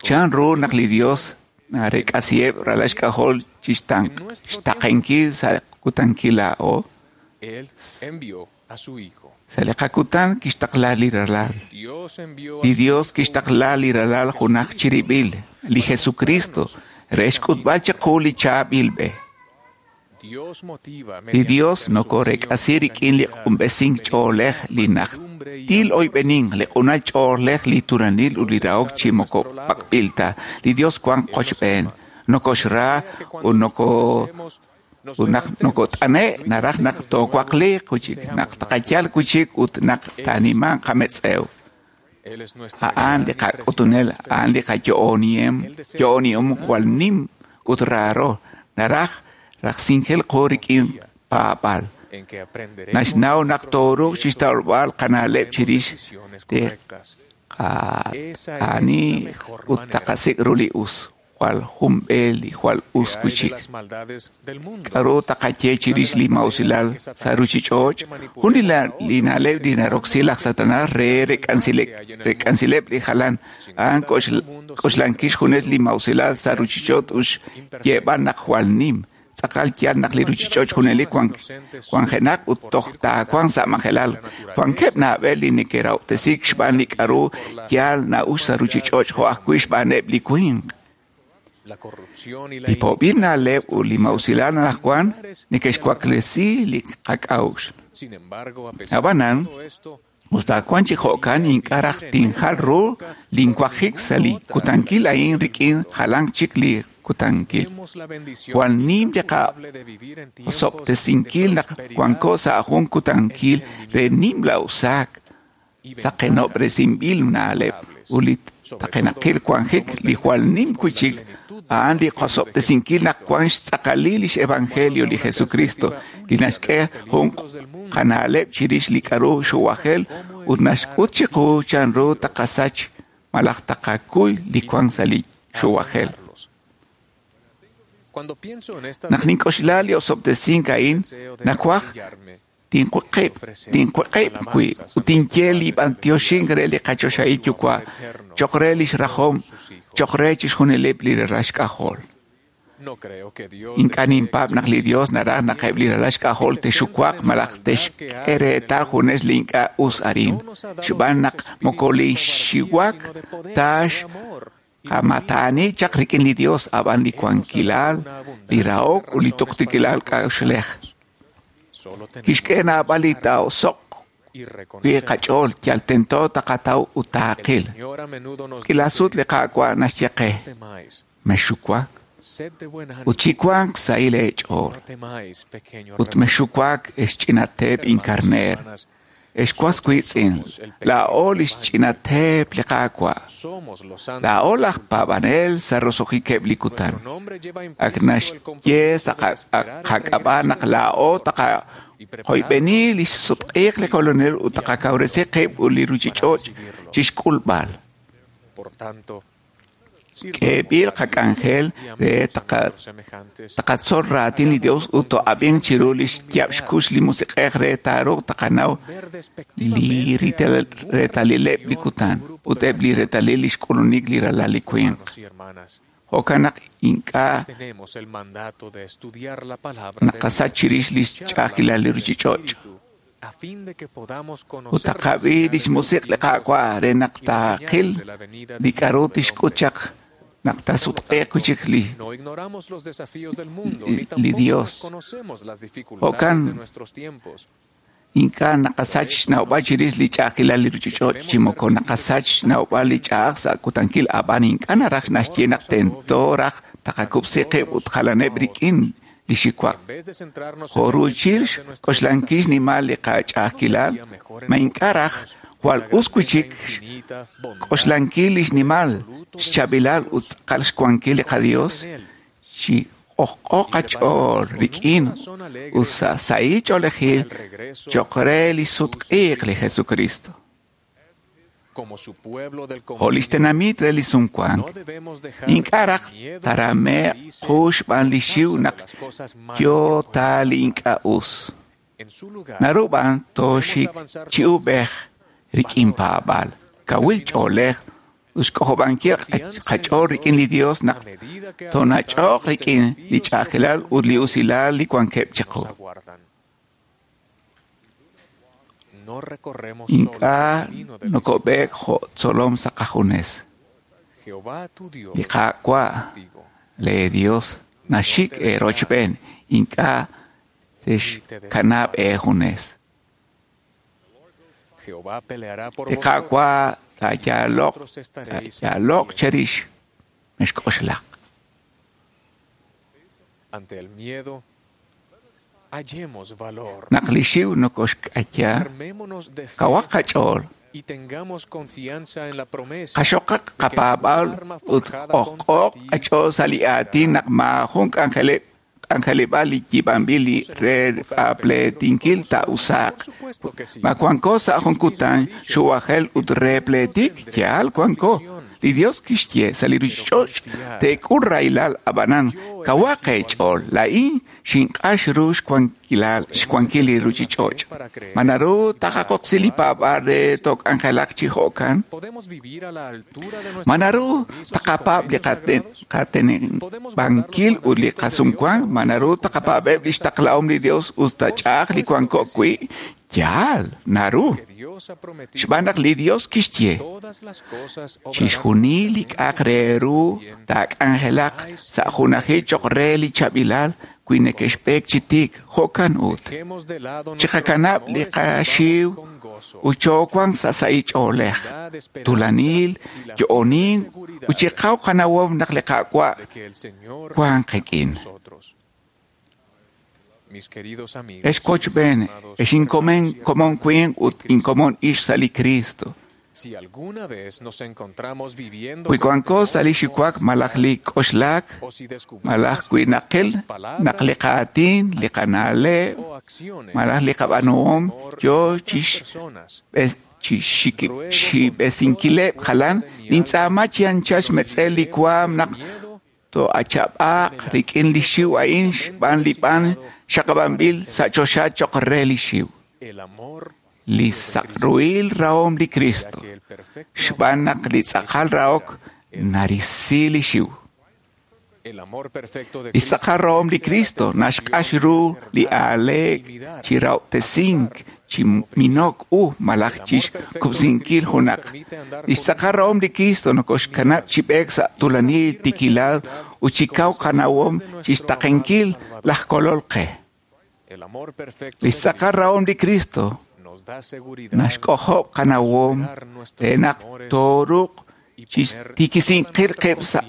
[SPEAKER 5] chanru naq li Dios narek'asiheb' ralal xk'ajol chi xtaqenkil sa' kutankil laa'o? Sa' li qakutan kixtaqla li ralal. Li Dios kixtaqla li ralal junaj chirib'il, li Jesucristo, re xk'utb'al chiqu li chaab'il b'e. Li Dios nokorek'asi rik'in li q'unb'esink ch'oolej li najtil oyb'enin, li q'unal ch'oolej li turanil ut li rahok chi moko pak'b'il ta. Li Dios wan qochb'een, nokoxra ut noko ut naq nokot'ane' naraj naq toowaqliq wi'chik, naq taqayal wi'chik ut naq taanimanq qametz'ew. A'an li qak'utunel, a'an li qayo'oniem, yo'onihom jwal nim ut raaro, naraj rajsinkil qu rik'in paab'al. Naxnaw naq tooruuq chixtawb'al qana'leb' chirix li q'aani ut taqasik' ru li us, jwal jun b'e li jwal us wi'chik. K'a'ru taqaye chirix li mausilal sa' ruchich'och'? Jun li na'leb' li naroksi laj Satanas re rek'ansileb' li jalan, a'an k'oxlankil xjunes li mausilal sa' ruchich'och' ut xyeeb'al naq jwal nim. Tz'aqal yal naq li ruchich'och' junelik wanjenaq ut toj taawanq sa' majelal. Wankeb' naab'al li neke'rahob'tesiik xb'aan li k'a'ru yal na'ux sa' ruchich'och' jo' ajwi' xb'aaneb' li winq. Li po'b'il na'leb' ut li mausilal anaqwan neke'xwaklesi li qak'a'uxl. Ab'anan, us ta wan chi jo'kan ink'a' raj tinjal ru linwajik sa' li kutankil a'in rik'in jalan chik li kutankil. Jwal nim li qaosob'tesinkil naq wanko sa' jun kutankil re nimla usaak, saqenob'resinb'il na'leb' ut li taqenaqil wanjik li jwal nim wi'chik a'an li qosob'tesinkil naq wan xtz'aqalil lix evangelio li Jesucristo, li naxk'e jun qana'leb' chirix li k'a'ru xuwajel ut naxk'ut chiqu chanru taqasach malaj taqakuy li wan sa' li xuwajel. Naq nink'oxla li osob'tesink a'in, nawaj tinkuqib' tinkuqib' wi' ut tinye li b'antioxink re li qachoxahil Yuwa' cho'q re lix rajom, cho'q re chixjunileb' li ralal xk'ajol. Ink'a' ninpaab' naq li Dios naraj naq eb' li ralal xk'ajol texuwaq malaj texk'e reetal junes li ink'a' us arin, xb'aan naq moko li xiwak ta xqamataani chaq rik'in li Dios, ab'an li wankilal, li rahok ut li tuqtuukilal k'a'uxlej. Kixk'e naab'al li taa'oso'q wi' qach'ool yal tento taqataw ut taaqil. K'iila sut li Qaawa' naxye qe, mexxuwak ut chiwanq sahil eech'ool. Ut mexxuwak ex ch'ina teep inkarneer, ex was wiitz'in, laa'o lix ch'ina teep li Qaawa'. Laa'o laj paab'anel sa' roso'jikeb' li kutan. Ak naxye sa' qak'ab'a' naq laa'o taqaqoyb'eni lix sutq'iiq li Kolonel ut taqakawresi qib' ut li ruchich'och' chixk'ulb'al. K'eeb'il qak'anjel re taqatzol raatin li Dios ut to'ab'inq chiru lix yaab' xkux li Musiq'ej re taaruuq taqanaw li reetalileb' li kutan ut eb' li reetalil lix k'ulunik li ralal li winq. Jo'kan naq ink'a' naqasach chirix lix ch'a'ajkilal li ruchich'och'. Ut taqab'i lix musiq' li Qaawa' re naq taaqil li k'a'ru tixk'ut chaq naq taasutq'iiq wi'chik li li Dios. Jo'kan ink'a' naqasach xnawb'al chirix li ch'a'ajkilal li ruchich'och' chi moko naqasach xnawb'al li ch'a'aj sa' kutankil, ab'an ink'a' naraj naxye naq tento raj taqakub'si qib' ut jalaneb' rik'in li xiwaq. Jo' ruuchil xk'oxlankil xnimal li qach'a'ajkilal, ma ink'a' raj jwal us wi'chik xk'oxlankil li xnimal, xchaab'ilal ut tz'aqal xwankil li qaDios chi q'ojq'o qach'ool rik'in ut sa' sahil ch'oolejil cho'q re li sutq'iiq li Jesucristo. Jo' lix tenamit re li sumwank, ink'a' raj tarame'q qu xb'aan li xiw naq yo ta li ink'a' us. Naru b'an tooxik chi ub'ej rik'in paab'al, kawil ch'oolej ut xk'ojob'ankil qach'ool rik'in li Dios naq toonach'oq rik'in li ch'a'ajkilal ut li usilal li wankeb' chiqu. Ink'a' nokob'eek jo' tzolom sa' qajunes. Li Qaawa' lee Dios naxik eerochb'een ink'a' texkanab' eejunes. Li Qaawa' taayaloq taayaloq cherix mexk'oxlaq. Naq li xiw nokoxk'aya, kawaq qach'ool. Qaxoqaq qapaab'al ut q'ojq'oq qach'ool sa' li aatin naq maajun k'anjeleb' k'anjeleb'aal li yiib'anb'il li re apleetinkil taa'usaaq. Ma wanko sa' jun kutan xuwajel ut re pleetik? Yaal wanko. Li Dios kixye sa' li ruchich'och' teek'ul rahilal ab'anan kawaq eech'ool. Laa'in xinq'ax ru xwankilal xwankil li ruchich'och'. Ma naru taqaqoqsi li paab'aal re took'anjelaq chi jo'kan? Ma naru taqapaab' li qateneb'ankil ut li qasumwank? Ma naru taqapaab'eb' li xtaqlahom li Dios us ta ch'a'aj li wanko wi'? Yaal, naru. Xb'aan naq li Dios kixye chixjunil li k'a'aq re ru taak'anjelaq sa' junajil choq' re li chaab'ilal wi neke'xb'eek chi tiik. Jo'kan ut chiqakanab' li qaxiw ut choowanq sa' sahil ch'oolej, tuulanil, yo'onink ut chiqaw qanawom naq li Qaawa' wanq qik'in. Ex kochb'een, ex inkomen komon winq ut inkomon ix sa' li Cristo. Wi wanko sa' li xiwak malaj li k'oxlak, malaj wi naqil naq li qaatin, li qana'leb', malaj li qab'aanuhom yoo chixib'esinkileb' jalan, nintz'aama chi anchal xmetz'el li waam naq to'achab'aaq rik'in li xiw a'in xb'aan li b'an xaqab'anb'il sa' choxa choq' re li xiw. Li saqruhil rahom li Cristo, xb'aan naq li tz'aqal rahok narisi li xiw. Li tz'aqal rahom li Cristo naxq'ax ru li aaleek chi rahob'tesink, chi minok u malaj chixkub'sinkil junaq. Li xtz'aqal rahom li Cristo nokoxkanab' chi b'eek sa' tuulanil tiikilal ut chi kaw qanawom chixtaqenkil laj Kolol qe. Li xtz'aqal rahom li Cristo naxk'ojob' qanawom re naq tooruuq chixtiikisinkil qib' sa'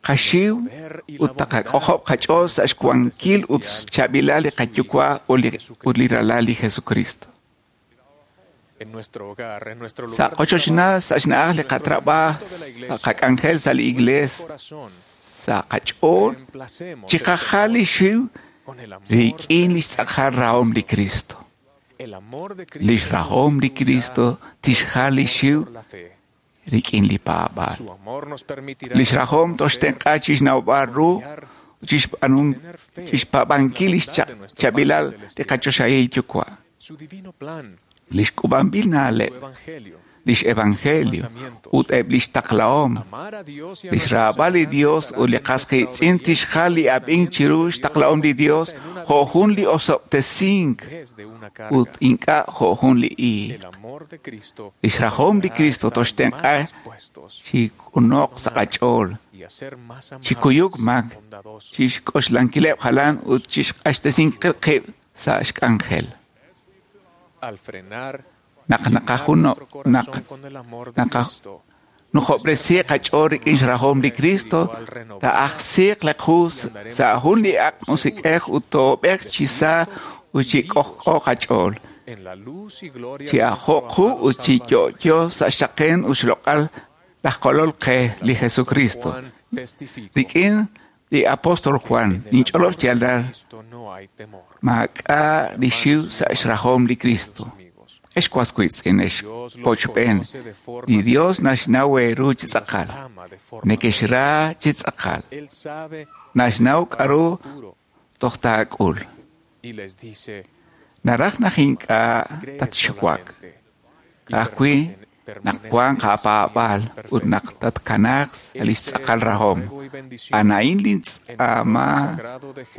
[SPEAKER 5] qaxiw ut taqak'ojob' qach'ool sa' xwankil ut xchaab'ilal li qaYuwa' ut li Ralal li Jesucristo. Sa' qochochnal, sa' xna'aj li qatrab'aaj, sa' qak'anjel sa' li iglees, sa' qach'ool, chiqajal li xiw rik'in li xtz'aqal rahom li Cristo. Li xrahom li Cristo tixjal li xiw rik'in li paab'aal. Li xrahom toxtenq'a chixnawb'al ru chixpaab'ankil li xchaab'ilal li qachoxahil Yuwa'. Li xk'ub'anb'il na'leb', li xevangelio ut eb' li xtaqlahom, li xraab'al li Dios ut li qas qiitz'in tixjal li ab'ink chiru xtaqlahom li Dios jo' jun li osob'tesink ut ink'a' jo' jun li iiq. Li xrahom li Cristo toxtenq'a chi k'unoq sa' qach'ool, chi kuyuk mak, chixk'oxlankileb' jalan ut chixq'axtesinkil qib' sa' xk'anjel. Naq naqajuno naq naqanujob'resi qach'ool rik'in xrahom li Cristo, taa'ajsiiq li qu sa' jun li ak' musiq'ej ut toob'eq chi sa ut chi k'ojk'o qach'ool, chi ajo'q qu ut chi yo'yo sa' xaqen ut xloq'al laj Kolol qe li Jesucristo. Rik'in li apóstol Juan ninch'olob' xyaalal maak'a' li xiw sa' xrahom li Cristo. Ex was wiitz'in, ex pochb'een, li Dios naxnaw eeru chi tz'aqal, nekexra chi tz'aqal, naxnaw k'aru toj taak'ul. Naraj naq ink'a' tatxuwak, ka'ajwi' naq wanq aapaab'aal ut naq tatkanaaq sa' li xtz'aqal rahom. A'an lintz'aama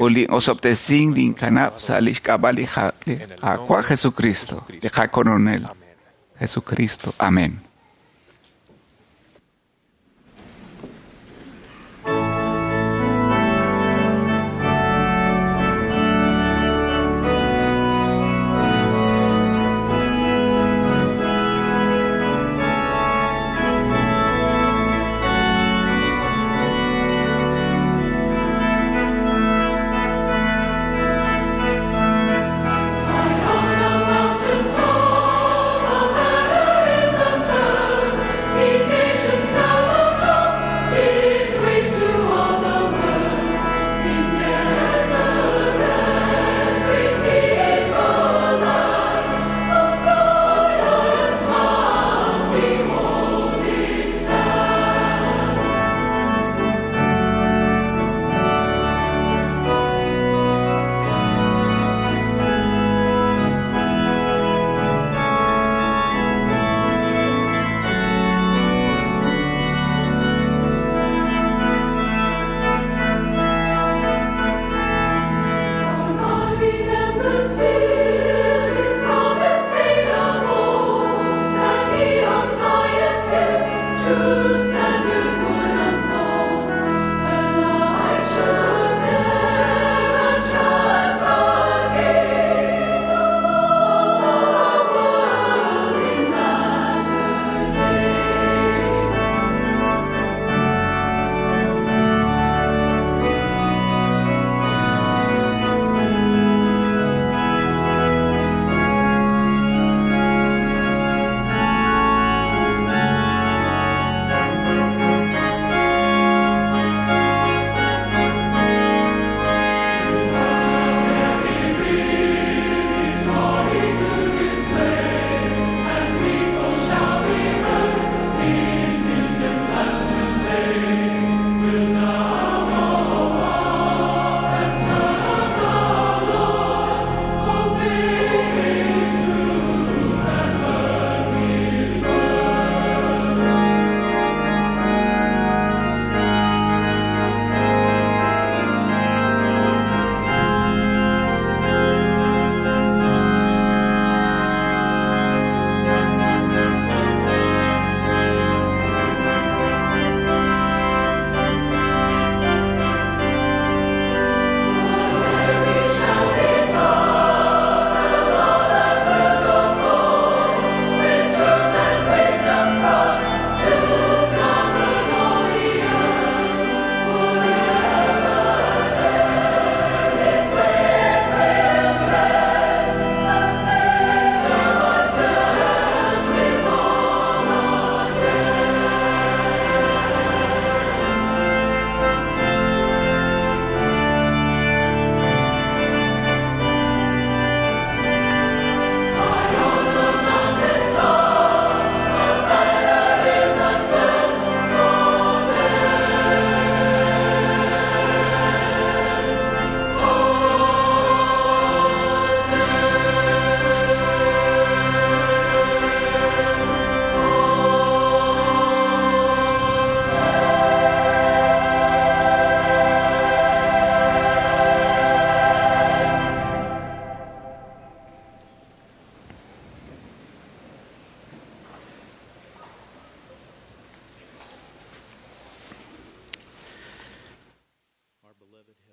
[SPEAKER 5] ut lin'osob'tesink linkanab' sa' li xk'ab'a' li Qaawa' Jesucristo, li qaKolonel Jesucristo. Amén.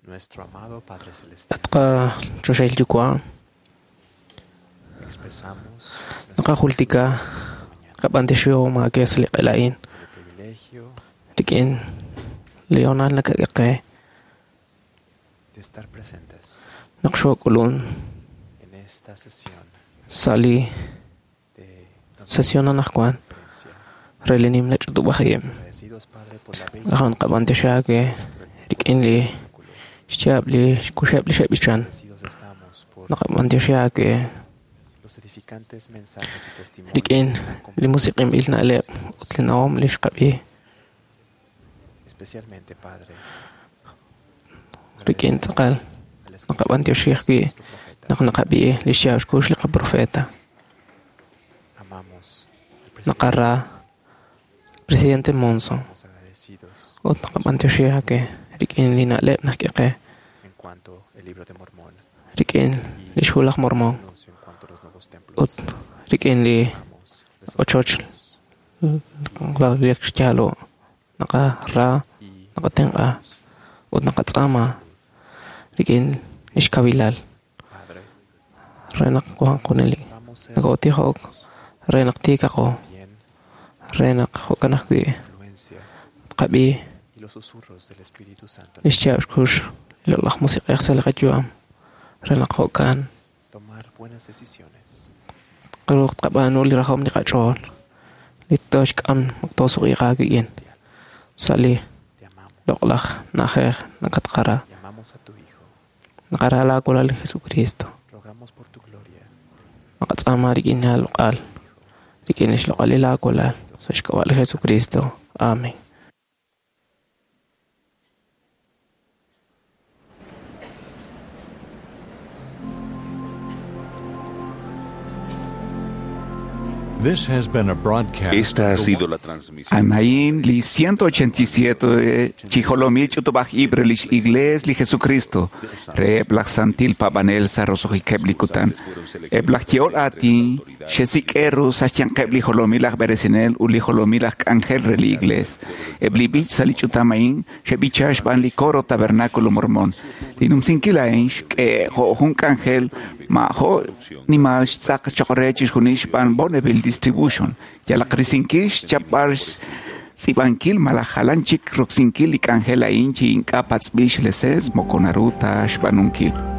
[SPEAKER 13] At qachoxahil Yuwa', naqajultika qab'antioxihom aake sa' li q'ela a'in rik'in li hoonal nakak'e qe naq xook'ulun sa' li sesión anaqwan re li nimla ch'utub'aj ib'. Ajan qab'antioxi aake rik'in li xyaab' li xkuxeb' li xe'b'ichan. Naqab'antioxi aake rik'in li musiq'inb'il na'leb' ut li nawom li xqab'i rik'in tz'aqal naqab'antioxi ajwi' naq naqab'i li xyaab' xkux li qaprofeta. Naqara presidente Monson ut naqab'antioxi aake rik'in li na'leb' nak'e qe rik'in li xhu laj Mormon ut rik'in li ochoch li xyaalo' naqara naqatenq'a ut naqatz'aama rik'in li xkawilal re naq wanq junelik nakootijo'ok re naq tiikaqo re naq jo'kan ajwi' tqab'i li xyaab' xkux li loq'laj musiq'ej sa' li qayu'am re naq jo'kan qaruuq tqab'aanu li rajom li qach'ool li tooxk'am naq toosuq'iiq aawik'in sa' li loq'laj na'ajej nakatqara naqara laawalal li Jesucristo naqatz'aama rik'in aaloq'al rik'in li xloq'alil aawalal sa' xk'ab'a' li Jesucristo. Amén.
[SPEAKER 14] This has been a broadcast.
[SPEAKER 2] Esta ha sido la transmisión.
[SPEAKER 5] Anaín li ciento ochenta y siete chijolomil chutubaj ibre lis igles li Jesucristo re blaj santil pabanel sa rosojikeb li kutan e blaj yeol atin xesik eru sachyanqeb li jolomil aj beresinel u li jolomil aj k'anjel re li igles e bli bich sa li chutamain xebichax ban li coro tabernáculo mormón li numsinkilain xk'e jo jun k'anjel ma jo nimal xtz'aq choq re chixjunil xb'aan Bonneville Distribution yalaq risinkil xchapb'al tz'ib'ankil malaj jalan chik roksinkil li k'anjel a'in chi ink'a' patz'b'il xleses moko naru ta xb'aanunkil.